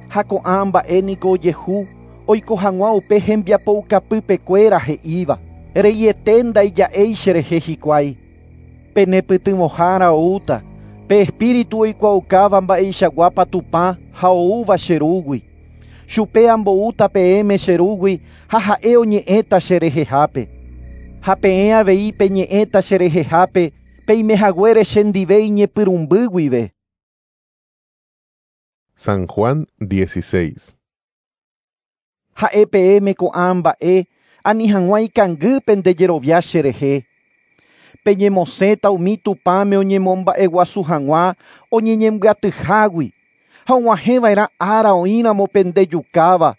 Ha ko'ã mba'e niko ojehu oiko hag̃ua upe hembiapoukapypekuéra he'íva. Reiete ndaija'éi cherehe hikuái. Penepytyvõhára oúta, pe espíritu oikuaukáva mba'eichaguápa Tupã ha oúva cherúgui. Chupe amboúta peẽme cherúgui ha ha'e oñe'ẽta cherehehápe. Ha peẽ avei peñe'ẽta cherehehápe peimehaguére chendive iñepyrũmby guive. San Juan dieciséis. Ha'e peẽme ko'ã mba'e ani hag̃ua ikangy pendejerovia cherehe. Peñemosẽta umi Tupãme oñemomba'eguasu hag̃ua oñeñembyatyhágui ha og̃uahẽva'erã ára oĩramo pendejukáva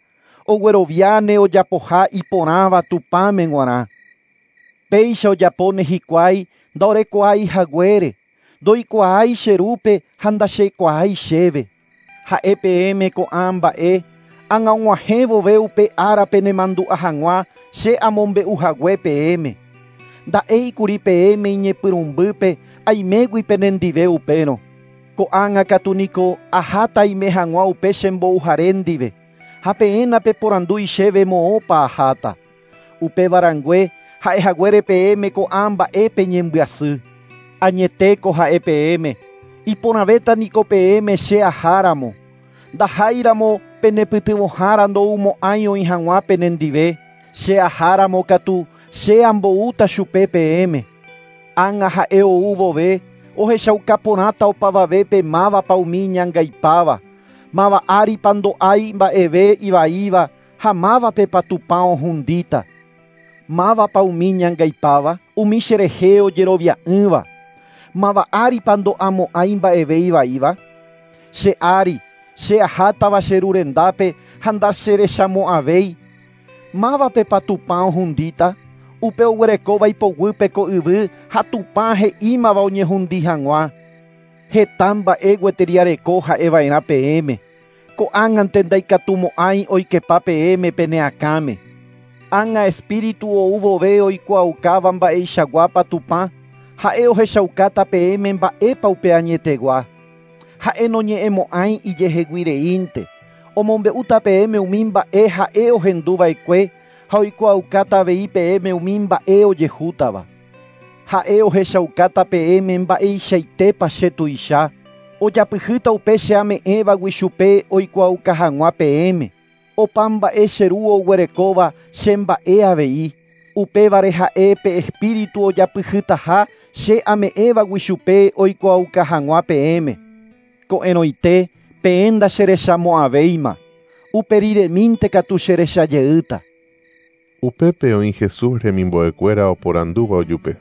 ogueroviáne ojapoha iporãva Tupãme g̃uarã. Péicha ojapóne hikuái ndaorekuaái haguére, ndoikuaái cherúpe ha ndachekuaái chéve. Ha'e peẽme ko'ã mba'e ág̃a og̃uahẽ vove upe ára penemandu'a hag̃ua che amombe'uhague peẽme. Nda'éikuri peẽme iñepyrũmbýpe aimégui penendive upérõ. Ko'ág̃a katu niko aháta aime hag̃ua upe chembouhare ndive, ha peẽ napeporandúi chéve moõpa aháta. Upéva rangue ha'ehaguére peẽme ko'ã mba'e peñembyasy. Añetéko ha'e peẽme, iporãvéta niko peẽme che aháramo. Ndaháiramo penepytyvõhára ndoumo'ãi oĩ hag̃ua penendive, che aháramo katu che amboúta chupe peẽme. Ág̃a ha'e ou vove, ohechauka porãta opavavépe mávapa umi iñangaipáva, máva áripa ndo'ái mba'eve ivaíva ha mávapepa Tupã ohundíta. Mávapa umi iñangaipáva, umi cherehe ojerovia'ỹva. Máva áripa ndo'amo'ãi mba'eve ivaíva. Che ári, che ahátava che ru rendápe ha ndacherechamo'ãvéi. Mávapepa Tupã ohundíta, upe oguerekóva ipoguýpe ko yvy ha Tupã he'ímava oñehundi hag̃ua. Heta mba'e gueteri areko ha'eva'erã peẽme. Ko'ág̃ante ndaikatumo'ãi oikepa peẽme pene akãme. Ág̃a espíritu ou vove oikuaaukáva mba'eichaguápa Tupã, ha'e ohechaukáta peẽme mba'épa upe añetegua. Ha'e noñe'ẽmo'ãi ijeheguireínte. Omombe'úta peẽme umi mba'e ha'e ohenduva'ekue ha oikuaaukáta avei peẽme umi mba'e ojehútava. Ha'e ohechaukáta peẽme mba'eichaitépa che tuicha, ojapyhýta upe che ame'ẽvagui chupe oikuaauka hag̃ua peẽme. Opa mba'e che ru oguerekóva che mba'e avei. Upévare ha'e pe espíritu ojapyhýtaha che ame'ẽvagui chupe oikuaauka hag̃ua peẽme. Ko'ẽrõite peẽ ndacherechamo'ãvéima. Uperiremínte katu cherechajeýta. Upépe oĩ Jesús remimbo'ekuéra oporandúva ojupe.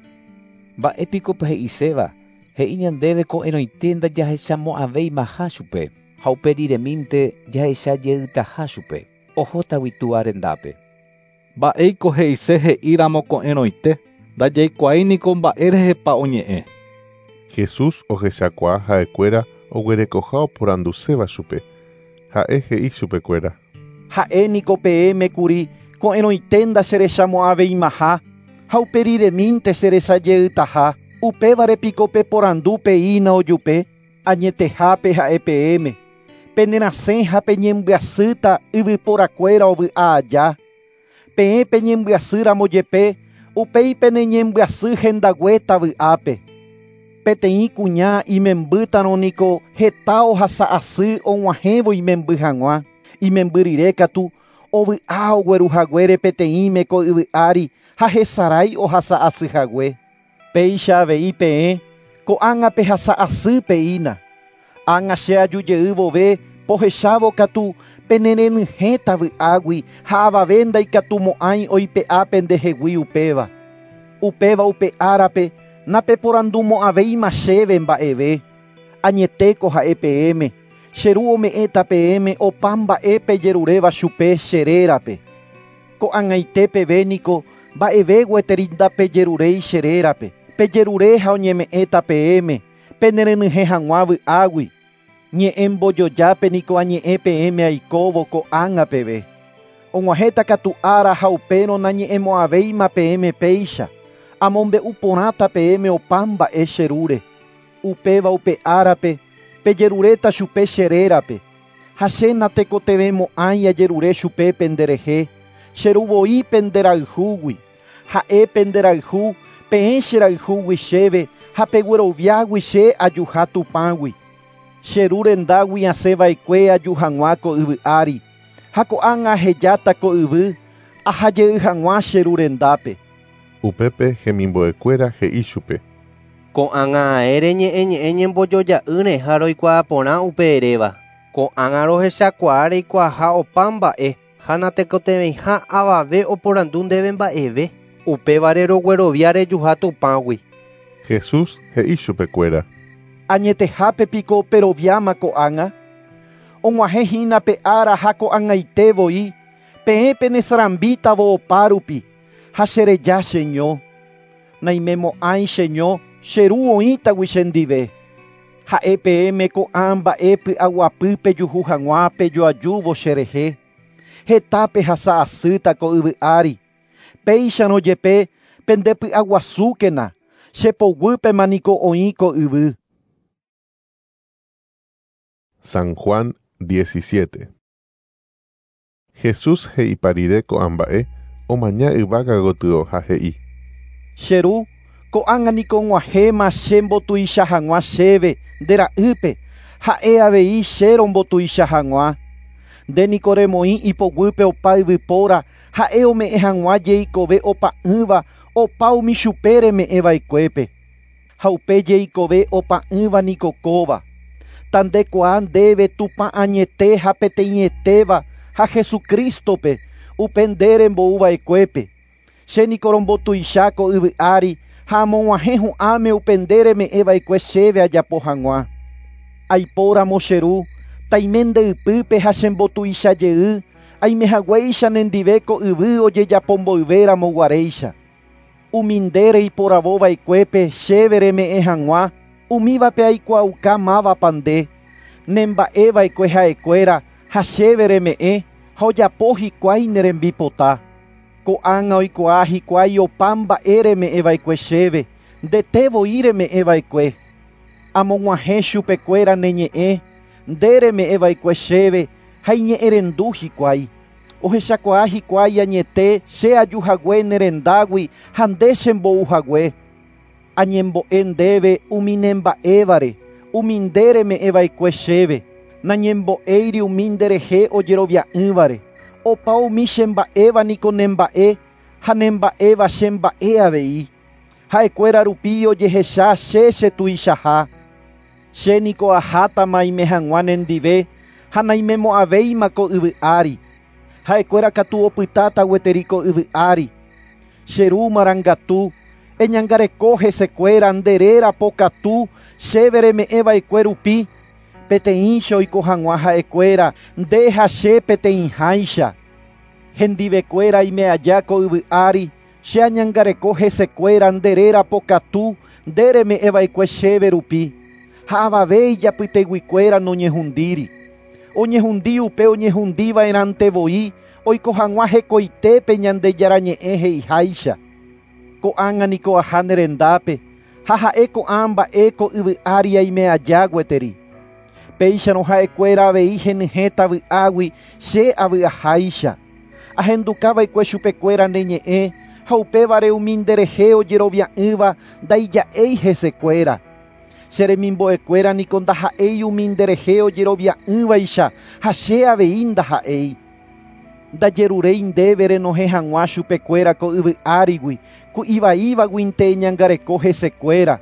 Mba'épiko he'iséva, he'i ñandéve ko'ẽrõite ndajahechamo'ãvéimaha chupe, ha uperiremínte jahechajeytaha chupe, ohótagui túva rendápe. Mba'éiko he'ise he'íramo ko'ẽrõite, ndajaikuaái niko mba'érehepa oñe'ẽ. Jesús ohechakuaa ha'ekuéra oguerekoha oporanduséva chupe. Ha'e he'i chupekuéra. Ha'e niko peẽme kuri ko'ẽrõite ndacherechamo'ãveimaha ha uperiremínte cherechajeytaha. Upévare piko peporandu peína ojupe, añetehápe ha'e peẽme. Penerasẽ ha peñembyasýta yvyporakuéra ovy'a aja. Peẽ peñembyasýramo jepe, upéi peneñembyasy hendaguéta vy'ápe. Peteĩ kuña imembýtarõ niko heta ohasa asy og̃uahẽvo imemby hag̃ua. Imemby rire katu ovy'a ogueruhaguére peteĩme ko yvy ári ha hesarái ohasa asy hague. Péicha avei peẽ Ko'ág̃a pehasa asy peína. Ág̃a che aju jey vove pohechávo katu penerenyhẽta vy'águi ha avave ndaikatumo'ãi oipe'a pendehegui upéva. Upéva upe árape napeporandumo'ãvéima chéve mba'eve. Añetéko ha'e peẽme, che ru ome'ẽta peẽme opa mba'e pejeruréva chupe che rérape. Ko'ag̃aite peve niko mba'eve gueteri ndapejeruréi che rérape. Pejerure ha oñeme'ẽta peẽme penerenyhẽ hag̃ua vy'águi. Ñe'ẽ mbojojápe niko añe'ẽ peẽme aikóvo ko'ág̃a peve. Og̃uahẽta katu ára ha upérõ nañe'ẽmo'ãvéima peẽme péicha. Amombe'u porãta peẽme opa mba'e che rúre. Upéva upe árape pejeruréta chupe che rérape. Ha che natekotevẽmo'ãi ajerure chupe penderehe. Che ru voi penderayhúgui. Ha'e penderayhu peẽ cherayhúgui chéve ha pegueroviágui che ajuha Tupãgui. Che ru rendágui asẽva'ekue aju hag̃ua ko yvy ári. Ha ko'ág̃a ahejáta ko yvy ahajey hag̃ua che ru rendápe. Upépe hemimbo'ekuéra he'i chupe. Ko'ág̃a ae reñe'ẽ ñe'ẽ ñembojoja'ỹre ha roikuaa porã upe eréva. Ko'ág̃a rohechakuaa reikuaaha opa mba'e ha natekotevẽiha avave oporandu ndéve mba'eve. Upévare roguerovia rejuha Tupãgui. Jesús he'i chupekuéra. Añetehápe piko peroviáma ko'ág̃a. Og̃uahẽhína pe ára ha ko'ag̃aite voi, peẽ penesarambítavo opárupi ha chereja cheño. Naimemo'ãi cheño, che ru oĩtagui chendive. Ha'e peẽme ko'ã mba'e py'aguapy pejuhu hag̃ua pejoajúvo cherehe. Heta pehasa asýta ko yvy ári. Péicharõ jepe pendepy'aguasúkena, che poguýpema niko oĩ ko yvy. San Juan diecisiete. Jesús he'ipa rire ko'ã mba'e omaña yvága gotyo ha he'i. Che ru, ko'ág̃a niko og̃uahẽma che mbotuicha hag̃ua chéve nde ra'ýpe, ha'e avei che rombotuicha hag̃ua. Nde niko remoĩ ipoguýpe opa yvypóra, ha'e ome'ẽ hag̃ua jeikove opa'ỹva opa umi chupe reme'ẽva'ekuépe. Ha upe jeikove opa'ỹva niko kóva. Tandekuaa ndéve Tupã añete ha peteĩetéva ha Jesucristope upe nde rembouva'ekuépe. Che niko rombotuicha ko yvy ári ha amog̃uahẽ hu'ãme upe nde reme'ẽva'ekue chéve ajapo hag̃ua. Aipóramo che ru, taime nde ypýpe ha chembotuicha jey, aimehaguéicha nendive ko yvy ojejapomboyvéramo guaréicha. Umi nde reiporavova'ekuépe chéve reme'ẽ hag̃ua, umívape aikuaauka mávapa nde. Nemba'eva'ekue ha'ekuéra ha chéve reme'ẽ ha ojapo hikuái ne rembipota. Ko'ág̃a oikuaa hikuái opa mba'e reme'ẽva'ekue chéve, ndete voi reme'ẽva'ekue. Amog̃uahẽ chupekuéra ne ñe'ẽ, nde reme'ẽva'ekue chéve ha iñe'ẽrendu hikuái. Ohechakuaa hikuái añete che ajuhague ne rendágui ha nde chembouhague. Añembo'e ndéve umi nemba'évare, umi nde reme'ẽva'ekue chéve. Nañembo'éiri umi nderehe ojerovia'ỹvare. Opa umi chemba'éva niko nemba'e ha nemba'éva chemba'e avei. Ha'ekuéra rupi ojehecha che chetuichaha. Che niko ahátama aime hag̃ua nendive ha naimemo'ãvéima ko yvy ári. Ha'ekuéra katu opytáta gueteri ko yvy ári. Che ru marangatu, eñangareko hesekuéra nde réra pokatu chéve reme'ẽva'ekue rupi, peteĩcha oiko hag̃ua ha'ekuéra nde ha che peteĩháicha. Hendivekuéra aime aja ko yvy ári, che añangareko hesekuéra nde réra pokatu nde reme'ẽva'ekue chéve rupi. Ha avave ijapyteguikuéra noñehundíri. Oñehundi upe oñehundiva'erãnte voi oiko hag̃ua hekoitépe Ñandejára ñe'ẽ he'iháicha. Ko'ág̃a niko aha ne rendápe ha ha'e ko'ã mba'e ko yvy ári aime aja gueteri. Péicharõ ha'ekuéra avei henyhẽta vy'águi che avy'aháicha. Ahendukava'ekue chupekuéra ne ñe'ẽ ha upévare umi nderehe ojerovia'ỹva ndaija'éi hesekuéra. Che remimbo'ekuéra niko ndaha'éi umi nderehe ojerovia'ỹvaicha ha che avei ndaha'éi. Ndajeruréi ndéve renohẽ hag̃ua chupekuéra ko yvy árigui, ku ivaívaguinte eñangareko hesekuéra.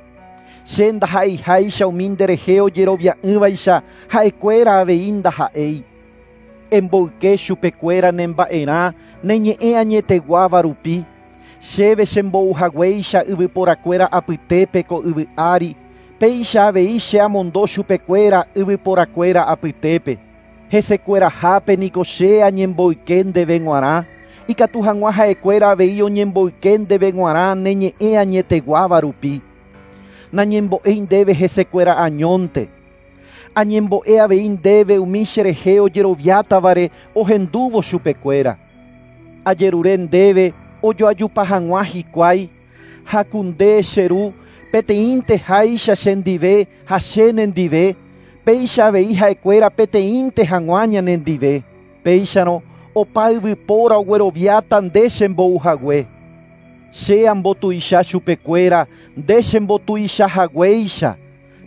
Che ndaha'eiháicha umi nderehe ojerovia'ỹvaicha ha'ekuéra avei ndaha'éi. Emboyke chupekuéra nemba'erã ne ñe'ẽ añeteguáva rupi. Chéve chembouhaguéicha yvyporakuéra apytépe ko yvy ári, péicha avei che amondo chupekuéra yvyporakuéra apytépe. Hesekuerahápe niko che añemboyke ndéve g̃uarã, ikatu hag̃ua ha'ekuéra avei oñemboyke ndéve g̃uarã ne ñe'ẽ añeteguáva rupi. Nañembo'éi ndéve hesekuéra añónte. Añembo'e avei ndéve umi cherehe ojeroviátavare ohendúvo chupekuéra. Ajerure ndéve ojoajupa hag̃ua hikuái, ha ku nde che ru peteĩnte háicha chendive ha che nendive, péicha avei ha'ekuéra peteĩnte hag̃ua ñanendive. Péicharõ opa yvypóra ogueroviáta nde chembouhague. Che ambotuicha chupekuéra nde chembotuichahaguéicha.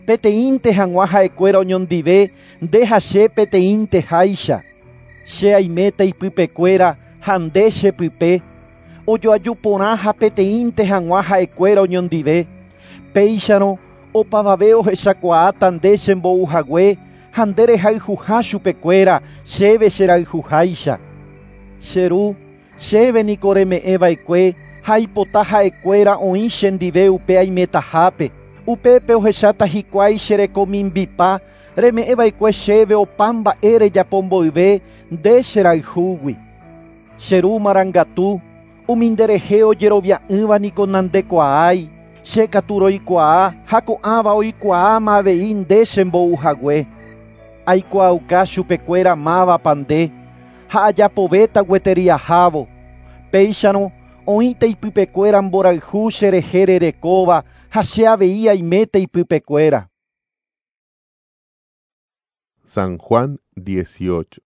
Peteĩnte hag̃ua ha'ekuéra oñondive nde ha che peteĩnte háicha. Che aiméta ipypekuéra ha nde chepype. Ojoaju porã ha peteĩnte hag̃ua ha'ekuéra oñondive. Péicharõ opavave ohechakuaáta nde chembouhague ha nde rehayhuha chupekuéra chéve cherayhuháicha. Che ru, chéve niko reme'ẽva'ekue ha aipota ha'ekuéra oĩ chendive upe aimetahápe. Upépe ohecháta hikuái cherekomimbipa reme'ẽva'ekue chéve opa mba'e rejapo mboyve nde cherayhúgui. Che ru marangatu, umi nderehe ojerovia'ỹva niko nandekuaái, che katu roikuaa ha ko'ãva oikuaáma avei nde chembouhague. Aikuaauka chupekuéra mávapa nde ha ajapovéta gueteri ahávo. Péicharõ oĩta ipypekuéra mborayhu cherehe rerekóva ha che avei aiméta ipypekuéra. San Juan dieciocho.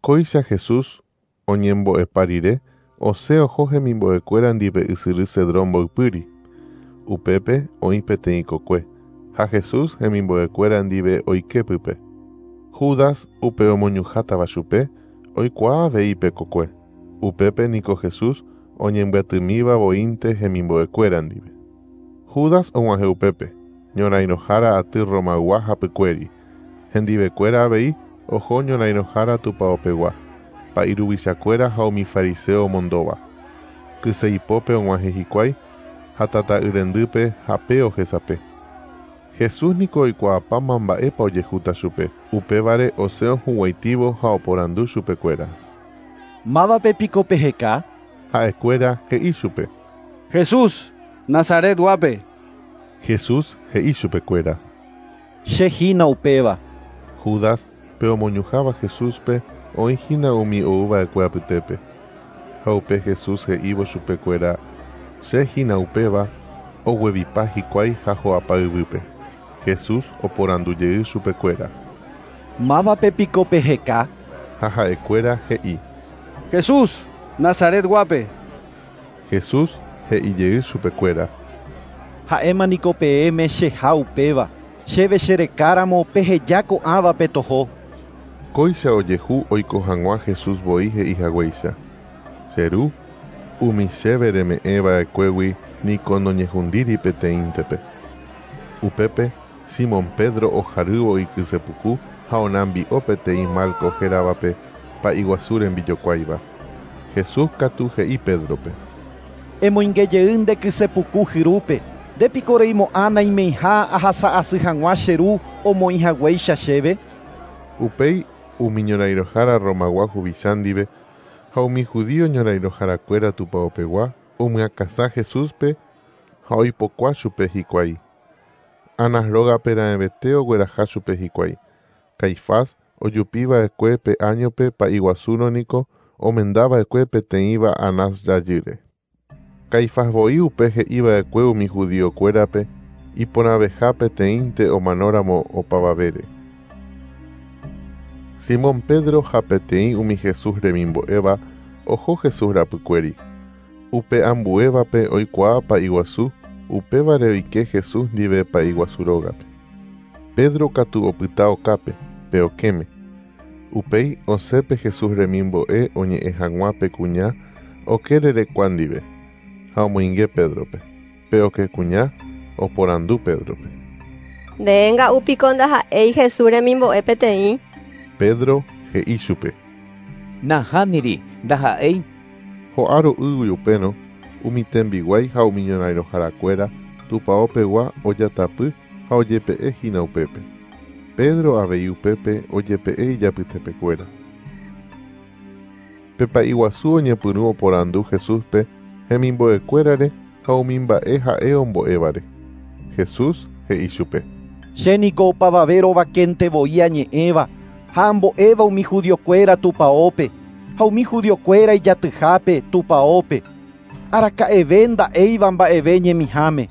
Kóicha Jesús oñembo'epa rire osẽ oho hemimbo'ekuéra ndive ysyry Cedrón mboypýri. Upépe oĩ peteĩ kokue, ha Jesús hemimbo'ekuéra ndive oike pype. Judas upe omoñuhátava chupe oikuaa avei pe kokue. Upépe niko Jesús oñembyatymíva voínte hemimbo'ekuéra ndive. Judas og̃uahẽ upépe, ñorãirõhára aty Romaygua hapykuéri. Hendivekuéra avei oho ñorãirõhára tupaopegua, pa'i ruvichakuéra ha umi fariseo omondóva. Kyseipópe og̃uahẽ hikuái ha tata'yrendýpe hape ohesape. Jesús niko oikuaapáma mba'épa ojehúta chupe, upévare osẽ ohuguaitívo ha oporandu chupekuéra. Mávape piko peheka? Ha'ekuéra he'i chupe. Jesús, Nazaretguápe. Jesús he'i chupekuéra. Che hína upéva. Judas pe omoñuháva Jesúspe oĩ hína umi oúva'ekue apytépe. Ha upe Jesús he'ívo chupekuéra che hína upéva oguevipa hikuái ha ho'apa yvýpe. Jesús oporandujey chupekuéra. Mávape piko peheka? Ha ha'ekuéra he'i. Jesús, Nazaretguápe. Jesús he'ijey chupekuéra. Ha'éma niko peẽme cheha upéva. Chéve cherekáramo peheja ko'ãvape toho. Kóicha ojehu oiko hag̃ua Jesús voi he'ihaguéicha. Che ru, umi chéve reme'ẽva'ekuégui niko noñehundíri peteĩntepe. Upépe Simón Pedro ojarývo ikysepuku ha onambi'o peteĩ Malco héravape pa'i guasu rembijokuáiva. Jesús katu he'i Pedrope. Emoingejey nde kysepuku hyrúpe. Ndépiko reimo'ã naimeiha ahasa'asy hag̃ua che ru omoĩhaguéicha chéve. Upéi umi ñorãirõhára Romagua huvicha ndive ha umi judío ñorãirõharakuéra tupaopegua omyakãsã Jesúspe ha oipokua chupe hikuái. Anás rógape raẽvete ogueraha chupe hikuái. Caifás ojupiva'ekue pe áñope pa'i guasúrõ niko omendava'ekue peteĩva Anás rajýre. Caifás voi upe he'iva'ekue umi judiokuérape iporãveha peteĩnte omanóramo opavavére. Simón Pedro ha peteĩ umi Jesús remimbo'éva oho Jesús rapykuéri. Upe ambuévape oikuaa pa'i guasu, upévare oike Jesús ndive pa'i guasu rógape. Pedro katu opyta okápe, pe okẽme. Upéi osẽpe Jesús remimbo'e oñe'ẽ hag̃ua pe kuña oke rerekua ndive ha omoinge Pedrope. Pe oke kuña Oporandu Pédrope. Ndénga'u piko ndaha'éi Jesús remimbo'e peteĩ. Pedro he'i chupe. Nahániri, ndaha'éi. Ho'a ro'ýgui upérõ umi tembiguái ha umi ñorãirõharakuéra tupãopegua ojatapy ha ojepe'ehína upépe. Pedro avei upépe ojepe'e ijapytepekuéra. Pe pa'i guasu oñepyrũ oporandu Jesúspe hemimbo'ekuérare ha umi mba'e ha'e ombo'évare. Jesús he'i chupe. Che niko opavave rovakénte voi añe'ẽva ha ambo'éva umi judiokuéra tupãópe ha umi judiokuéra ijatyhápe tupãópe. Araka'eve nda'éiva mba'eve ñemiháme.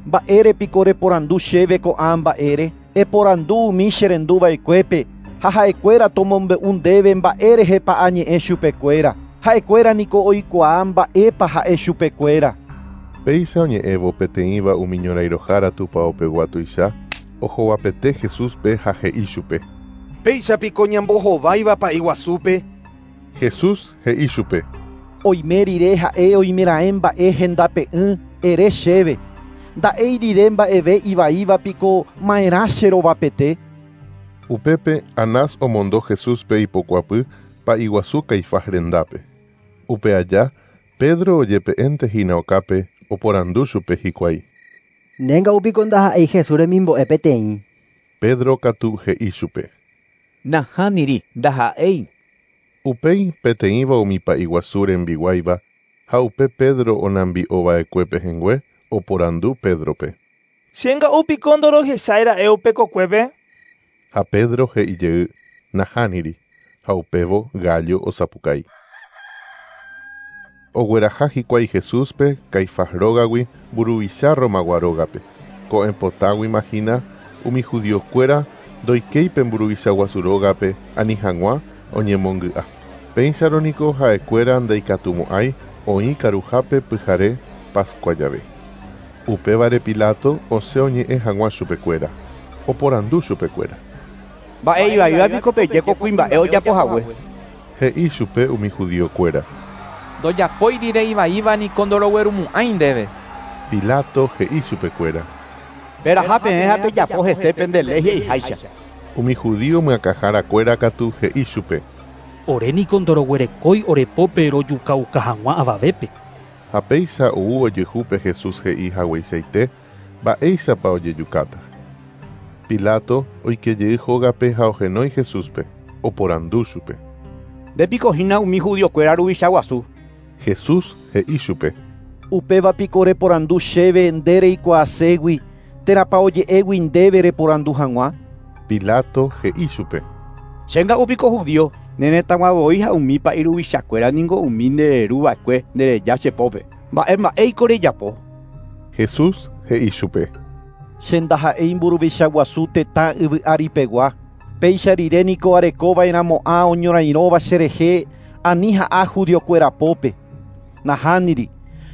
Mba'érepiko reporandu chéve ko'ã mba'ére? Eporandu umi cherenduva'ekuépe ha ha'ekuéra tomombe'u ndéve mba'érehepa añe'ẽ chupekuéra. Ha'ekuéra niko oikuaa mba'épa ha'e chupekuéra. Péicha oñe'ẽvo peteĩva umi ñorãirõhára tupãopegua tuicha ohovapete Jesúspe ha he'i chupe. Péichapiko ñambohováiva pa'i guasúpe. Jesús he'i chupe. Oime rire ha'e oimeraẽ mba'e hendape'ỹ ere chéve. Nda'éi rire mba'eve ivaíva piko ma'erã cherovapete. Upépe Anás omondo Jesúspe ipokuapy pa'i guasu Caifás rendápe. Upe aja Pedro ojepe'éntehína okápe oporandu chupe hikuái. Ndénga'u piko ndaha'éi Jesús remimbo'e peteĩ. Pedro katu he'i chupe. Nahániri, ndaha'éi. Upéi peteĩva umi pa'i guasu rembiguáiva ha upe Pedro onambi'ova'ekue pehẽngue oporandu Pédrope. Chénga'u piko ndorohecháira'e upe kokuépe. Ha Pedro he'ijey nahániri ha upévo gallo osapukái. Ogueraha hikuái Jesúspe Caifás rógagui mburuvicha Romagua rógape. Ko'ẽpotáguima hína umi judiokuéra ndoikéi mburuvicha guasu rógape ani hag̃ua oñemongy'a. Péicharo niko ha'ekuéra ndaikatumo'ãi oĩ karuhápe pyhare Pascua jave. Upévare Pilato osẽ oñe'ẽ hag̃ua chupekuéra. Oporandu chupekuéra. Mba'e ivaíva piko peje ko kuimba'e ojapohague. He'i chupe umi judiokuéra. Ndojapói rire ivaíva niko ndoroguerumo'ãi ndéve. Pilato he'i chupekuéra. Peraha peẽ ha pejapo hese pende léi he'iháicha. Umi judío myakãharakuéra katu he'i chupe. Ore niko ndoroguerekói orepópe rojukauka hag̃ua avavépe. Ha péicha ou ojehúpe Jesús he'i hagueichaite mba'éichapa ojejukáta. Pilato oikejey hógape ha ohenói Jesúspe, oporandu chupe. Ndépiko hína umi judiokuéra ruvicha guasu. Jesús he'i chupe. Upéva piko reporandu chéve nde reikuaaségui térãpa oje'égui ndéve reporandu hag̃ua. Pilato he'i chupe. Chénga'u piko judío ne retãgua voi ha umi pa'i ruvichakuéra niko umi ndereruva'ekue ndereja chepópe. Mba'e mba'éiko rejapo. Jesús he'i chupe. Che ndaha'éi mburuvicha guasu tetã yvy áripegua. Péicha rire niko arekova'erãmo'ã oñorairõva cherehe ani ha'a judiokuéra pópe. Nahániri,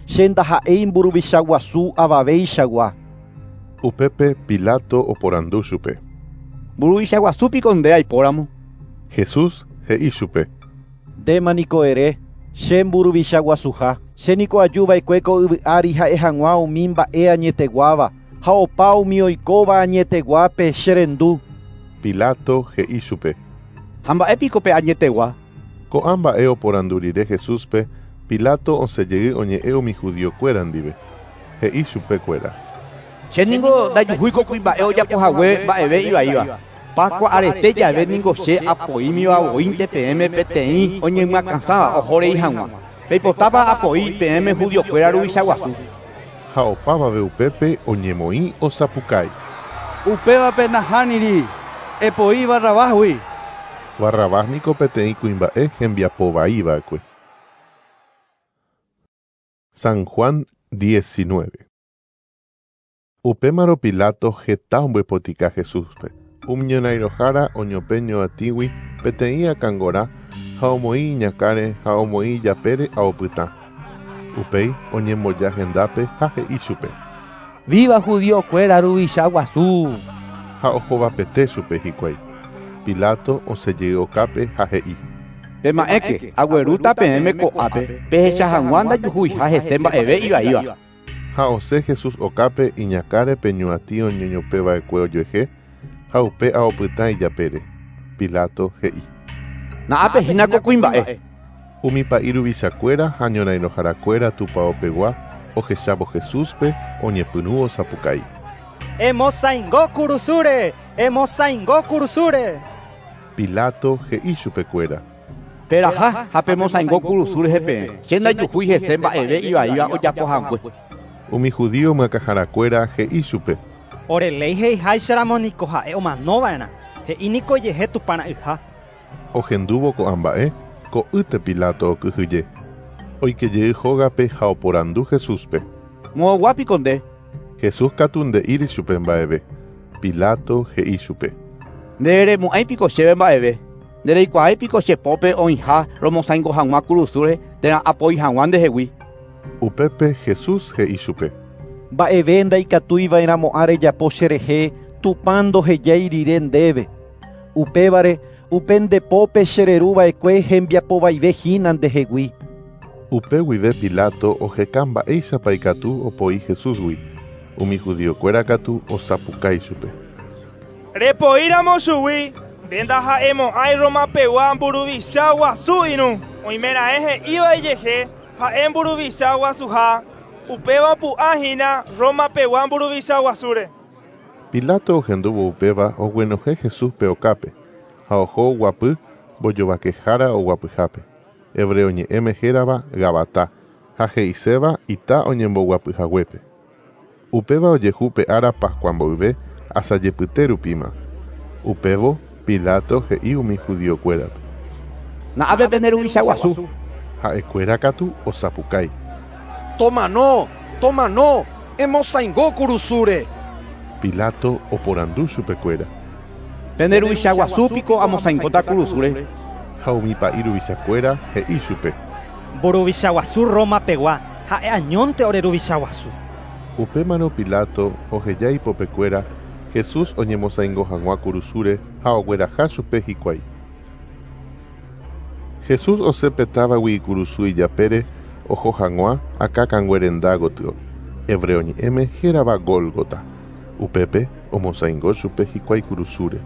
che ndaha'éi mburuvicha guasu avaveichagua. Upépe Pilato oporandu chupe. Mburuvicha guasu piko nde aipóramo. Jesús he'i chupe. Ndéma niko ere, che mburuvicha guasuha. Che niko ajuva'ekue ko yvy ári ha'e hag̃ua umi mba'e añeteguáva ha opa umi oikóva añeteguápe cherendu. Pilato he'i chupe. Ha mba'épiko pe añetegua. Ko'ã mba'e oporandu rire Jesúspe, Pilato osẽjey oñe'ẽ umi judiokuéra ndive. He'i chupekuéra. Che niko ndajuhúi ko kuimba'e ojapohague mba'eve ivaíva. Pascua arete jave niko che apoímiva voínte peẽme peteĩ oñemyakãsãva ohorei hag̃ua. Peipotápa apoi peẽme judiokuéra ruvicha guasu. Ha opavave upépe oñemoĩ osapukái. Upévape nahániri, epoi Barrabásgui. Barrabás niko peteĩ kuimba'e hembiapovaiva'ekue. San Juan diecinueve. Upémarõ Pilato heta ombypotika Jesúspe. Umi ñorãirõhára oñopẽ ñoatĩgui peteĩ akãngora ha omoĩ iñakãre ha omoĩ ijapére aopytã. Upéi oñemboja hendápe ha he'i chupe. Viva judiokuéra ruvicha guasu. Ha ohovapete chupe hikuái. Pilato osẽjey okápe ha he'i. Pema'ẽke aguerúta peẽme ko'ápe pehecha hag̃ua ndajuhuiha hese mba'eve ivaíva. Ha osẽ Jesús okápe iñakãre pe ñuatĩ oñoñopẽva'ekue ojuehe ha upe ao pytã ijapére. Pilato he'i. Na'ápe hína ko kuimba'e. Umi pa'i ruvichakuéra ha ñorairõharakuéra tupãopegua ohechávo Jesúspe oñepyrũ osapukái. Emosaingo kurusúre, emosaingo kurusúre. Pilato he'i chupekuéra. Peraha ha pemosaingo kurusu rehe peẽ. Che ndajuhúi hese mba'eve ivaíva ojapohague. Umi judío myakãharakuéra he'i chupe. Ore léi he'iháicharamo niko ha'e omanova'erã. He'i niko ijehe Tupãra'yha. Ohendúvo ko'ã mba'e, ko'ýte Pilato okyhyje. Oikejey hógape ha oporandu Jesúspe. Moõguápiko nde. Jesús katu nde'íri chupe mba'eve. Pilato he'i chupe. Nderemo'ãipiko chéve mba'eve. Ndereikuaáipiko che pópe oĩha romosaingo hag̃ua kurusúre térã apoi hag̃ua ndehegui. Upépe Jesús he'i chupe. Mba'eve ndaikatuiva'erãmo'ã rejapo cherehe Tupã ndohejái rire ndéve. Upévare upe nde pópe chereruva'ekue hembiapovaivehína ndehegui. Upe guive Pilato oheka mba'éichapa ikatu opoi Jesúsgui. Umi judiokuéra katu osapukái chupe. Repoíramo chugui, nde ndaha'emo'ãi Romapegua mburuvicha guasu irũ. Oimeraẽ he'íva ijehe ha'e mburuvicha guasuha, upéva opu'ãhína Romapegua mburuvicha guasúre. Pilato ohendúvo upéva oguenohẽ Jesúspe okápe ha oho oguapy mbojovakehára oguapyhápe. Hebreo ñe'ẽme hérava Gabatá ha he'iséva ita oñemboguapyhaguépe. Upéva ojehu pe ára Pascua mboyve asajepyte rupíma. Upévo Pilato he'i umi judiokuérape. Na'ápe pende ruvicha guasu. Ha'ekuéra katu osapukái. Tomano, tomano, emosaingo kurusúre. Pilato oporandu chupekuéra. Pende ruvicha guasúpiko amosaingóta kurusúre. Ha umi pa'i ruvichakuéra he'i chupe. Mburuvicha guasu Romapegua ha'e añónte ore ruvicha guasu. Upémarõ Pilato oheja ipopekuéra Jesús oñemosaingo hag̃ua kurusúre ha ogueraha chupe hikuái. Jesús osẽ pe távagui ikurusu ijapére oho hag̃ua akãkangue renda gotyo. Hebreo ñe'ẽme hérava Gólgota. Upépe omosaingo chupe hikuái kurusúre.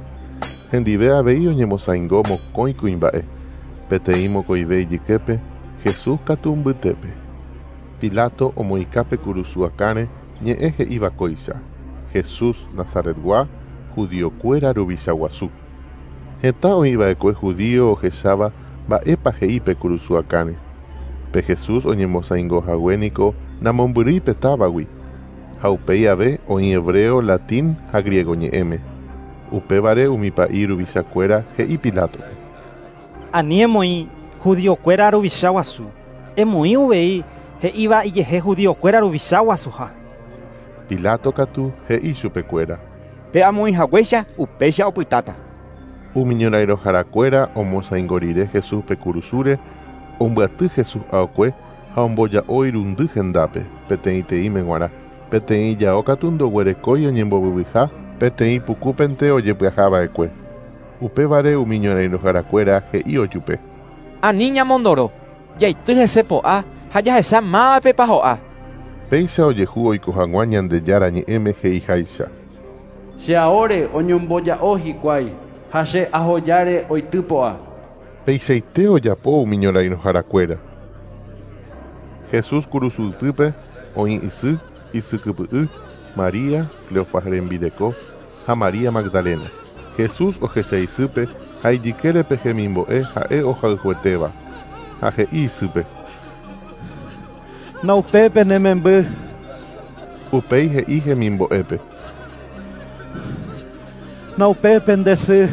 Hendive avei oñemosaingo mokõi kuimba'e. Peteĩ mokõive ijyképe, Jesús katu mbytépe. Pilato omoĩka pe kurusu akãre ñe'ẽ he'íva kóicha. Jesús Nazaretgua, judiokuéra ruvicha guasu. Heta oĩva'ekue judío ohecháva mba'épa he'i pe kurusu akãre. Pe Jesús oñemosaingohague niko namombyrýi pe távagui. Ha upéi ave oĩ hebreo, latín ha griego ñe'ẽme. Upévare umi pa'i ruvichakuéra he'i Pilátope. Ani emoĩ judiokuéra ruvicha guasu. Emoĩ uvei he'íva ijehe judiokuéra ruvicha guasuha. Pilato katu he'i chupekuéra. Pe amoĩhaguéicha upéicha opytáta. Umi ñorairõharakuéra omosaingo rire Jesúspe kurusúre, ombyaty Jesús aokue ha omboja'o irundy hendápe, peteĩteĩme g̃uarã. Peteĩ jao katu ndoguerekói oñembovyvyha, peteĩ pukúpente ojepyahava'ekue. Upévare umi ñorairõharakuéra he'i ojupe. Ani ñamondoro, jaity hese po'a ha jahecha mávapepa ho'a. Péicha ojehu oiko hag̃ua Ñandejára ñe'ẽme he'iháicha. Che aóre oñomboja'o hikuái ha che ahojáre oity po'a. Peichaite ojapo umi ñorairõharakuéra. Jesús kurusu ypýpe oĩ isy, isykypy'y, María, Cleofas rembireko ha María Magdalena. Jesús ohecha isýpe ha ijykére pe hemimbo'e ha'e ohayhuetéva. Ha he'i isýpe. Naupépe ne memby. Upéi he'i hemimbo'épe. Naupépe nde sy.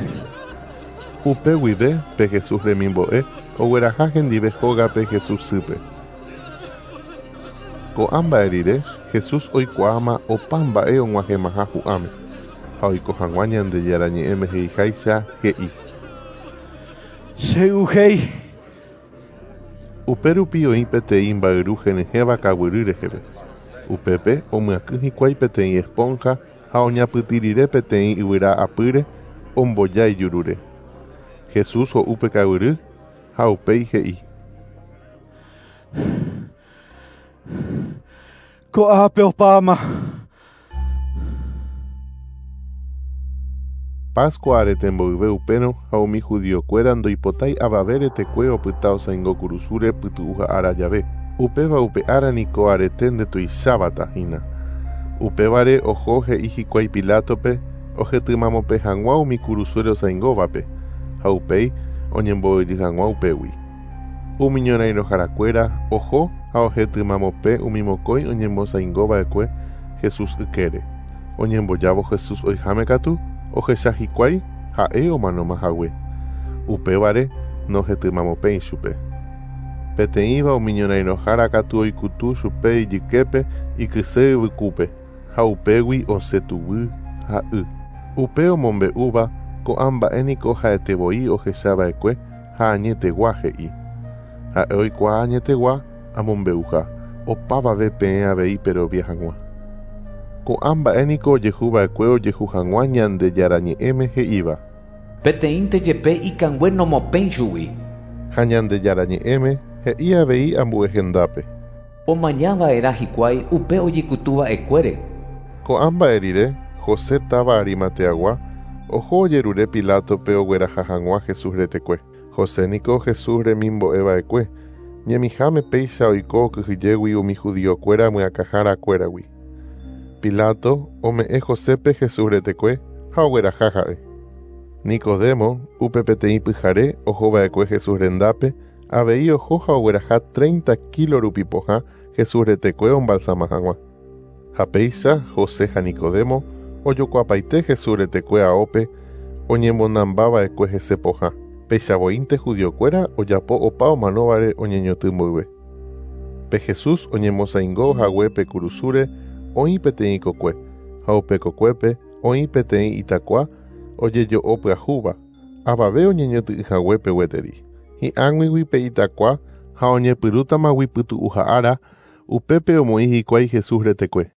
Upe guive pe Jesús remimbo'e ogueraha hendive hógape Jesús sýpe. Ko'ã mba'e rire, Jesús oikuaáma opa mba'e og̃uahẽmaha hu'ãme. Ha oiko hag̃ua Ñandejára ñe'ẽme he'iháicha he'i. Chey'uhéi. Upérupi oĩ peteĩ mba'yru henyhẽva kaguyry reheve. Upépe omyakỹ hikuái peteĩ esponja ha oñapytĩ rire peteĩ yvyra apýre omboja ijurúre. Jesús ho'u pe kaguyry ha upéi he'i. Ko'ápe opáma. Pascua arete mboyve upérõ ha umi judiokuéra ndoipotái avave retekue opyta osãingo kurusúre pytu'uha ára jave. Upéva upe ára niko arete ndetuicháva hína. Upévare oho he'i hikuái Pilátope ohetymamope hag̃ua umi kurusúre osãingóvape ha upéi oñemboy'y hag̃ua upégui. Umi ñorairõharakuéra oho ha ohetymamope umi mokõi oñemosãingova'ekue Jesús ykére. Oñembojávo Jesús oiháme katu ohecha hikuái ha'e omanómahague. Upévare nohetymamopéi chupe. Peteĩva umi ñorairõhára katu oikutu chupe ijyképe ikyse yvykúpe ha upégui osẽ tuguy ha y. Upe omombe'úva ko'ã mba'e niko ha'etevoi ohechava'ekue ha añetegua he'i. Ha'e oikuaa añetegua amombe'uha opavave peẽ avei perovia hag̃ua. Ko'ã mba'e niko ojehuva'ekue ojehu hag̃ua Ñandejára ñe'ẽme he'íva. Peteĩnte jepe ikangue nomopẽi chugui. Ha Ñandejára ñe'ẽme he'i avei ambue hendápe. Omañava'erã hikuái upe ojekutuva'ekuére. Ko'ã mba'e rire José táva Arimateagua oho ojerure Pilátope ogueraha hag̃ua Jesús retekue. José niko Jesús remimbo'eva'ekue. Ñemiháme péicha oiko okyhyjégui umi judiokuéra myakãharakuéragui. Pilato ome'ẽ Josépe Jesús retekue ha ogueraha ha'e. Nicodemo upe peteĩ pyhare ohova'ekue Jesús rendápe avei oho ha ogueraha treinta kilo rupi pohã Jesús retekue ombalsama hag̃ua. Ha péicha José ha Nicodemo ojokuapaite Jesús retekue aópe oñemonambava'ekue hese pohã. Péicha voínte judiokuéra ojapo opa omanóvare oñeñoty mboyve. Pe Jesús oñemosãingo haguépe kurusúre oĩ peteĩ kokue, ha upe kokuépe oĩ peteĩ itakua ojejo'o pyahúva, avave oñeñoty'ỹ haguépe gueteri. Hi'ag̃uigui pe itakua ha oñepyrũtamagui pytu'uha ára, upépe omoĩ hikuái Jesús retekue.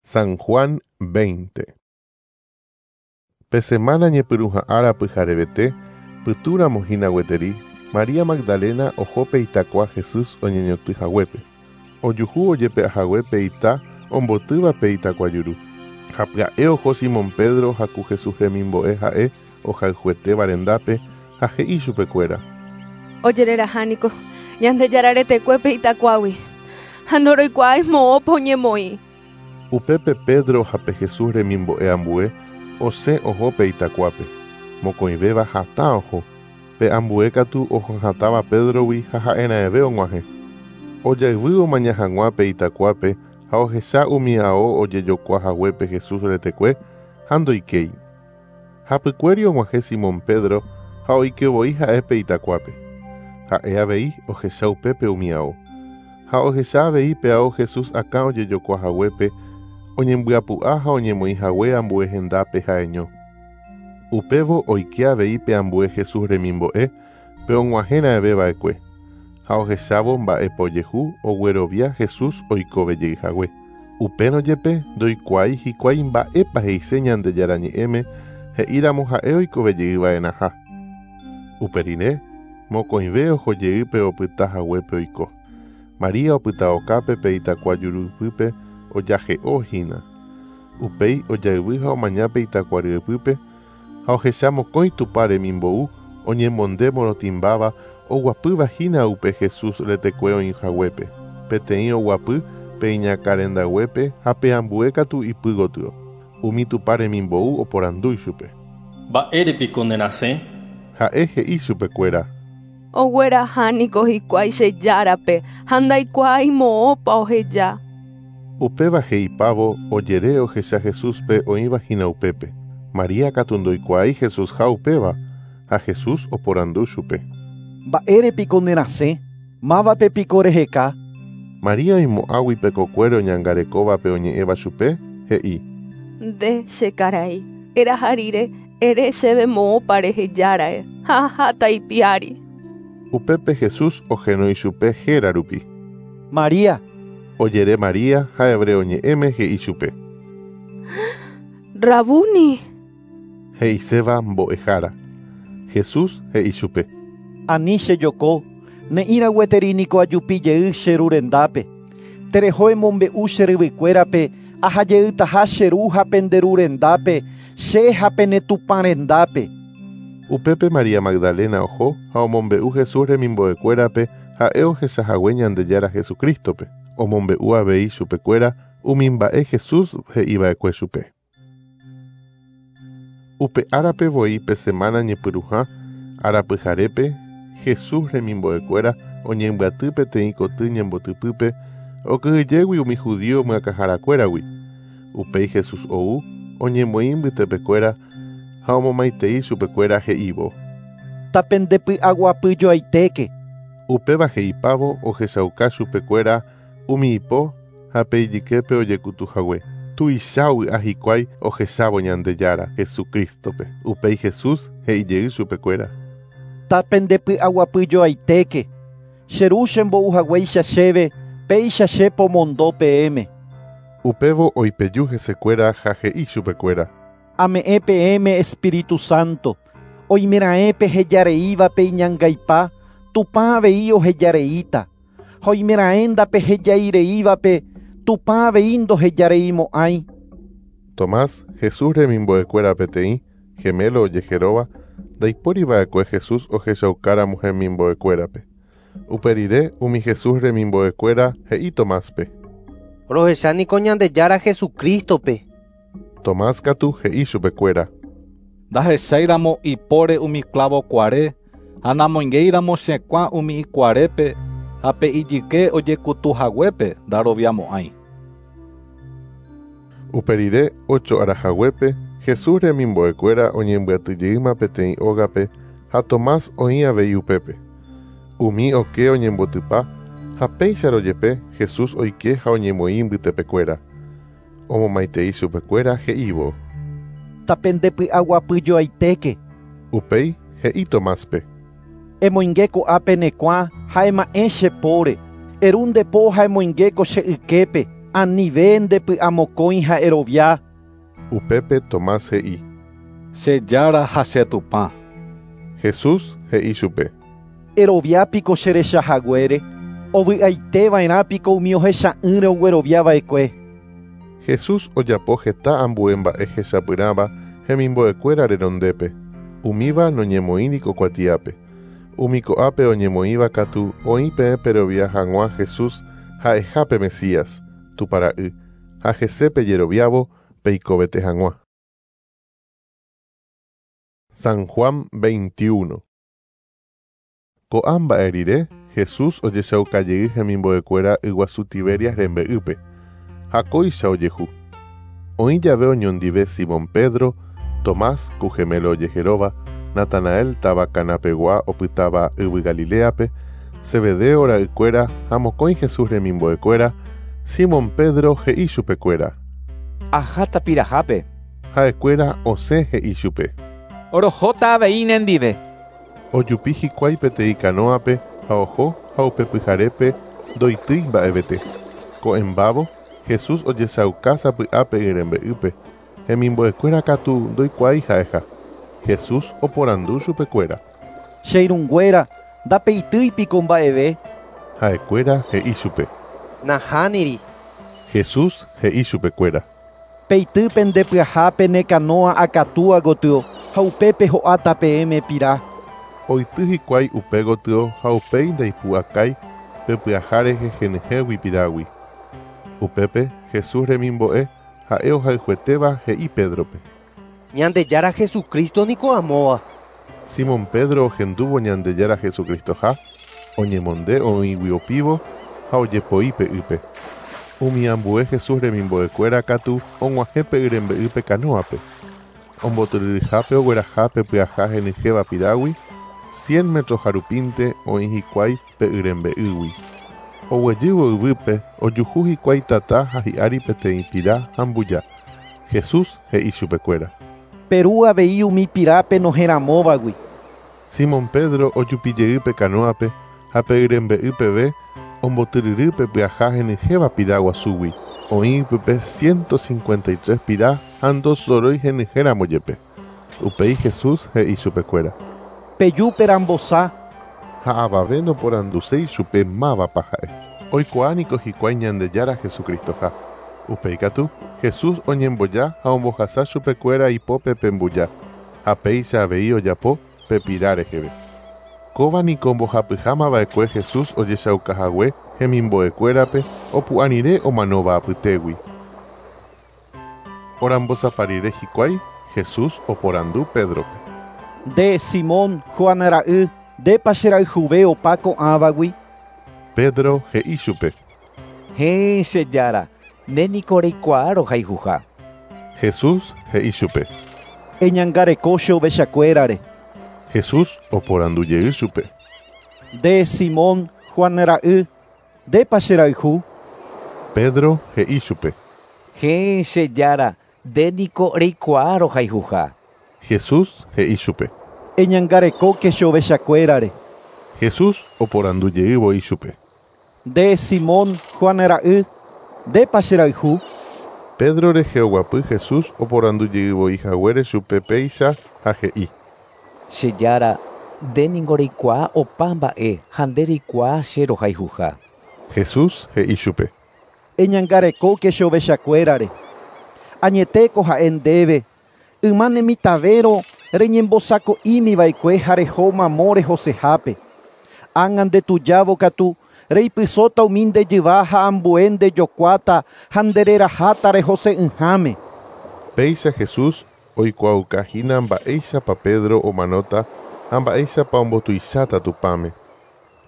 San Juan veinte. Pe semana ñepyrũha ára pyharevete, pytũramo hína gueteri, María Magdalena oho pe itakua Jesús oñeñoty haguépe. Ojuhu ojepe'ahague pe ita ombotýva pe itakua juru. Ha pya'e oho Simón Pedro ha ku Jesús remimbo'e ha'e ohayhuetéva rendápe ha he'i chupekuéra. Ojereraha niko Ñandejára retekue pe itakuágui ha ndoroikuaái moõpa oñemoĩ. Upépe Pedro ha pe Jesús remimbo'e ambue osẽ oho pe itakuápe. Mokõivéva hatã oho. Pe ambue katu ohohatãva Pedrogui ha ha'erãeve og̃uahẽ. Ojayvy omaña hag̃ua pe itakuápe ha ohecha umi ao ojejokua haguépe Jesús retekue ha ndoikéi. Hapykuéri og̃uahẽ Simón Pedro ha oikevoi ha'e pe itakuápe. Ha'e avei ohecha upépe umi ao. Ha ohecha avei pe ao Jesús akã ojejokua haguépe oñembyapu'a ha oñemoĩ hague ambue hendápe ha'eño. Upévo oike avei pe ambue Jesús remimbo'e pe og̃uahẽra'eveva'ekue. Ha ohechávo mba'épa ojehu oguerovia Jesús oikovejey hague. Upérõ jepe ndoikuaái hikuái mba'épa he'ise Ñandejára ñe'ẽme he'íramo ha'e oikovejeyva'erãha. Upe rire mokõive ohojeýpe opyta haguépe oiko. María opyta okápe pe itakua jurupýpe ojahe'o hína. Upéi ojayvy ha omaña pe itakua ryepýpe ha ohecha mokõi Tupã remimbou oñemonde morotĩmbáva oguapýva hína upe Jesús retekue oĩhaguépe. Peteĩ oguapy pe iñakãrendaguépe ha pe ambue katu ipy gotyo. Umi Tupã remimbou oporandu ichupe. Mba'érepiko nerasẽ? Ha'e he'i chupekuéra. Ogueraha niko hikuái che járape ha ndaikuaái moõpa oheja. Upéva he'ipávo ojere ohecha Jesúspe oĩva hína upépe. María katu ndoikuaái Jesús ha upéva ha Jesús oporandu chupe. Mba'érepiko nerasẽ? Mávape piko reheka? María oimo'ãgui pe kokuére oñangarekóvape oñe'ẽva chupe, he'i. Nde che karai, eraha rire ere chéve moõpa rehejára'e ha aháta ipiári. Upépe Jesús ohenói chupe héra rupi. María. Ojere María ha hebreo ñe'ẽme he'i chupe. Rabuni. He'iséva mbo'ehára. Jesús he'i chupe. Ani chejoko, Ne'ĩra gueteri niko ajupi jey che ru rendápe. Tereho emombe'u che ryvykuérape aha jeytaha che ru ha pende ru rendápe, che ha pene Tupã rendápe. Upépe María Magdalena oho ha omombe'u Jesús remimbo'ekuérape ha'e ohechahague Ñandejára Jesucristope. Omombe'u avei chupekuéra umi mba'e Jesús he'iva'ekue chupe. Upe árape voi pe semana ñepyrũha arapyharépe Jesús remimbo'ekuéra oñembyaty peteĩ koty ñembotypýpe okyhyjégui umi judío myakãharakuéragui. Upéi Jesús ou oñemoĩ mbytepekuéra ha omomaitei chupekuéra he'ívo. Tapendepy'aguapyjoaitéke. Upéva he'ipávo ohechauka chupekuéra umi ipo ha pe ijyképe ojekutuhague. Tuicha ovy'a hikuái ohechávo Ñandejára Jesucristope. Upéi Jesús he'ijey chupekuéra. Tapendepy'aguapyjoaitéke. Che ru chembouhaguéicha chéve, péicha che pomondo peẽme. Upévo oipeju hesekuéra ha he'i chupekuéra. Ame'ẽ peẽme Espíritu Santo. Oimeraẽ pehejareívape iñangaipa, Tupã avei ohejareíta. Ha oimeraẽ ndapehejaireívape, Tupã avei ndohejareimo'ãi. Tomás, Jesús remimbo'ekuéra peteĩ, gemelo ojeheróva, ndaipóriva'ekue Jesús ohechaukáramo hemimbo'ekuérape. Upe rire umi Jesús remimbo'ekuéra he'i Tomáspe. Rohecha niko Ñandejára Jesucristope. Tomás katu he'i chupekuéra. Ndahecháiramo ipóre umi clavo kuare, ha namoingeiramo chekuã umi ikuarépe, ha pe ijyke ojekutuhaguépe ndaroviamo'ãi. Upe rire ocho arahaguépe, Jesús remimbo'ekuéra oñembyatyjeýma peteĩ ógape ha Tomás oĩ avei upépe. Umi oke oñembotypa ha péicha rojepe Jesús oike ha oñemoĩ mbytepekuéra. Omomaitei chupekuéra he'ívo. Tapendepy'aguapyjoaitéke. Upéi he'i Tomáspe. Emoinge ko'ápe ne kuã ha ema'ẽ che póre. Eru nde po ha emoinge ko che yképe, anive ndepy'amokõi ha erovia. Upépe Tomás he'i. Che Jára ha che Tupã. Jesús he'i chupe. Erovia piko che rechahaguére, ovy'aiteva'erã piko umi ohecha'ỹre ogueroviava'ekue. Jesús ojapo heta ambue mba'e hechapyrãva hemimbo'ekuéra renondépe. Umíva noñemoĩri ko kuatiápe. Umi ko'ápe oñemoĩva katu oĩ peẽ perovia hag̃ua Jesús ha'ehápe Mesías, Tupãra'y, ha hese pejeroviávo peikovete hag̃ua. San Juan veintiuno. Ko'ã mba'e rire, Jesús ojechaukajey hemimbo'ekuéra yguasu Tiberias rembe'ýpe. Ha kóicha ojehu. Oĩ jave oñondive Simón Pedro, Tomás, ku gemelo ojeheróva, Natanael táva Canapegua opytáva yvy Galileape, Zebedeo ra'ykuéra ha mokõi Jesús remimbo'ekuéra, Simón Pedro he'i chupekuéra. Aháta pirahápe. Ha'ekuéra osẽ he'i chupe. Rohóta avei nendive. Ojupi hikuái peteĩ canoape ha oho ha upe pyharépe ndoitýi mba'evete. Ko'ẽmbávo, Jesús ojechauka sapy'ápe y rembe'ýpe, hemimbo'ekuéra katu ndoikuaái ha'eha. Jesús oporandu chupekuéra. Che irũnguéra, ndapeitýi piko mba'eve. Ha'ekuéra he'i chupe. Nahániri. Jesús he'i chupekuéra. Peity pendepyahápe ne canoa akatúa gotyo ha upépe ho'áta peẽme pira. Oity hikuái upe gotyo ha upéi ndaipu'akái pe pyaha rehe henyhẽgui pirágui. Upépe Jesús remimbo'e ha'e ohayhuetéva he'i Pedrope. Ñandejára Jesucristo niko amóva. Simón Pedro ohendúvo Ñandejára Jesucristoha, oñemonde oĩgui opívo ha ojepoi pe ýpe. Umi ambue Jesús remimbo'ekuéra katu og̃uahẽ pe y rembe'ýpe canoape. Ombotyryryhápe ogueraha pe pyaha henyhẽva pirágui, cien metros harupínte oĩ hikuái pe y rembe'ýgui. Oguejývo yvýpe ojuhu hikuái tata ha hi'ári peteĩ pira ha mbuja. Jesús he'i chupekuéra. Peru avei umi pirápe noheramóvagui. Simón Pedro ojupijey pe canoape ha pe y rembe'y peve ombotyryry pe pyaha henyhẽva pira guasúgui. Oĩ pype ciento cincuenta y tres pira ha ndosorói henyhẽramo jepe. Upéi Jesús he'i chupekuéra. Peju perambosa. Ha avave noporanduséi chupe mávapa ha'e. Oikuaa niko hikuái Ñandejára Jesucristoha. Upéi katu, Jesús oñemboja ha ombohasa chupekuéra ipópe pe mbuja, ha péicha avei ojapo pe pira reheve. Kóva niko ombohapyhámava'ekue Jesús ojechaukahague hemimbo'ekuérape opu'ã rire omanóva apytégui. Orambosapa rire hikuái, Jesús oporandu Pédrope. Nde Simón Juan ra'y, ndépa cherayhuve opa ko'ãvagui? Pedro he'i chupe. Héẽ, che Jára, nde niko reikuaa rohayhuha. Jesús he'i chupe. Eñangareko che ovechakuérare. Jesús oporandu jey chupe. Nde Simón Juan ra'y, ndépa cherayhu? Pedro he'i chupe. Héẽ, che Jára, nde niko reikuaa rohayhuha. Jesús he'i chupe. Eñangarekóke che ovechakuérare. Jesús oporandu jey voi chupe. Nde Simón Juan ra'y, ndépa cherayhu? Pedro rehe oguapy Jesús oporandu jey voi haguére chupe péicha ha he'i. Che Jára, nde niko reikuaa opa mba'e ha nde reikuaa che rohayhuha. Jesús he'i chupe. Eñangarekóke che ovechakuérare. Añetéko ha'e ndéve, yma nemitãvérõ reñembosako'ímiva'ekue ha reho mamo rehosehápe. Ág̃a ndetujávo katu reipysóta umi ndejyva ha ambue ndejokuáta ha ndereraháta rehose'ỹháme. Péicha Jesús oikuaukahína mba'éichapa Pedro omanóta ha mba'éichapa ombotuicháta Tupãme.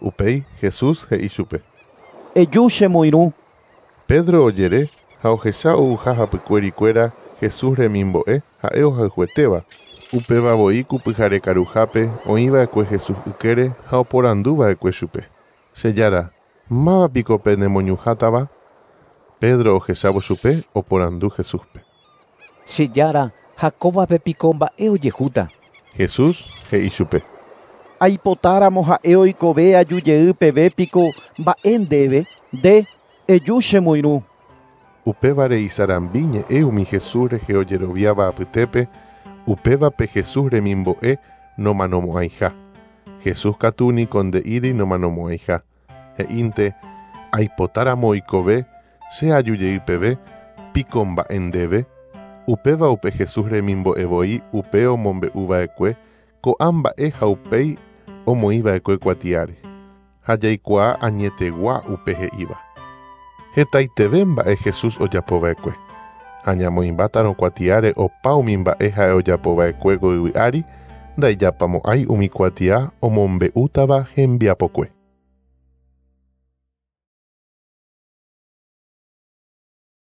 Upéi Jesús he'i chupe. Eju chemoirũ. Pedro ojere ha ohecha ouha hapykuerikuéra Jesús remimbo'e ha'e ohayhuetéva. Upéva voi ku pyharekaruhápe oĩva'ekue Jesús ykére ha oporanduva'ekue chupe. Che Jára, mávapiko pe nemoñuhátava? Pedro ohechávo chupe oporandu Jesúspe. Che Jára, ha kóvape piko mba'e ojehúta? Jesús he'i chupe. Aipotáramo ha'e oikove aju jey peve piko mba'e ndéve, nde eju chemoirũ. Upévare isarambi ñe'ẽ umi Jesús rehe ojeroviáva apytépe, upévape Jesús remimbo'e nomanomo'ãiha. Jesús katu niko nde'íri nomanomo'ãiha. He'ínte, aipotáramo oikove, che aju jey peve, piko mba'e ndéve. Upéva upe Jesús remimbo'e voi upe omombe'uva'ekue ko'ã mba'e ha upéi omoĩva'ekue kuatiáre. Ha jaikuaa añetegua upe he'íva. Hetaiteve mba'e Jesús ojapova'ekue. Ha ñamoĩmbátarõ kuatiáre opa umi mba'e ha'e ojapova'ekue ko yvy ári, ndaijapamo'ãi umi kuatia omombe'útava hembiapokue.